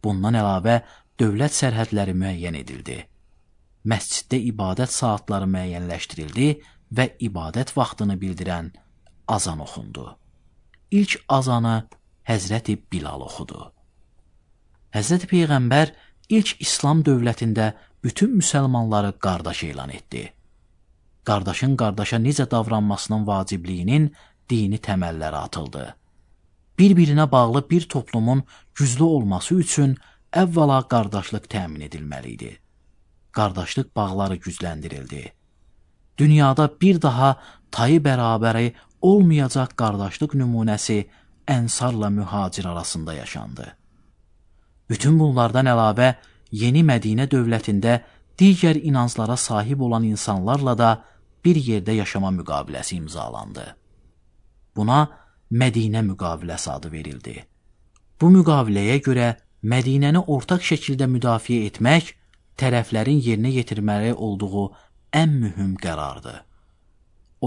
Bundan əlavə dövlət sərhədləri müəyyən edildi. Məsciddə ibadət saatları müəyyənləşdirildi və ibadət vaxtını bildirən azan oxundu. İlk azanı Həzrəti Bilal oxudu. Həzrəti Peyğəmbər ilk İslam dövlətində bütün müsəlmanları qardaş elan etdi. Qardaşın qardaşa necə davranmasının vacibliyinin dini təməlləri atıldı. Bir-birinə bağlı bir toplumun güclü olması üçün əvvəla qardaşlıq təmin edilməli idi. Qardaşlıq bağları gücləndirildi. Dünyada bir daha tayı bərabəri olmayacaq qardaşlıq nümunəsi Ənsarla mühacir arasında yaşandı. Bütün bunlardan əlavə yeni Mədinə dövlətində digər inanclara sahib olan insanlarla da bir yerdə yaşama müqaviləsi imzalandı. Buna Mədinə müqaviləsi adı verildi. Bu müqaviləyə görə Mədinəni ortaq şəkildə müdafiə etmək tərəflərin yerinə yetirməli olduğu ən mühüm qərardır.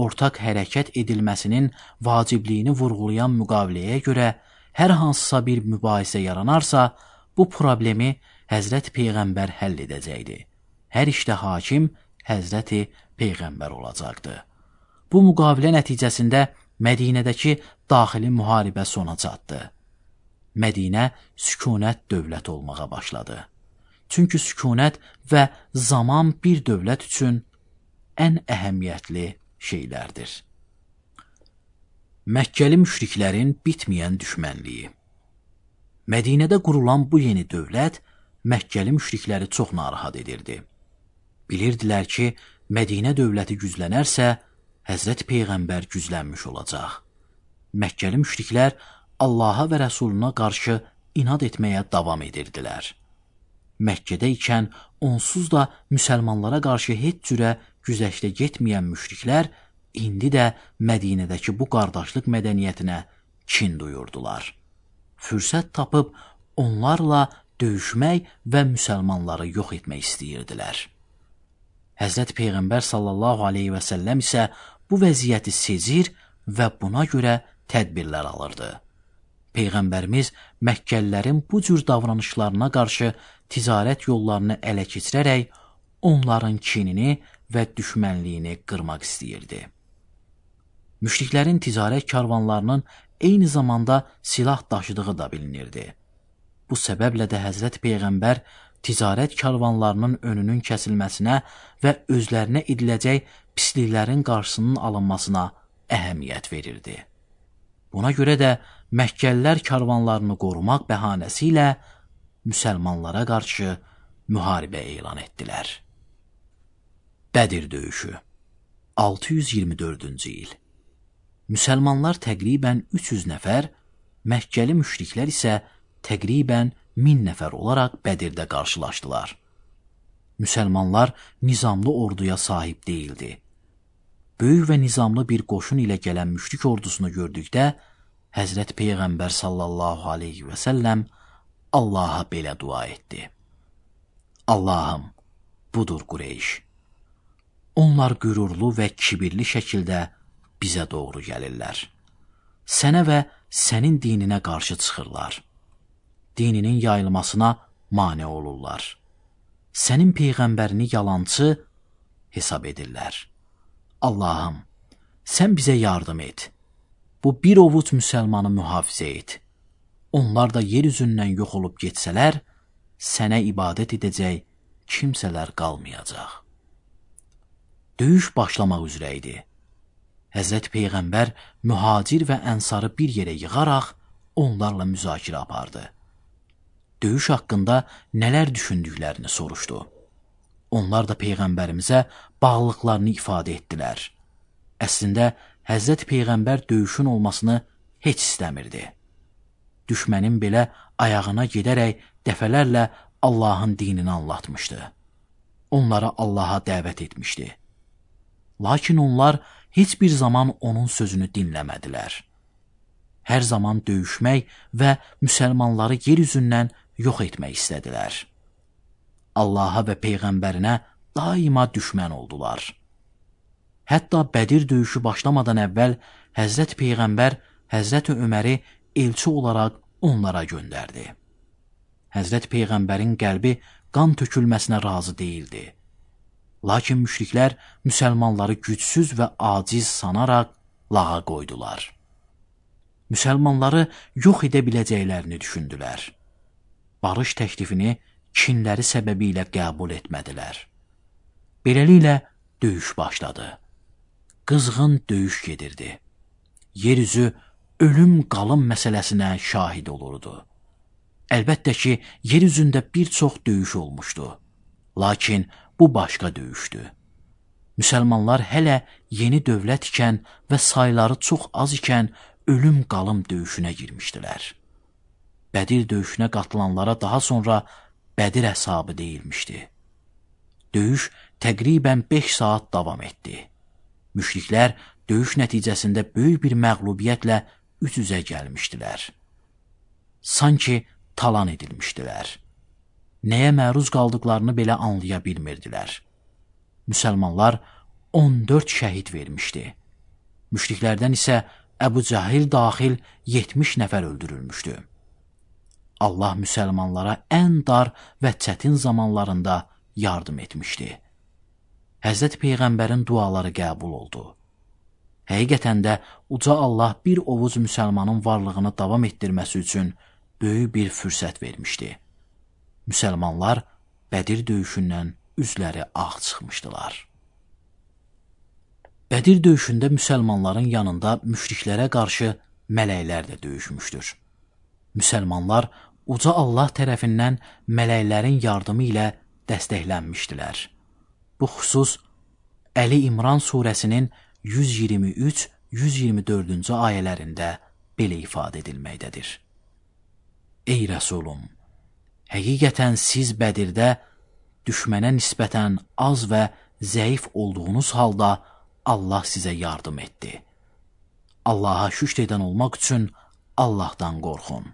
ortaq hərəkət edilməsinin vacibliyini vurğulayan müqaviləyə görə hər hansısa bir mübahisə yaranarsa, bu problemi Həzrət Peyğəmbər həll edəcəkdi. Hər işdə hakim Həzrəti Peyğəmbər olacaqdı. Bu müqavilə nəticəsində Mədinədəki daxili müharibə sona çatdı. Mədinə sükunət dövlət olmağa başladı. Çünki sükunət və zaman bir dövlət üçün ən əhəmiyyətli şeylərdir. Məkkəli müşriklərin bitməyən düşmənliyi. Mədinədə qurulan bu yeni dövlət Məkkəli müşrikləri çox narahat edirdi. Bilirdilər ki, Mədinə dövləti güclənərsə, Həzrət Peyğəmbər güclənmiş olacaq. Məkkəli müşriklər Allaha və Rəsuluna qarşı inad etməyə davam edirdilər. Məkkədə ikən onsuz da müsəlmanlara qarşı heç cürə güzəşdə getməyən müşriklər indi də Mədinədəki bu qardaşlıq mədəniyyətinə kin duyurdular. Fürsət tapıb onlarla döyüşmək və müsəlmanları yox etmək istəyirdilər. Həzrət Peyğəmbər sallallahu aleyhi və səlləm isə bu vəziyyəti sezir və buna görə tədbirlər alırdı. Peyğəmbərimiz Məkkəlilərin bu cür davranışlarına qarşı ticarət yollarını ələ keçirərək onların kinini və düşmənliyini qırmaq istəyirdi. Müşriklərin ticarət karvanlarının eyni zamanda silah daşıdığı da bilinirdi. Bu səbəblə də Həzrət Peyğəmbər ticarət karvanlarının önünün kəsilməsinə və özlərinə ediləcək pisliklərin qarşısının alınmasına əhəmiyyət verirdi. Buna görə də Məkkəlilər karvanlarını qorumaq bəhanəsi ilə müsəlmanlara qarşı müharibə elan etdilər. Bədir döyüşü altı yüz iyirmi dördüncü il. Müsəlmanlar təqribən üç yüz nəfər, Məkkəli müşriklər isə təqribən min nəfər olaraq Bədirdə qarşılaşdılar. Müsəlmanlar nizamlı orduya sahib deyildi. Böyük və nizamlı bir qoşun ilə gələn müşrik ordusunu gördükdə Həzrət Peyğəmbər sallallahu aleyhi və səlləm Allaha belə dua etdi. Allahım, budur Qureyş. Onlar qürurlu və kibirli şəkildə bizə doğru gəlirlər. Sənə və sənin dininə qarşı çıxırlar. Dininin yayılmasına mane olurlar. Sənin Peyğəmbərini yalancı hesab edirlər. Allahım, sən bizə yardım et. Bu bir ovuc müsəlmanı mühafizə et. Onlar da yer üzündən yox olub getsələr, sənə ibadət edəcək kimsələr qalmayacaq. Döyüş başlamaq üzrə idi. Həzrət Peyğəmbər mühacir və ənsarı bir yerə yığaraq onlarla müzakirə apardı. Döyüş haqqında nələr düşündüklərini soruşdu. Onlar da Peyğəmbərimizə bağlılıqlarını ifadə etdilər. Əslində, Həzrət Peyğəmbər döyüşün olmasını heç istəmirdi. Düşmənin belə ayağına gedərək dəfələrlə Allahın dinini anlatmışdı. Onlara Allaha dəvət etmişdi. Lakin onlar heç bir zaman onun sözünü dinləmədilər. Hər zaman döyüşmək və müsəlmanları yer üzündən yox etmək istədilər. Allaha və Peyğəmbərinə daima düşmən oldular. Hətta Bədir döyüşü başlamadan əvvəl Həzrət Peyğəmbər Həzrət Öməri elçi olaraq onlara göndərdi. Həzrət Peyğəmbərin qəlbi qan tökülməsinə razı deyildi. Lakin müşriklər müsəlmanları gücsüz və aciz sanaraq lağa qoydular. Müsəlmanları yox edə biləcəklərini düşündülər. Barış təklifini kinləri səbəbilə qəbul etmədilər. Beləliklə döyüş başladı. Qızğın döyüş gedirdi. Yeryüzü ölüm-qalım məsələsinə şahid olurdu. Əlbəttə ki, yer üzündə bir çox döyüş olmuşdu. Lakin bu başqa döyüşdü. Müsəlmanlar hələ yeni dövlət ikən və sayları çox az ikən ölüm-qalım döyüşünə girmişdilər. Bədir döyüşünə qatılanlara daha sonra Bədir hesabı deyilmişdi. Döyüş təqribən beş saat davam etdi. Müşriklər döyüş nəticəsində böyük bir məğlubiyyətlə üz-üzə gəlmişdilər. Sanki talan edilmişdilər. Nəyə məruz qaldıqlarını belə anlaya bilmirdilər. Müsəlmanlar on dörd şəhid vermişdi. Müşriklərdən isə Əbu Cəhil daxil yetmiş nəfər öldürülmüşdü. Allah müsəlmanlara ən dar və çətin zamanlarında yardım etmişdi. Həzrət Peyğəmbərin duaları qəbul oldu. Həqiqətən də uca Allah bir ovuc müsəlmanın varlığını davam etdirməsi üçün böyük bir fürsət vermişdi. Müsəlmanlar Bədir döyüşündən üzləri ağ çıxmışdılar. Bədir döyüşündə müsəlmanların yanında müşriklərə qarşı mələklər də döyüşmüşdür. Müsəlmanlar uca Allah tərəfindən mələklərin yardımı ilə dəstəklənmişdilər. Bu xüsus Əli İmran surəsinin yüz iyirmi üç yüz iyirmi dördüncü ayələrində belə ifadə edilməkdədir. Ey Rəsulum! Həqiqətən siz Bədirdə düşmənə nisbətən az və zəif olduğunuz halda Allah sizə yardım etdi. Allaha şükr edən olmaq üçün Allahdan qorxun.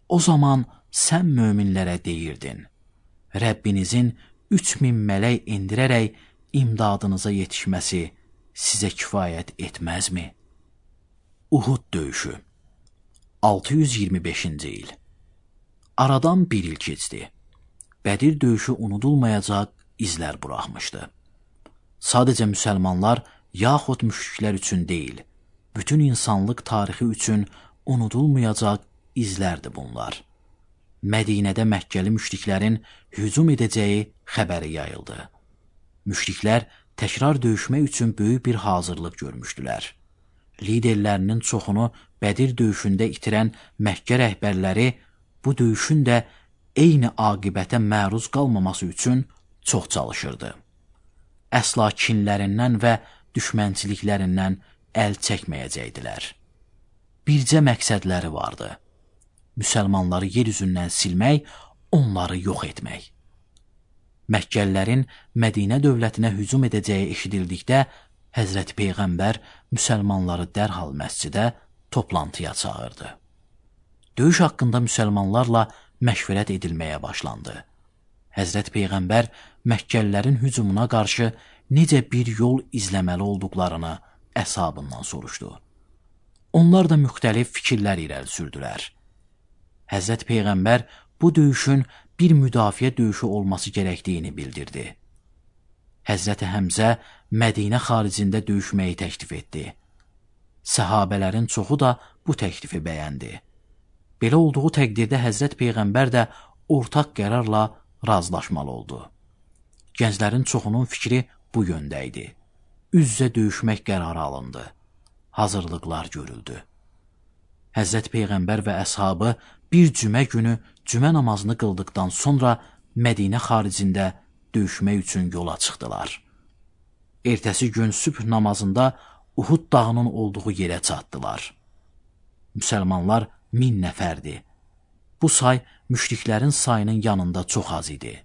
O zaman sən möminlərə deyirdin, Rəbbinizin üç min mələk indirərək imdadınıza yetişməsi sizə kifayət etməzmi? Uhud döyüşü altı yüz iyirmi beşinci il. Aradan bir il keçdi. Bədir döyüşü unudulmayacaq izlər buraxmışdı. Sadəcə müsəlmanlar yaxud müşriklər üçün deyil, bütün insanlıq tarixi üçün unudulmayacaq izlərdir bunlar. Mədinədə Məkkəli müşriklərin hücum edəcəyi xəbəri yayıldı. Müşriklər təkrar döyüşmək üçün böyük bir hazırlıq görmüşdülər. Liderlərinin çoxunu Bədir döyüşündə itirən Məkkə rəhbərləri bu döyüşün də eyni aqibətə məruz qalmaması üçün çox çalışırdı. Əsla kinlərindən və düşmənçiliklərindən əl çəkməyəcəkdilər. Bircə məqsədləri vardı. Müsəlmanları yer üzündən silmək, onları yox etmək. Məkkəlilərin Mədinə dövlətinə hücum edəcəyi eşidildikdə Həzrəti Peyğəmbər müsəlmanları dərhal məscidə toplantıya çağırdı. Döyüş haqqında müsəlmanlarla məşvərət edilməyə başlandı. Həzrət Peyğəmbər Məkkəlilərin hücumuna qarşı necə bir yol izləməli olduqlarını əshabından soruşdu. Onlar da müxtəlif fikirlər irəli sürdülər. Həzrət Peyğəmbər bu döyüşün bir müdafiə döyüşü olması gərəkdiyini bildirdi. Həzrəti Həmzə Mədinə xaricində döyüşməyi təklif etdi. Səhabələrin çoxu da bu təklifi bəyəndi. Belə olduğu təqdirdə Həzrət Peyğəmbər də ortaq qərarla razılaşmalı oldu. Gənclərin çoxunun fikri bu yöndə idi. Üz-üzə döyüşmək qərarı alındı. Hazırlıqlar görüldü. Həzrət Peyğəmbər və əshabı bir cümə günü cümə namazını qıldıqdan sonra Mədinə xaricində döyüşmək üçün yola çıxdılar. Ertəsi gün sübh namazında Uhud dağının olduğu yerə çatdılar. Müsəlmanlar min nəfərdi. Bu say müşriklərin sayının yanında çox az idi.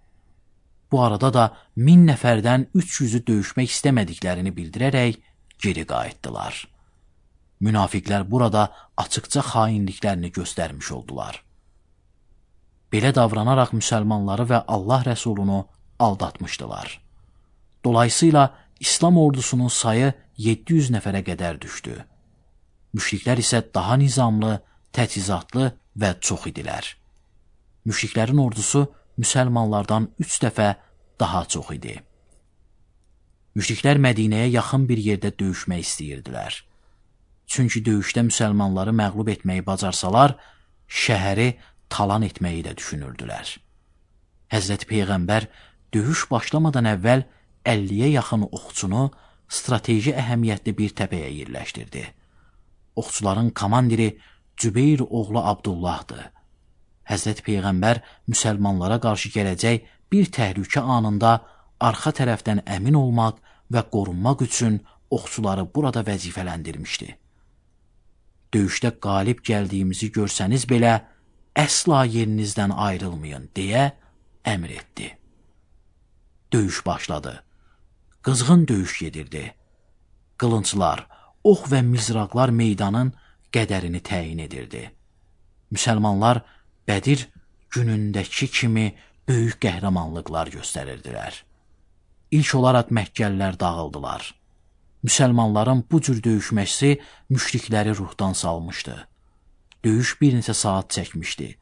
Bu arada da min nəfərdən üç yüzü döyüşmək istəmədiklərini bildirərək geri qayıtdılar. Münafiqlər burada açıqca xainliklərini göstərmiş oldular. Belə davranaraq müsəlmanları və Allah rəsulunu aldatmışdılar. Dolayısıyla İslam ordusunun sayı yeddi yüz nəfərə qədər düşdü. Müşriklər isə daha nizamlı, təchizatlı və çox idilər. Müşriklərin ordusu müsəlmanlardan üç dəfə daha çox idi. Müşriklər Mədinəyə yaxın bir yerdə döyüşmək istəyirdilər. Çünki döyüşdə müsəlmanları məğlub etməyi bacarsalar, şəhəri talan etməyi də düşünürdülər. Həzrəti Peyğəmbər döyüş başlamadan əvvəl əlliyə yaxın oxçunu strateji əhəmiyyətli bir təpəyə yerləşdirdi. Oxçuların komandiri Cübeyr oğlu Abdullahdır. Həzrət Peyğəmbər müsəlmanlara qarşı gələcək bir təhlükə anında arxa tərəfdən əmin olmaq və qorunmaq üçün oxçuları burada vəzifələndirmişdi. Döyüşdə qalib gəldiyimizi görsəniz belə, əsla yerinizdən ayrılmayın, deyə əmr etdi. Döyüş başladı. Qızğın döyüş gedirdi. Qılınclar, ox və mizraqlar meydanın qədərini təyin edirdi. Müsəlmanlar Bədir günündəki kimi böyük qəhrəmanlıqlar göstərirdilər. İlk olaraq Məkkəlilər dağıldılar. Müsəlmanların bu cür döyüşməsi müşrikləri ruhdan salmışdı. Döyüş bir neçə saat çəkmişdi.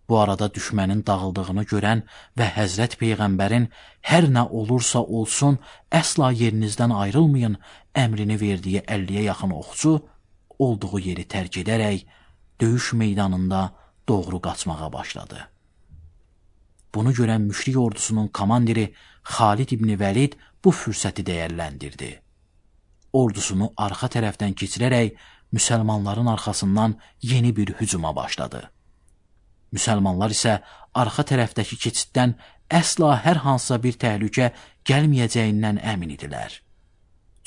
Bu arada düşmənin dağıldığını görən və Həzrət Peyğəmbərin hər nə olursa olsun, əsla yerinizdən ayrılmayın əmrini verdiyi əlliyə yaxın oxçu olduğu yeri tərk edərək döyüş meydanında doğru qaçmağa başladı. Bunu görən müşrik ordusunun komandiri Xalid İbni Vəlid bu fürsəti dəyərləndirdi. Ordusunu arxa tərəfdən keçirərək müsəlmanların arxasından yeni bir hücuma başladı. Müsəlmanlar isə arxa tərəfdəki keçiddən əsla hər hansısa bir təhlükə gəlməyəcəyindən əmin idilər.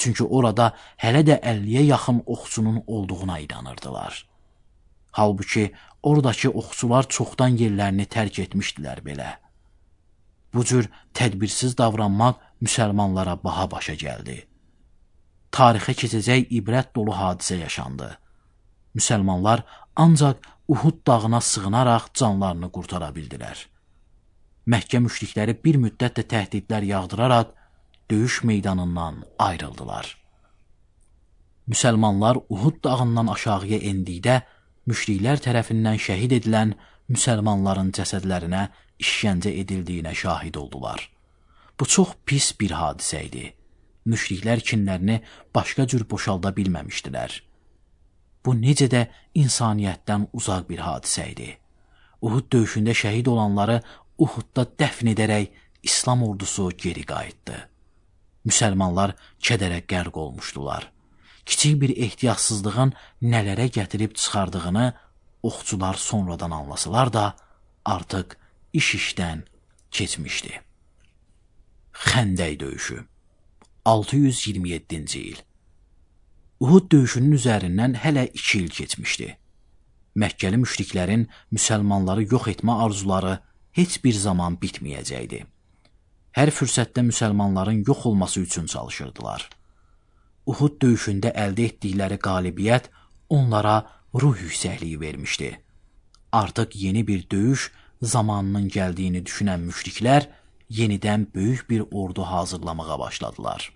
Çünki orada hələ də əlliyə yaxın oxçunun olduğuna inanırdılar. Halbuki oradakı oxçular çoxdan yerlərini tərk etmişdilər belə. Bu cür tədbirsiz davranmaq müsəlmanlara baha başa gəldi. Tarixə keçəcək ibrət dolu hadisə yaşandı. Müsəlmanlar ancaq Uhud dağına sığınaraq canlarını qurtara bildilər. Məkkə müşrikləri bir müddət də təhdidlər yağdıraraq döyüş meydanından ayrıldılar. Müsəlmanlar Uhud dağından aşağıya endikdə müşriklər tərəfindən şəhid edilən müsəlmanların cəsədlərinə işgəncə edildiyinə şahid oldular. Bu çox pis bir hadisə idi. Müşriklər kinlərini başqa cür boşalda bilməmişdilər. Bu necə də insaniyyətdən uzaq bir hadisə idi. Uhud döyüşündə şəhid olanları Uhudda dəfn edərək İslam ordusu geri qayıtdı. Müsəlmanlar kədərə qərq olmuşdular. Kiçik bir ehtiyatsızlığın nələrə gətirib çıxardığını oxçular sonradan anlasalar da artıq iş işdən keçmişdi. Xəndək döyüşü altı yüz iyirmi yeddinci il. Uhud döyüşünün üzərindən hələ iki il keçmişdi. Məkkəli müşriklərin müsəlmanları yox etmə arzuları heç bir zaman bitməyəcəkdi. Hər fürsətdə müsəlmanların yox olması üçün çalışırdılar. Uhud döyüşündə əldə etdikləri qalibiyyət onlara ruh yüksəkliyi vermişdi. Artıq yeni bir döyüş zamanının gəldiyini düşünən müşriklər yenidən böyük bir ordu hazırlamağa başladılar.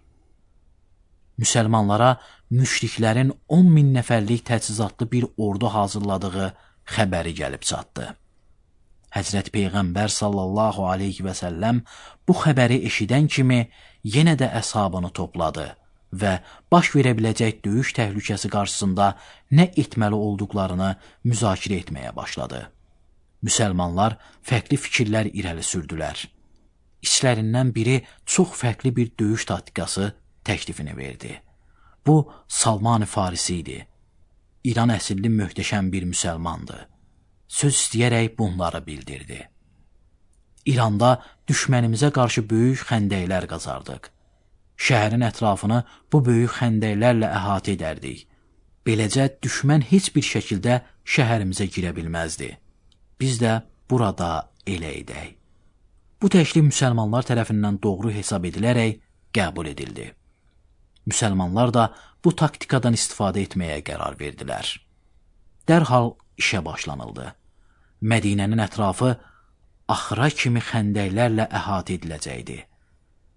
Müsəlmanlara müşriklərin on min nəfərlik təchizatlı bir ordu hazırladığı xəbəri gəlib çatdı. Həzrət Peyğəmbər sallallahu aleyhi və səlləm bu xəbəri eşidən kimi yenə də əshabını topladı və baş verə biləcək döyüş təhlükəsi qarşısında nə etməli olduqlarını müzakirə etməyə başladı. Müsəlmanlar fərqli fikirlər irəli sürdülər. İçlərindən biri çox fərqli bir döyüş taktikası təklifini verdi. Bu Salman-ı Farisi idi. İran əsilli möhtəşəm bir müsəlmandı. Söz istəyərək bunları bildirdi. İranda düşmənimizə qarşı böyük xəndəklər qazardıq. Şəhərin ətrafını bu böyük xəndəklərlə əhatə edərdik. Beləcə düşmən heç bir şəkildə şəhərimizə girə bilməzdi. Biz də burada elə edək. Bu təklif müsəlmanlar tərəfindən doğru hesab edilərək qəbul edildi. Müsəlmanlar da bu taktikadan istifadə etməyə qərar verdilər. Dərhal işə başlanıldı. Mədinənin ətrafı axıra kimi xəndəklərlə əhatə ediləcəkdi.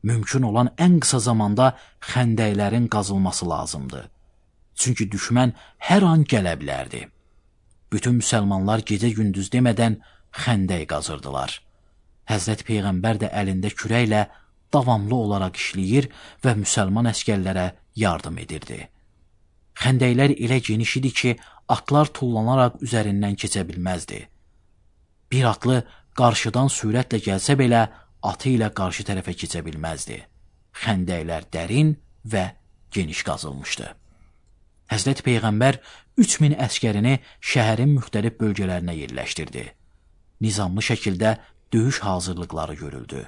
Mümkün olan ən qısa zamanda xəndəklərin qazılması lazımdı. Çünki düşmən hər an gələ bilərdi. Bütün müsəlmanlar gecə-gündüz demədən xəndək qazırdılar. Həzrət Peyğəmbər də əlində kürəklə davamlı olaraq işləyir və müsəlman əskərlərə yardım edirdi. Xəndəklər elə geniş idi ki, atlar tullanaraq üzərindən keçə bilməzdi. Bir atlı qarşıdan sürətlə gəlsə belə, atı ilə qarşı tərəfə keçə bilməzdi. Xəndəklər dərin və geniş qazılmışdı. Həzrət Peyğəmbər üç min əskərini şəhərin müxtəlif bölgələrinə yerləşdirdi. Nizamlı şəkildə döyüş hazırlıqları görüldü.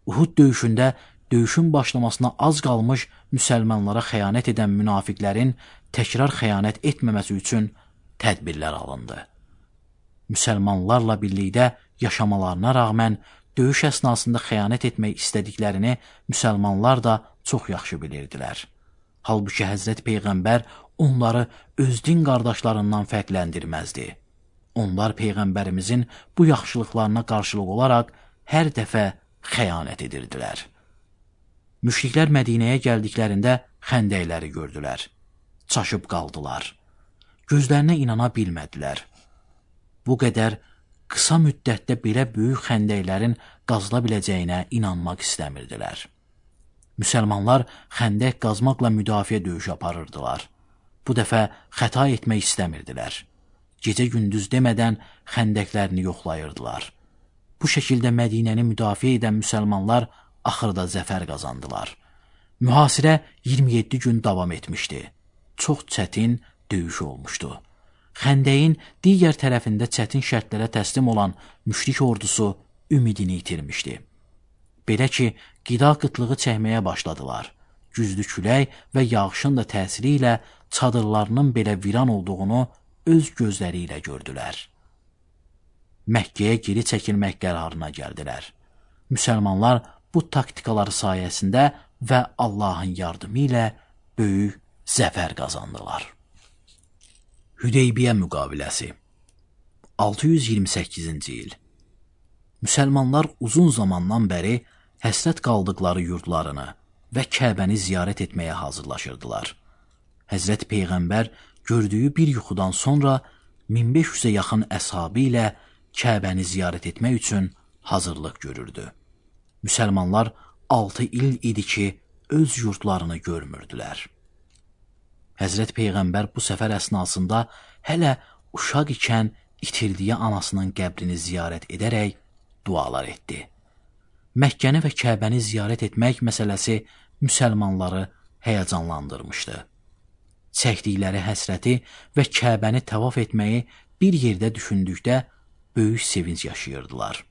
Uhud döyüşündə döyüşün başlamasına az qalmış müsəlmanlara xəyanət edən münafiqlərin təkrar xəyanət etməməsi üçün tədbirlər alındı. Müsəlmanlarla birlikdə yaşamalarına rağmen döyüş əsnasında xəyanət etmək istədiklərini müsəlmanlar da çox yaxşı bilirdilər. Halbuki Həzrət Peyğəmbər onları öz din qardaşlarından fərqləndirməzdi. Onlar Peyğəmbərimizin bu yaxşılıqlarına qarşılıq olaraq hər dəfə xəyanət edirdilər. Müşriklər Mədinəyə gəldiklərində xəndəkləri gördülər. Çaşıb qaldılar. Gözlərinə inana bilmədilər. Bu qədər qısa müddətdə belə böyük xəndəklərin qazıla biləcəyinə inanmaq istəmirdilər. Müsəlmanlar xəndək qazmaqla müdafiə döyüşü aparırdılar. Bu dəfə xəta etmək istəmirdilər. Gecə-gündüz demədən xəndəklərini yoxlayırdılar. Bu şəkildə Mədinəni müdafiə edən müsəlmanlar axırda zəfər qazandılar. Mühasirə iyirmi yeddi gün davam etmişdi. Çox çətin döyüş olmuşdu. Xəndəyin digər tərəfində çətin şərtlərə təslim olan müşrik ordusu ümidini itirmişdi. Belə ki, qida qıtlığı çəkməyə başladılar. Güclü külək və yağışın da təsiri ilə çadırlarının belə viran olduğunu öz gözləri ilə gördülər. Məkkəyə geri çəkilmək qərarına gəldilər. Müsəlmanlar bu taktikaları sayəsində və Allahın yardımı ilə böyük zəfər qazandılar. Hüdeybiyyə müqaviləsi altı yüz iyirmi səkkizinci il. Müsəlmanlar uzun zamandan bəri həsrət qaldıqları yurdlarını və Kəbəni ziyarət etməyə hazırlaşırdılar. Həzrət Peyğəmbər gördüyü bir yuxudan sonra min beş yüzə yaxın əshabı ilə Kəbəni ziyarət etmək üçün hazırlıq görürdü. Müsəlmanlar altı il idi ki, öz yurdlarını görmürdülər. Həzrət Peyğəmbər bu səfər əsnasında hələ uşaq ikən itirdiyi anasının qəbrini ziyarət edərək dualar etdi. Məkkəni və Kəbəni ziyarət etmək məsələsi müsəlmanları həyəcanlandırmışdı. Çəkdikləri həsrəti və Kəbəni təvaf etməyi bir yerdə düşündükdə böyük sevinç yaşayırdılar.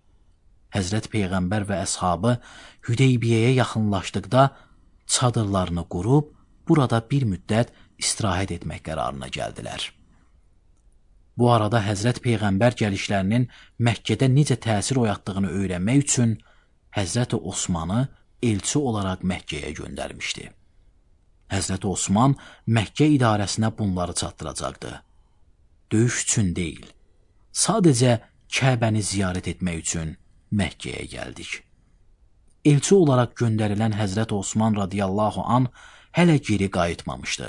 Həzrət Peyğəmbər və əshabı Hüdeybiyyəyə yaxınlaşdıqda çadırlarını qurub burada bir müddət istirahət etmək qərarına gəldilər. Bu arada Həzrət Peyğəmbər gəlişlərinin Məkkədə necə təsir oyatdığını öyrənmək üçün Həzrəti Osmanı elçi olaraq Məkkəyə göndərmişdi. Həzrəti Osman Məkkə idarəsinə bunları çatdıracaqdı. Döyüş üçün deyil, sadəcə Kəbəni ziyarət etmək üçün Məkkəyə gəldik. Elçi olaraq göndərilən Həzrət Osman radiyallahu an hələ geri qayıtmamışdı.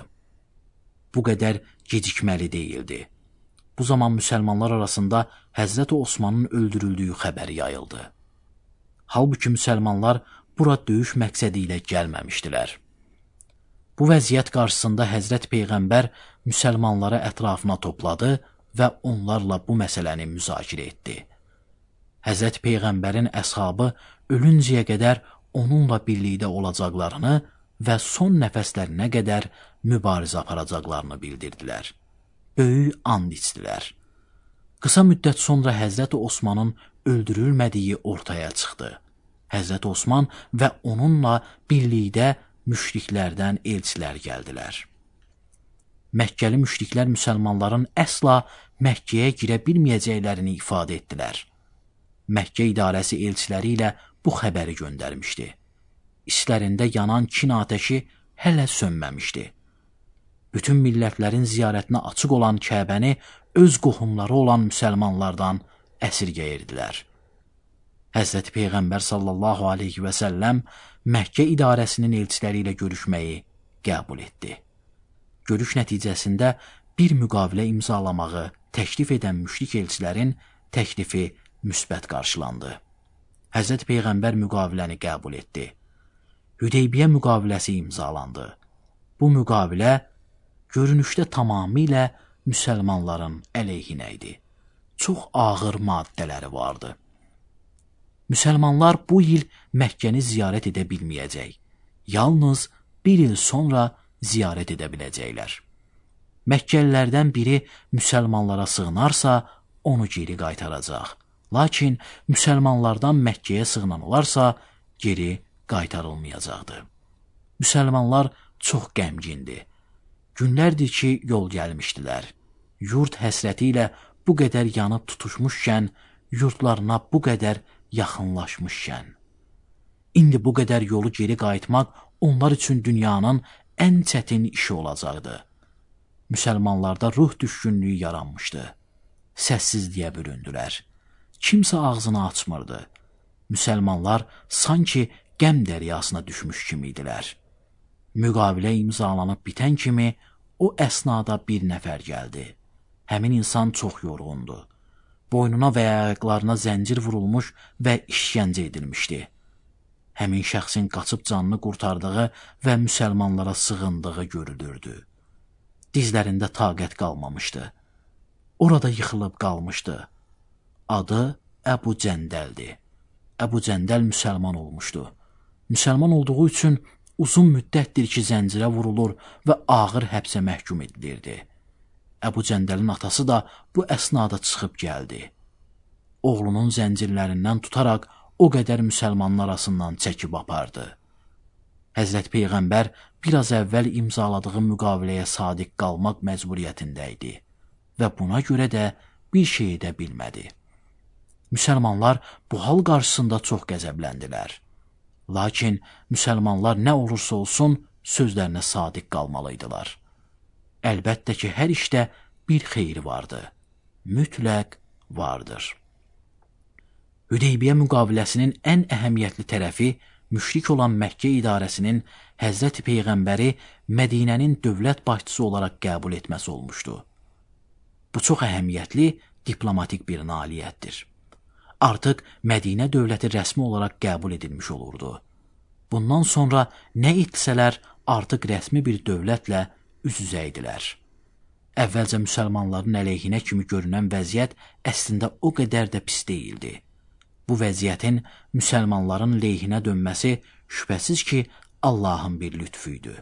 Bu qədər gecikməli deyildi. Bu zaman müsəlmanlar arasında Həzrət Osmanın öldürüldüyü xəbəri yayıldı. Halbuki müsəlmanlar bura döyüş məqsədi ilə gəlməmişdilər. Bu vəziyyət qarşısında Həzrət Peyğəmbər müsəlmanları ətrafına topladı və onlarla bu məsələni müzakirə etdi. Həzrət Peyğəmbərin əshabı ölüncəyə qədər onunla birlikdə olacaqlarını və son nəfəslərinə qədər mübarizə aparacaqlarını bildirdilər. Böyük and içdilər. Qısa müddət sonra Həzrət Osmanın öldürülmədiyi ortaya çıxdı. Həzrət Osman və onunla birlikdə müşriklərdən elçilər gəldilər. Məkkəli müşriklər müsəlmanların əsla Məkkəyə girə bilməyəcəklərini ifadə etdilər. Məkkə idarəsi elçiləri ilə bu xəbəri göndərmişdi. İçlərində yanan kin atəşi hələ sönməmişdi. Bütün millətlərin ziyarətinə açıq olan Kəbəni öz qohumları olan müsəlmanlardan əsirgəyirdilər. Həzrət Peyğəmbər sallallahu aleyhi və səlləm Məkkə idarəsinin elçiləri ilə görüşməyi qəbul etdi. Görüş nəticəsində bir müqavilə imzalamağı təklif edən müşrik elçilərin təklifi müsbət qarşılandı. Həzrət Peyğəmbər müqaviləni qəbul etdi. Hüdeybiyyə müqaviləsi imzalandı. Bu müqavilə görünüşdə tamamilə müsəlmanların əleyhinə idi. Çox ağır maddələri vardı. Müsəlmanlar bu il Məkkəni ziyarət edə bilməyəcək. Yalnız bir il sonra ziyarət edə biləcəklər. Məkkəlilərdən biri müsəlmanlara sığınarsa, onu geri qaytaracaq. Lakin müsəlmanlardan Məkkəyə sığınan olarsa, geri qaytarılmayacaqdı. Müsəlmanlar çox qəmgindi. Günlərdir ki, yol gəlmişdilər. Yurt həsrəti ilə bu qədər yanıb tutuşmuşkən, yurtlarına bu qədər yaxınlaşmışkən. İndi bu qədər yolu geri qayıtmaq onlar üçün dünyanın ən çətin işi olacaqdı. Müsəlmanlarda ruh düşkünlüyü yaranmışdı. Səssizliyə büründülər. Kimsə ağzını açmırdı. Müsəlmanlar sanki qəm dəryasına düşmüş kimi idilər. Müqavilə imzalanıb bitən kimi o əsnada bir nəfər gəldi. Həmin insan çox yorğundu. Boynuna və ayaqlarına zəncir vurulmuş və işgəncə edilmişdi. Həmin şəxsin qaçıb canını qurtardığı və müsəlmanlara sığındığı görülürdü. Dizlərində taqət qalmamışdı. Orada yıxılıb qalmışdı. Adı Əbu Cəndəldir. Əbu Cəndəl müsəlman olmuşdu. Müsəlman olduğu üçün uzun müddətdir ki, zəncirə vurulur və ağır həbsə məhkum edilirdi. Əbu Cəndəlin atası da bu əsnada çıxıb gəldi. Oğlunun zəncirlərindən tutaraq o qədər müsəlmanın arasından çəkib apardı. Həzrət Peyğəmbər biraz əvvəl imzaladığı müqaviləyə sadiq qalmaq məcburiyyətində idi və buna görə də bir şey edə bilmədi. Müsəlmanlar bu hal qarşısında çox qəzəbləndilər. Lakin müsəlmanlar nə olursa olsun sözlərinə sadiq qalmalıydılar. Əlbəttə ki, hər işdə bir xeyri vardı. Mütləq vardır. Hüdeybiyyə müqaviləsinin ən əhəmiyyətli tərəfi müşrik olan Məkkə idarəsinin Həzrəti Peyğəmbəri Mədinənin dövlət başçısı olaraq qəbul etməsi olmuşdu. Bu çox əhəmiyyətli diplomatik bir nailiyyətdir. Artıq Mədinə dövləti rəsmi olaraq qəbul edilmiş olurdu. Bundan sonra nə etsələr artıq rəsmi bir dövlətlə üz-üzə idilər. Əvvəlcə müsəlmanların əleyhinə kimi görünən vəziyyət əslində o qədər də pis deyildi. Bu vəziyyətin müsəlmanların leyhinə dönməsi şübhəsiz ki, Allahın bir lütfuydu.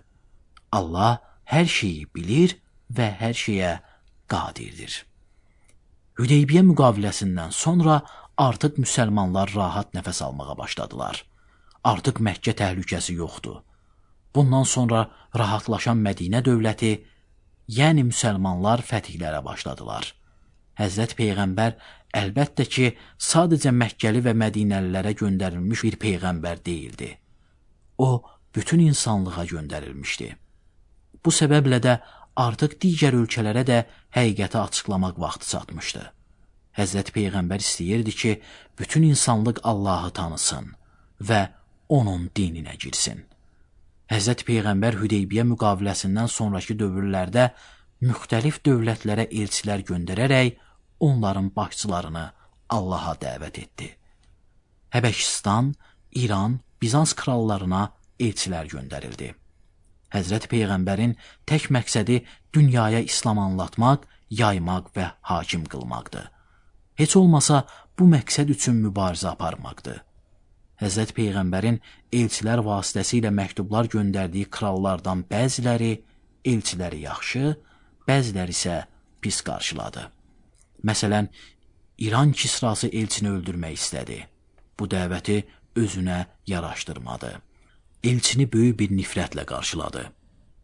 Allah hər şeyi bilir və hər şeyə qadirdir. Hüdeybiyyə müqaviləsindən sonra artıq müsəlmanlar rahat nəfəs almağa başladılar. Artıq Məkkə təhlükəsi yoxdur. Bundan sonra rahatlaşan Mədinə dövləti, yəni müsəlmanlar fətihlərə başladılar. Həzrət Peyğəmbər əlbəttə ki, sadəcə Məkkəli və Mədinəlilərə göndərilmiş bir Peyğəmbər deyildi. O, bütün insanlığa göndərilmişdi. Bu səbəblə də artıq digər ölkələrə də həqiqəti açıqlamaq vaxtı çatmışdı. Həzrət Peyğəmbər istəyirdi ki, bütün insanlıq Allahı tanısın və onun dininə girsin. Həzrət Peyğəmbər Hüdeybiyyə müqaviləsindən sonraki dövrlərdə müxtəlif dövlətlərə elçilər göndərərək onların başçılarını Allaha dəvət etdi. Həbəşistan, İran, Bizans krallarına elçilər göndərildi. Həzrət Peyğəmbərin tək məqsədi dünyaya İslam anlatmaq, yaymaq və hakim qılmaqdır. Heç olmasa bu məqsəd üçün mübarizə aparmaqdır. Həzrət Peyğəmbərin elçilər vasitəsilə məktublar göndərdiyi krallardan bəziləri elçiləri yaxşı, bəziləri isə pis qarşıladı. Məsələn, İran kisrası elçini öldürmək istədi. Bu dəvəti özünə yaraşdırmadı. Elçini böyük bir nifrətlə qarşıladı.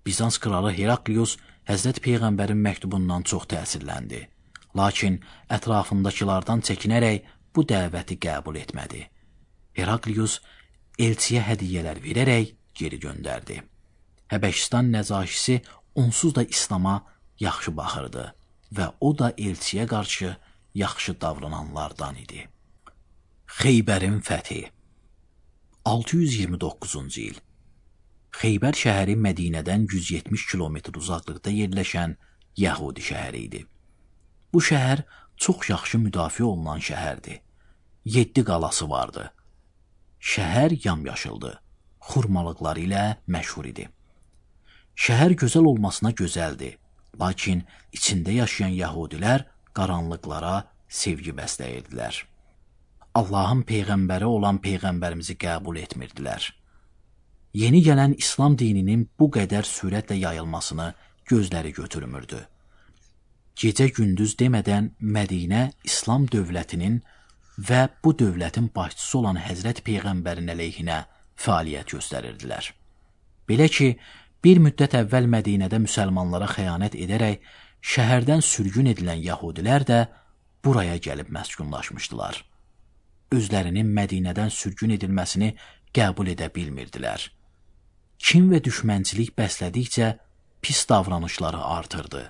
Bizans kralı Heraklius Həzrət Peyğəmbərin məktubundan çox təsirləndi. Lakin ətrafındakilardan çəkinərək bu dəvəti qəbul etmədi. Heraklius elçiyə hədiyyələr verərək geri göndərdi. Həbəşistan nəcaşisi onsuz da İslama yaxşı baxırdı və o da elçiyə qarşı yaxşı davrananlardan idi. Xeybərin fəthi altı yüz iyirmi doqquzuncu il Xeybər şəhəri Mədinədən yüz yetmiş kilometr uzaqlıqda yerləşən Yəhudi şəhəri idi. Bu şəhər çox yaxşı müdafiə olunan şəhərdir. Yeddi qalası vardı. Şəhər yamyaşıldı, xurmalıqları ilə məşhur idi. Şəhər gözəl olmasına gözəldir, lakin içində yaşayan yəhudilər qaranlıqlara sevgi bəsləyirdilər. Allahın Peyğəmbəri olan Peyğəmbərimizi qəbul etmirdilər. Yeni gələn İslam dininin bu qədər sürətlə yayılmasını gözləri götürmürdü. Gecə-gündüz demədən Mədinə İslam dövlətinin və bu dövlətin başçısı olan Həzrət Peyğəmbərin əleyhinə fəaliyyət göstərirdilər. Belə ki, bir müddət əvvəl Mədinədə müsəlmanlara xəyanət edərək şəhərdən sürgün edilən yəhudilər də buraya gəlib məskunlaşmışdılar. Özlərinin Mədinədən sürgün edilməsini qəbul edə bilmirdilər. Kin və düşmənçilik bəslədikcə pis davranışları artırdı.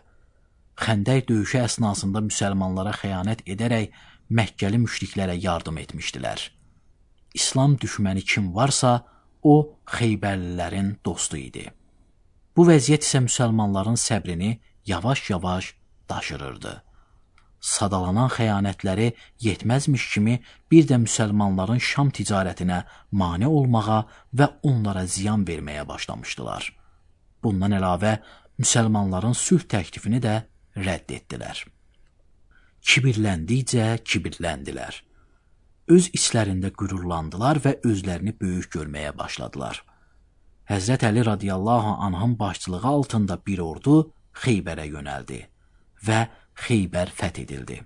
Xəndək döyüşü əsnasında müsəlmanlara xəyanət edərək Məkkəli müşriklərə yardım etmişdilər. İslam düşməni kim varsa, o Xeybərlilərin dostu idi. Bu vəziyyət isə müsəlmanların səbrini yavaş-yavaş daşırırdı. Sadalanan xəyanətləri yetməzmiş kimi bir də müsəlmanların Şam ticarətinə mane olmağa və onlara ziyan verməyə başlamışdılar. Bundan əlavə, müsəlmanların sülh təklifini də rədd etdilər. Kibirləndikcə kibirləndilər. Öz içlərində qürurlandılar və özlərini böyük görməyə başladılar. Həzrət Əli radiyallahu anhın başçılığı altında bir ordu Xeybərə yönəldi və Xeybər fəth edildi.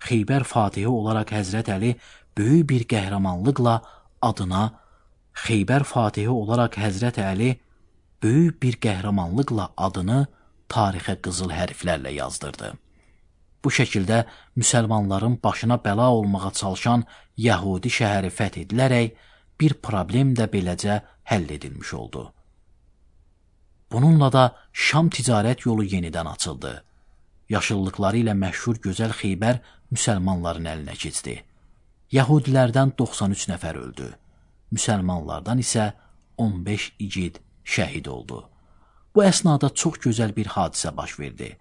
Xeybər fatihi olaraq Həzrət Əli böyük bir qəhrəmanlıqla adına Xeybər fatihi olaraq Həzrət Əli böyük bir qəhrəmanlıqla adını tarixə qızıl hərflərlə yazdırdı. Bu şəkildə müsəlmanların başına bəla olmağa çalışan Yəhudi şəhəri fəth edilərək bir problem də beləcə həll edilmiş oldu. Bununla da Şam ticarət yolu yenidən açıldı. Yaşıllıqları ilə məşhur gözəl Xeybər müsəlmanların əlinə keçdi. Yəhudilərdən doxsan üç nəfər öldü. Müsəlmanlardan isə on beş igid şəhid oldu. Bu əsnada çox gözəl bir hadisə baş verdi.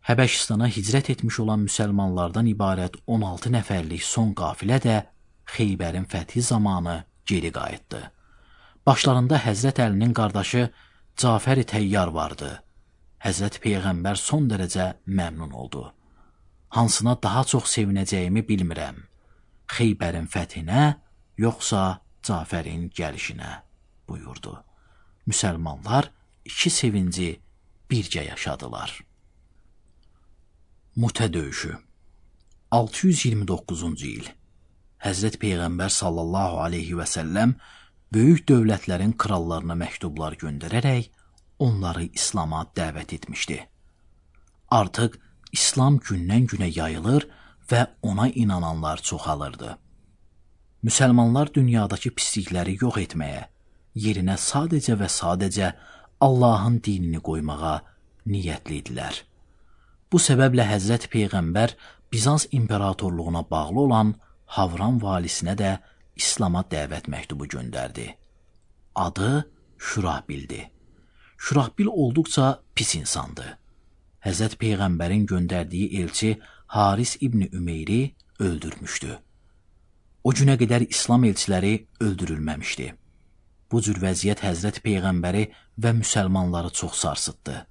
Həbəşistana hicrət etmiş olan müsəlmanlardan ibarət on altı nəfərlik son qafilə də Xeybərin fəthi zamanı geri qayıtdı. Başlarında Həzrət Əlinin qardaşı Cafər-i Təyyar vardı. Həzrət Peyğəmbər son dərəcə məmnun oldu. Hansına daha çox sevinəcəyimi bilmirəm. Xeybərin fəthinə, yoxsa Cafərin gəlişinə buyurdu. Müsəlmanlar iki sevinci bircə yaşadılar. Mutə döyüşü altı yüz iyirmi doqquzuncu il Həzrət Peyğəmbər sallallahu aleyhi və səlləm böyük dövlətlərin krallarına məktublar göndərərək onları İslama dəvət etmişdi. Artıq İslam gündən-günə yayılır və ona inananlar çoxalırdı. Müsəlmanlar dünyadakı pislikləri yox etməyə, yerinə sadəcə və sadəcə Allahın dinini qoymağa niyyətli idilər. Bu səbəblə Həzrət Peyğəmbər Bizans imperatorluğuna bağlı olan Havran valisinə də İslama dəvət məktubu göndərdi. Adı Şurahbildi. Şurahbil olduqca pis insandı. Həzrət Peyğəmbərin göndərdiyi elçi Haris İbni Ümeyri öldürmüşdü. O günə qədər İslam elçiləri öldürülməmişdi. Bu cür vəziyyət Həzrət Peyğəmbəri və müsəlmanları çox sarsıtdı.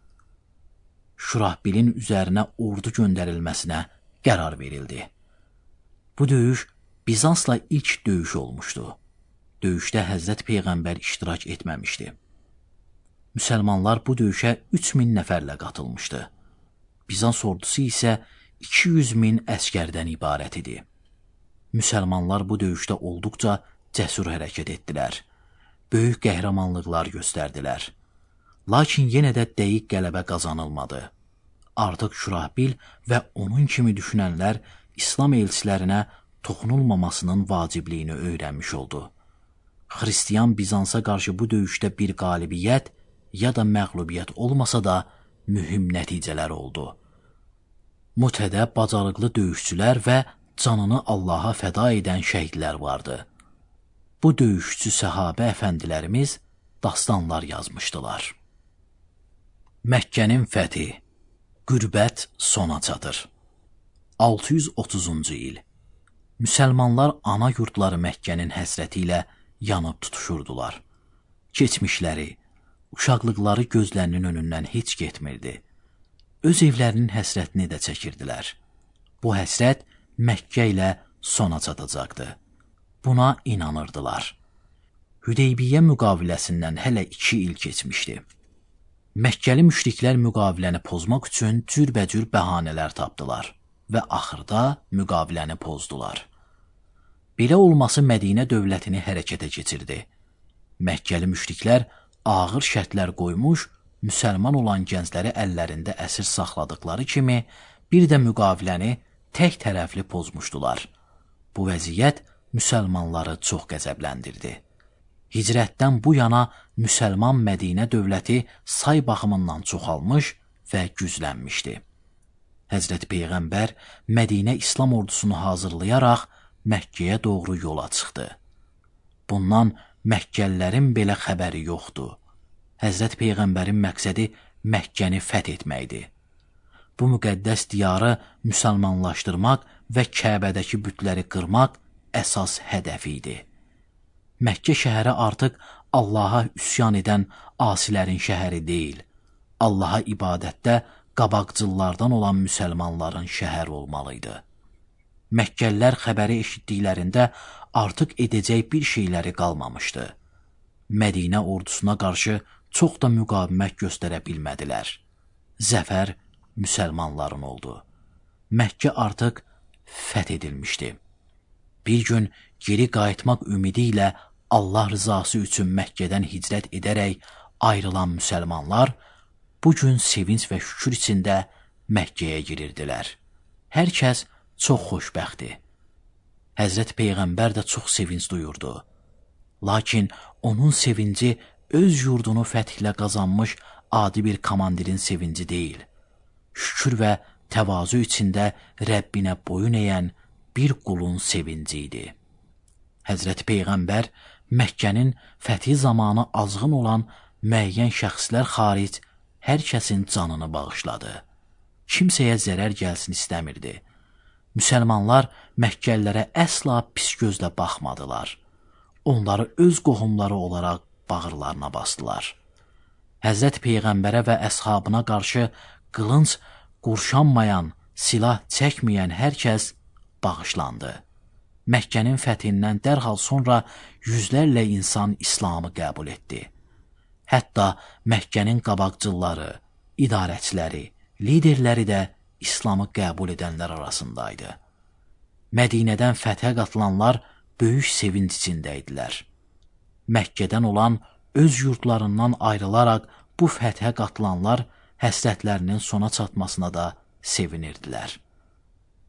Şurahbilin üzərinə ordu göndərilməsinə qərar verildi. Bu döyüş Bizansla ilk döyüş olmuşdu. Döyüşdə Həzrət Peyğəmbər iştirak etməmişdi. Müsəlmanlar bu döyüşə üç min nəfərlə qatılmışdı. Bizans ordusu isə iki yüz min əskərdən ibarət idi. Müsəlmanlar bu döyüşdə olduqca cəsur hərəkət etdilər. Böyük qəhrəmanlıqlar göstərdilər. Lakin yenə də dəqiq qələbə qazanılmadı. Artıq Şurahbil və onun kimi düşünənlər İslam elçilərinə toxunulmamasının vacibliyini öyrənmiş oldu. Xristiyan Bizansa qarşı bu döyüşdə bir qalibiyyət ya da məğlubiyyət olmasa da mühüm nəticələr oldu. Mutədə bacarıqlı döyüşçülər və canını Allaha fəda edən şəhidlər vardı. Bu döyüşçü səhabə əfəndilərimiz dastanlar yazmışdılar. Məkkənin fəthi, qürbət sona çatır. altı yüz otuzuncu il Müsəlmanlar ana yurdları Məkkənin həsrəti ilə yanıb tutuşurdular. Keçmişləri, uşaqlıqları gözlərinin önündən heç getmirdi. Öz evlərinin həsrətini də çəkirdilər. Bu həsrət Məkkə ilə sona çatacaqdı. Buna inanırdılar. Hüdeybiyyə müqaviləsindən hələ iki il keçmişdi. Məkkəli müşriklər müqaviləni pozmaq üçün cürbəcür bəhanələr tapdılar və axırda müqaviləni pozdular. Belə olması Mədinə dövlətini hərəkətə keçirdi. Məkkəli müşriklər ağır şərtlər qoymuş, müsəlman olan gəncləri əllərində əsir saxladıkları kimi bir də müqaviləni tək tərəfli pozmuşdular. Bu vəziyyət müsəlmanları çox qəzəbləndirdi. Hicrətdən bu yana müsəlman Mədinə dövləti say baxımından çoxalmış və güclənmişdi. Həzrət Peyğəmbər Mədinə İslam ordusunu hazırlayaraq Məkkəyə doğru yola çıxdı. Bundan Məkkəlilərin belə xəbəri yoxdur. Həzrət Peyğəmbərin məqsədi Məkkəni fəth etməkdir. Bu müqəddəs diyarı müsəlmanlaşdırmaq və Kəbədəki bütləri qırmaq əsas hədəfi idi. Məkkə şəhəri artıq Allaha üsyan edən asilərin şəhəri deyil, Allaha ibadətdə qabaqcıllardan olan müsəlmanların şəhəri olmalıydı. Məkkəlilər xəbəri eşitdiklərində artıq edəcək bir şeyləri qalmamışdı. Mədinə ordusuna qarşı çox da müqavimət göstərə bilmədilər. Zəfər müsəlmanların oldu. Məkkə artıq fəth edilmişdi. Bir gün geri qayıtmaq ümidi ilə Allah rızası üçün Məkkədən hicrət edərək ayrılan müsəlmanlar bu gün sevinç və şükür içində Məkkəyə girirdilər. Hər kəs çox xoşbəxtdir. Həzrət Peyğəmbər də çox sevinç duyurdu. Lakin onun sevinci öz yurdunu fəthlə qazanmış adi bir komandirin sevinci deyil. Şükür və təvazu içində Rəbbinə boyun edən bir qulun sevinci idi. Həzrət Peyğəmbər Məkkənin fəthi zamanı azğın olan müəyyən şəxslər xaric hər kəsin canını bağışladı. Kimsəyə zərər gəlsin istəmirdi. Müsəlmanlar Məkkəlilərə əsla pis gözlə baxmadılar. Onları öz qohumları olaraq bağırlarına basdılar. Həzrət Peyğəmbərə və əshabına qarşı qılınc qurşanmayan, silah çəkməyən hər kəs bağışlandı. Məkkənin fəthindən dərhal sonra yüzlərlə insan İslamı qəbul etdi. Hətta Məkkənin qabaqcılları, idarəçiləri, liderləri də İslamı qəbul edənlər arasındaydı. Mədinədən fəthə qatılanlar böyük sevinç içində idilər. Məkkədən olan öz yurdlarından ayrılaraq bu fəthə qatılanlar həsrətlərinin sona çatmasına da sevinirdilər.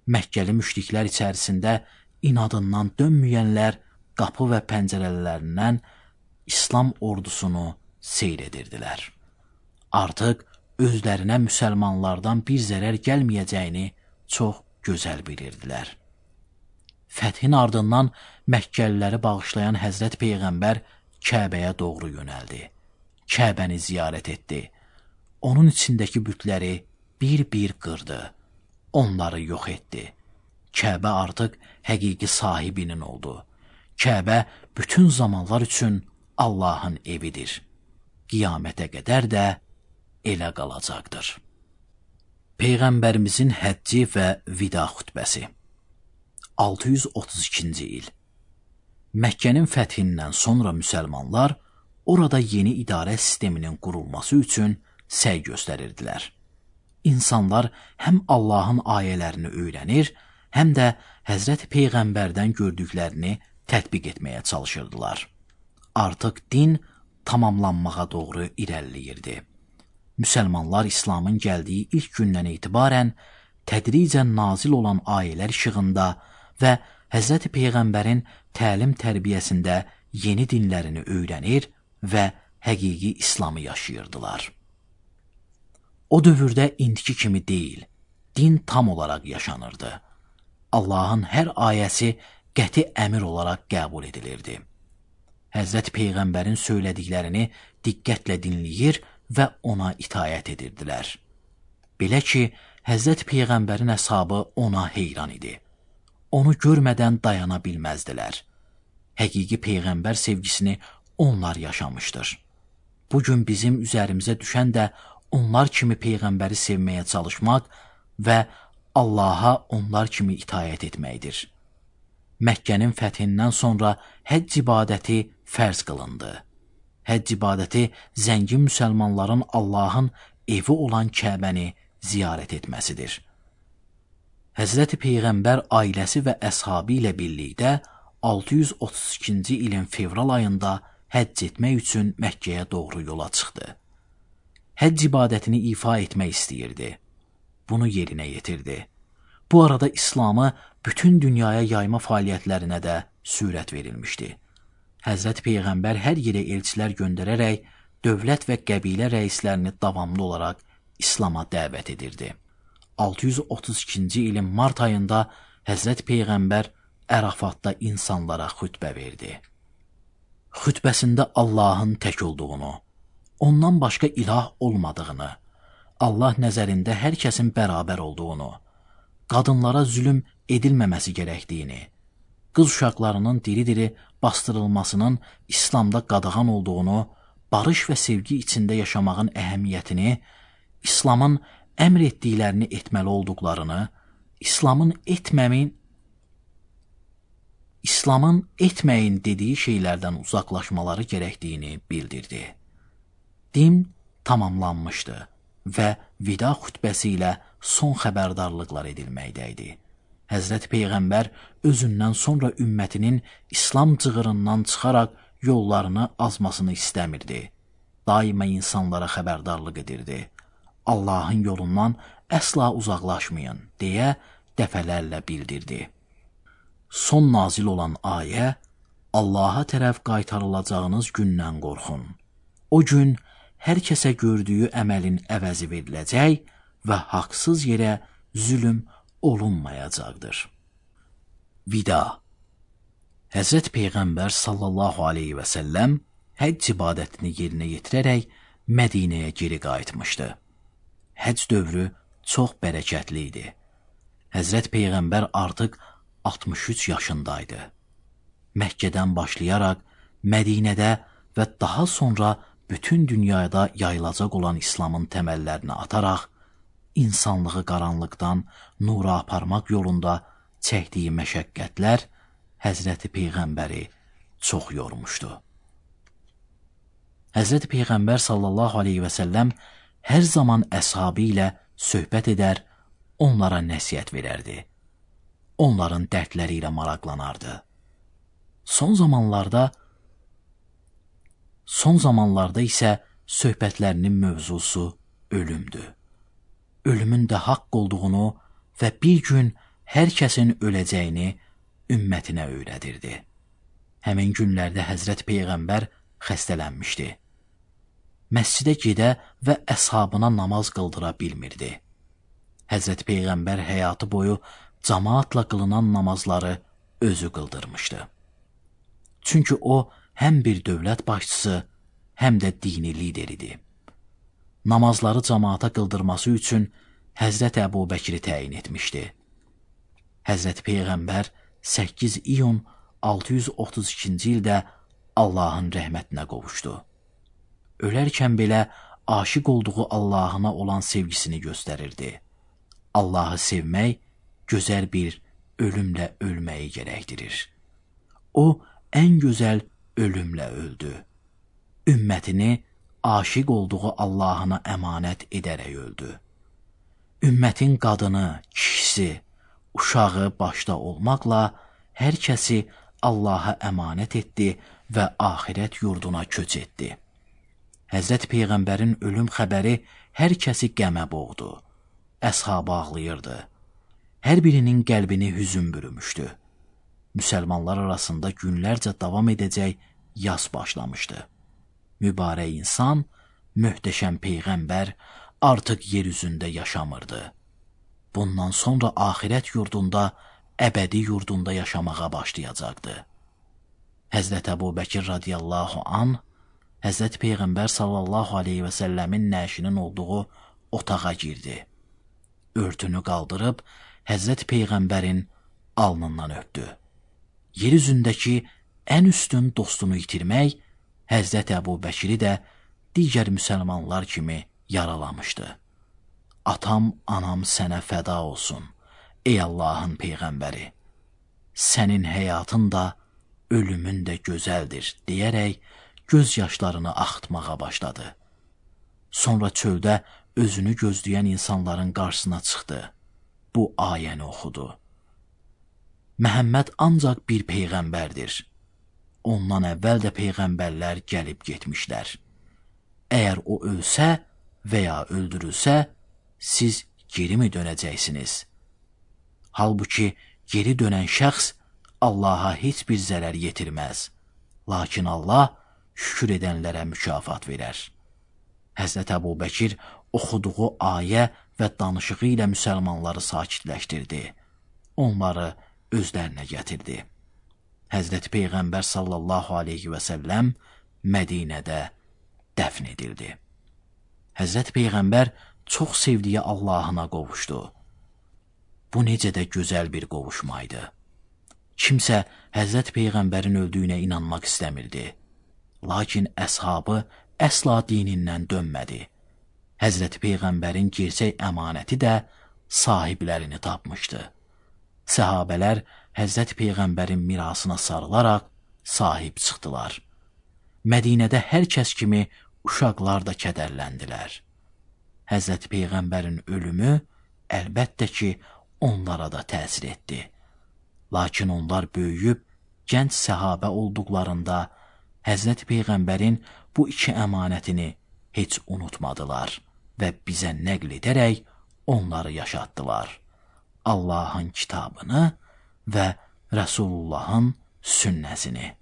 Məkkəli müşriklər içərisində inadından dönməyənlər qapı və pəncərələrindən İslam ordusunu seyr edirdilər. Artıq özlərinə müsəlmanlardan bir zərər gəlməyəcəyini çox gözəl bilirdilər. Fəthin ardından Məkkəliləri bağışlayan Həzrət Peyğəmbər Kəbəyə doğru yönəldi. Kəbəni ziyarət etdi. Onun içindəki bütləri bir-bir qırdı. Onları yox etdi. Kəbə artıq həqiqi sahibinin oldu. Kəbə bütün zamanlar üçün Allahın evidir. Qiyamətə qədər də elə qalacaqdır. Peyğəmbərimizin həcci və vida xutbəsi. altı yüz otuz ikinci il. Məkkənin fəthindən sonra müsəlmanlar orada yeni idarə sisteminin qurulması üçün səy göstərirdilər. İnsanlar həm Allahın ayələrini öyrənir, həm də Həzrət Peyğəmbərdən gördüklərini tətbiq etməyə çalışırdılar. Artıq din tamamlanmağa doğru irəliləyirdi. Müsəlmanlar İslamın gəldiyi ilk gündən etibarən tədricən nazil olan ayələr işığında və Həzrət Peyğəmbərin təlim-tərbiyəsində yeni dinlərini öyrənir və həqiqi İslamı yaşayırdılar. O dövrdə indiki kimi deyil, din tam olaraq yaşanırdı. Allahın hər ayəsi qəti əmr olaraq qəbul edilirdi. Həzrət Peyğəmbərin söylədiklərini diqqətlə dinləyir və ona itayət edirdilər. Belə ki, Həzrət Peyğəmbərin əshabı ona heyran idi. Onu görmədən dayana bilməzdilər. Həqiqi Peyğəmbər sevgisini onlar yaşamışdır. Bugün bizim üzərimizə düşən də onlar kimi Peyğəmbəri sevməyə çalışmaq və Allaha onlar kimi itayət etməkdir. Məkkənin fəthindən sonra həcc ibadəti fərz qılındı. Həcc ibadəti zəngin müsəlmanların Allahın evi olan Kəbəni ziyarət etməsidir. Həzrəti Peyğəmbər ailəsi və əshabı ilə birlikdə altı yüz otuz ikinci ilin fevral ayında həcc etmək üçün Məkkəyə doğru yola çıxdı. Həcc ibadətini ifa etmək istəyirdi. Bunu yerinə yetirdi. Bu arada İslamı bütün dünyaya yayma fəaliyyətlərinə də sürət verilmişdi. Həzrət Peyğəmbər hər yerə elçilər göndərərək dövlət və qəbilə rəislərini davamlı olaraq İslama dəvət edirdi. altı yüz otuz ikinci ilin mart ayında Həzrət Peyğəmbər Ərafatda insanlara xütbə verdi. Xütbəsində Allahın tək olduğunu, ondan başqa ilah olmadığını, Allah nəzərində hər kəsin bərabər olduğunu, qadınlara zülm edilməməsi gərəkdiyini, qız uşaqlarının diri-diri bastırılmasının İslamda qadağan olduğunu, barış və sevgi içində yaşamağın əhəmiyyətini, İslamın əmr etdiklərini etməli olduqlarını, İslamın etməmin, İslamın etməyin dediyi şeylərdən uzaqlaşmaları gərəkdiyini bildirdi. Din tamamlanmışdı və vida xütbəsi ilə son xəbərdarlıqlar edilməkdəydi. Həzrət Peyğəmbər özündən sonra ümmətinin İslam cığırından çıxaraq yollarını azmasını istəmirdi. Daima insanlara xəbərdarlıq edirdi. Allahın yolundan əsla uzaqlaşmayın, deyə dəfələrlə bildirdi. Son nazil olan ayə, Allaha tərəf qaytarılacağınız gündən qorxun. O gün hər kəsə gördüyü əməlin əvəzi veriləcək və haqsız yerə zülm olunmayacaqdır. Vida. Həzrət Peyğəmbər sallallahu aleyhi və səlləm həcc ibadətini yerinə yetirərək Mədinəyə geri qayıtmışdı. Həcc dövrü çox bərəkətli idi. Həzrət Peyğəmbər artıq altmış üç yaşındaydı. Məkkədən başlayaraq Mədinədə və daha sonra bütün dünyada yayılacaq olan İslamın təməllərini ataraq, insanlığı qaranlıqdan nura aparmaq yolunda çəkdiyi məşəqqətlər Həzrəti Peyğəmbəri çox yormuşdu. Həzrəti Peyğəmbər sallallahu aleyhi və səlləm hər zaman əshabı ilə söhbət edər, onlara nəsihət verərdi. Onların dərdləri ilə maraqlanardı. Son zamanlarda son zamanlarda isə söhbətlərinin mövzusu ölümdür. Ölümün də haqq olduğunu və bir gün hər kəsin öləcəyini ümmətinə öyrədirdi. Həmin günlərdə Həzrət Peyğəmbər xəstələnmişdi. Məscidə gedə və əshabına namaz qıldıra bilmirdi. Həzrət Peyğəmbər həyatı boyu cəmaatla qılınan namazları özü qıldırmışdı. Çünki o, həm bir dövlət başçısı, həm də dini lider idi. Namazları cəmaata qıldırması üçün Həzrət Əbu Bəkri təyin etmişdi. Həzrət Peyğəmbər səkkiz iyun altı yüz otuz ikinci ildə Allahın rəhmətinə qovuşdu. Ölərkən belə aşiq olduğu Allahına olan sevgisini göstərirdi. Allahı sevmək gözəl bir ölümlə ölməyi gərəkdirir. O, ən gözəl ölümlə öldü. Ümmətini aşiq olduğu Allahına əmanət edərək öldü. Ümmətin qadını, kişisi, uşağı başda olmaqla hər kəsi Allaha əmanət etdi və axirət yurduna köç etdi. Həzrət Peyğəmbərin ölüm xəbəri hər kəsi qəmə boğdu. Əshabı ağlayırdı. Hər birinin qəlbini hüzün bürümüşdü. Müsəlmanlar arasında günlərcə davam edəcək yas başlamışdı. Mübarək insan, möhtəşəm Peyğəmbər artıq yer üzündə yaşamırdı. Bundan sonra axirət yurdunda, əbədi yurdunda yaşamağa başlayacaqdı. Həzrət Əbu Bəkir radiyallahu anh, Həzrət Peyğəmbər sallallahu aleyhi və səlləmin nəşinin olduğu otağa girdi. Örtünü qaldırıb, Həzrət Peyğəmbərin alnından öpdü. Yer üzündəki ən üstün dostunu itirmək, Həzrət Əbu Bəkiri də digər müsəlmanlar kimi yaralamışdı. Atam, anam sənə fəda olsun, ey Allahın Peyğəmbəri. Sənin həyatın da, ölümün də gözəldir, deyərək göz yaşlarını axıtmağa başladı. Sonra çöldə özünü gözləyən insanların qarşısına çıxdı. Bu ayəni oxudu. Məhəmməd ancaq bir peyğəmbərdir. Ondan əvvəl də peyğəmbərlər gəlib getmişlər. Əgər o ölsə və ya öldürülsə, siz geri mi dönəcəksiniz? Halbuki geri dönən şəxs Allaha heç bir zərər yetirməz. Lakin Allah şükür edənlərə mükafat verər. Həzrət Əbu Bəkir oxuduğu ayə və danışığı ilə müsəlmanları sakitləşdirdi. Onları özlərinə gətirdi. Həzrəti Peyğəmbər sallallahu aleyhi və səlləm Mədinədə dəfn edildi. Həzrəti Peyğəmbər çox sevdiyi Allahına qovuşdu. Bu necə də gözəl bir qovuşmaydı. Kimsə Həzrəti Peyğəmbərin öldüyünə inanmaq istəmirdi. Lakin əshabı əsla dinindən dönmədi. Həzrəti Peyğəmbərin gerçək əmanəti də sahiblərini tapmışdı. Səhabələr Həzrəti Peyğəmbərin mirasına sarılaraq sahib çıxdılar. Mədinədə hər kəs kimi uşaqlar da kədərləndilər. Həzrəti Peyğəmbərin ölümü əlbəttə ki, onlara da təsir etdi. Lakin onlar böyüyüb, gənc səhabə olduqlarında Həzrəti Peyğəmbərin bu iki əmanətini heç unutmadılar və bizə nəql edərək onları yaşatdılar. Allahın kitabını və Rəsulullahın sünnəsini.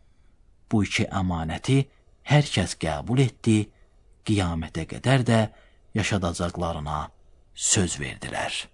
Bu iki əmanəti hər kəs qəbul etdi, qiyamətə qədər də yaşadacaqlarına söz verdilər.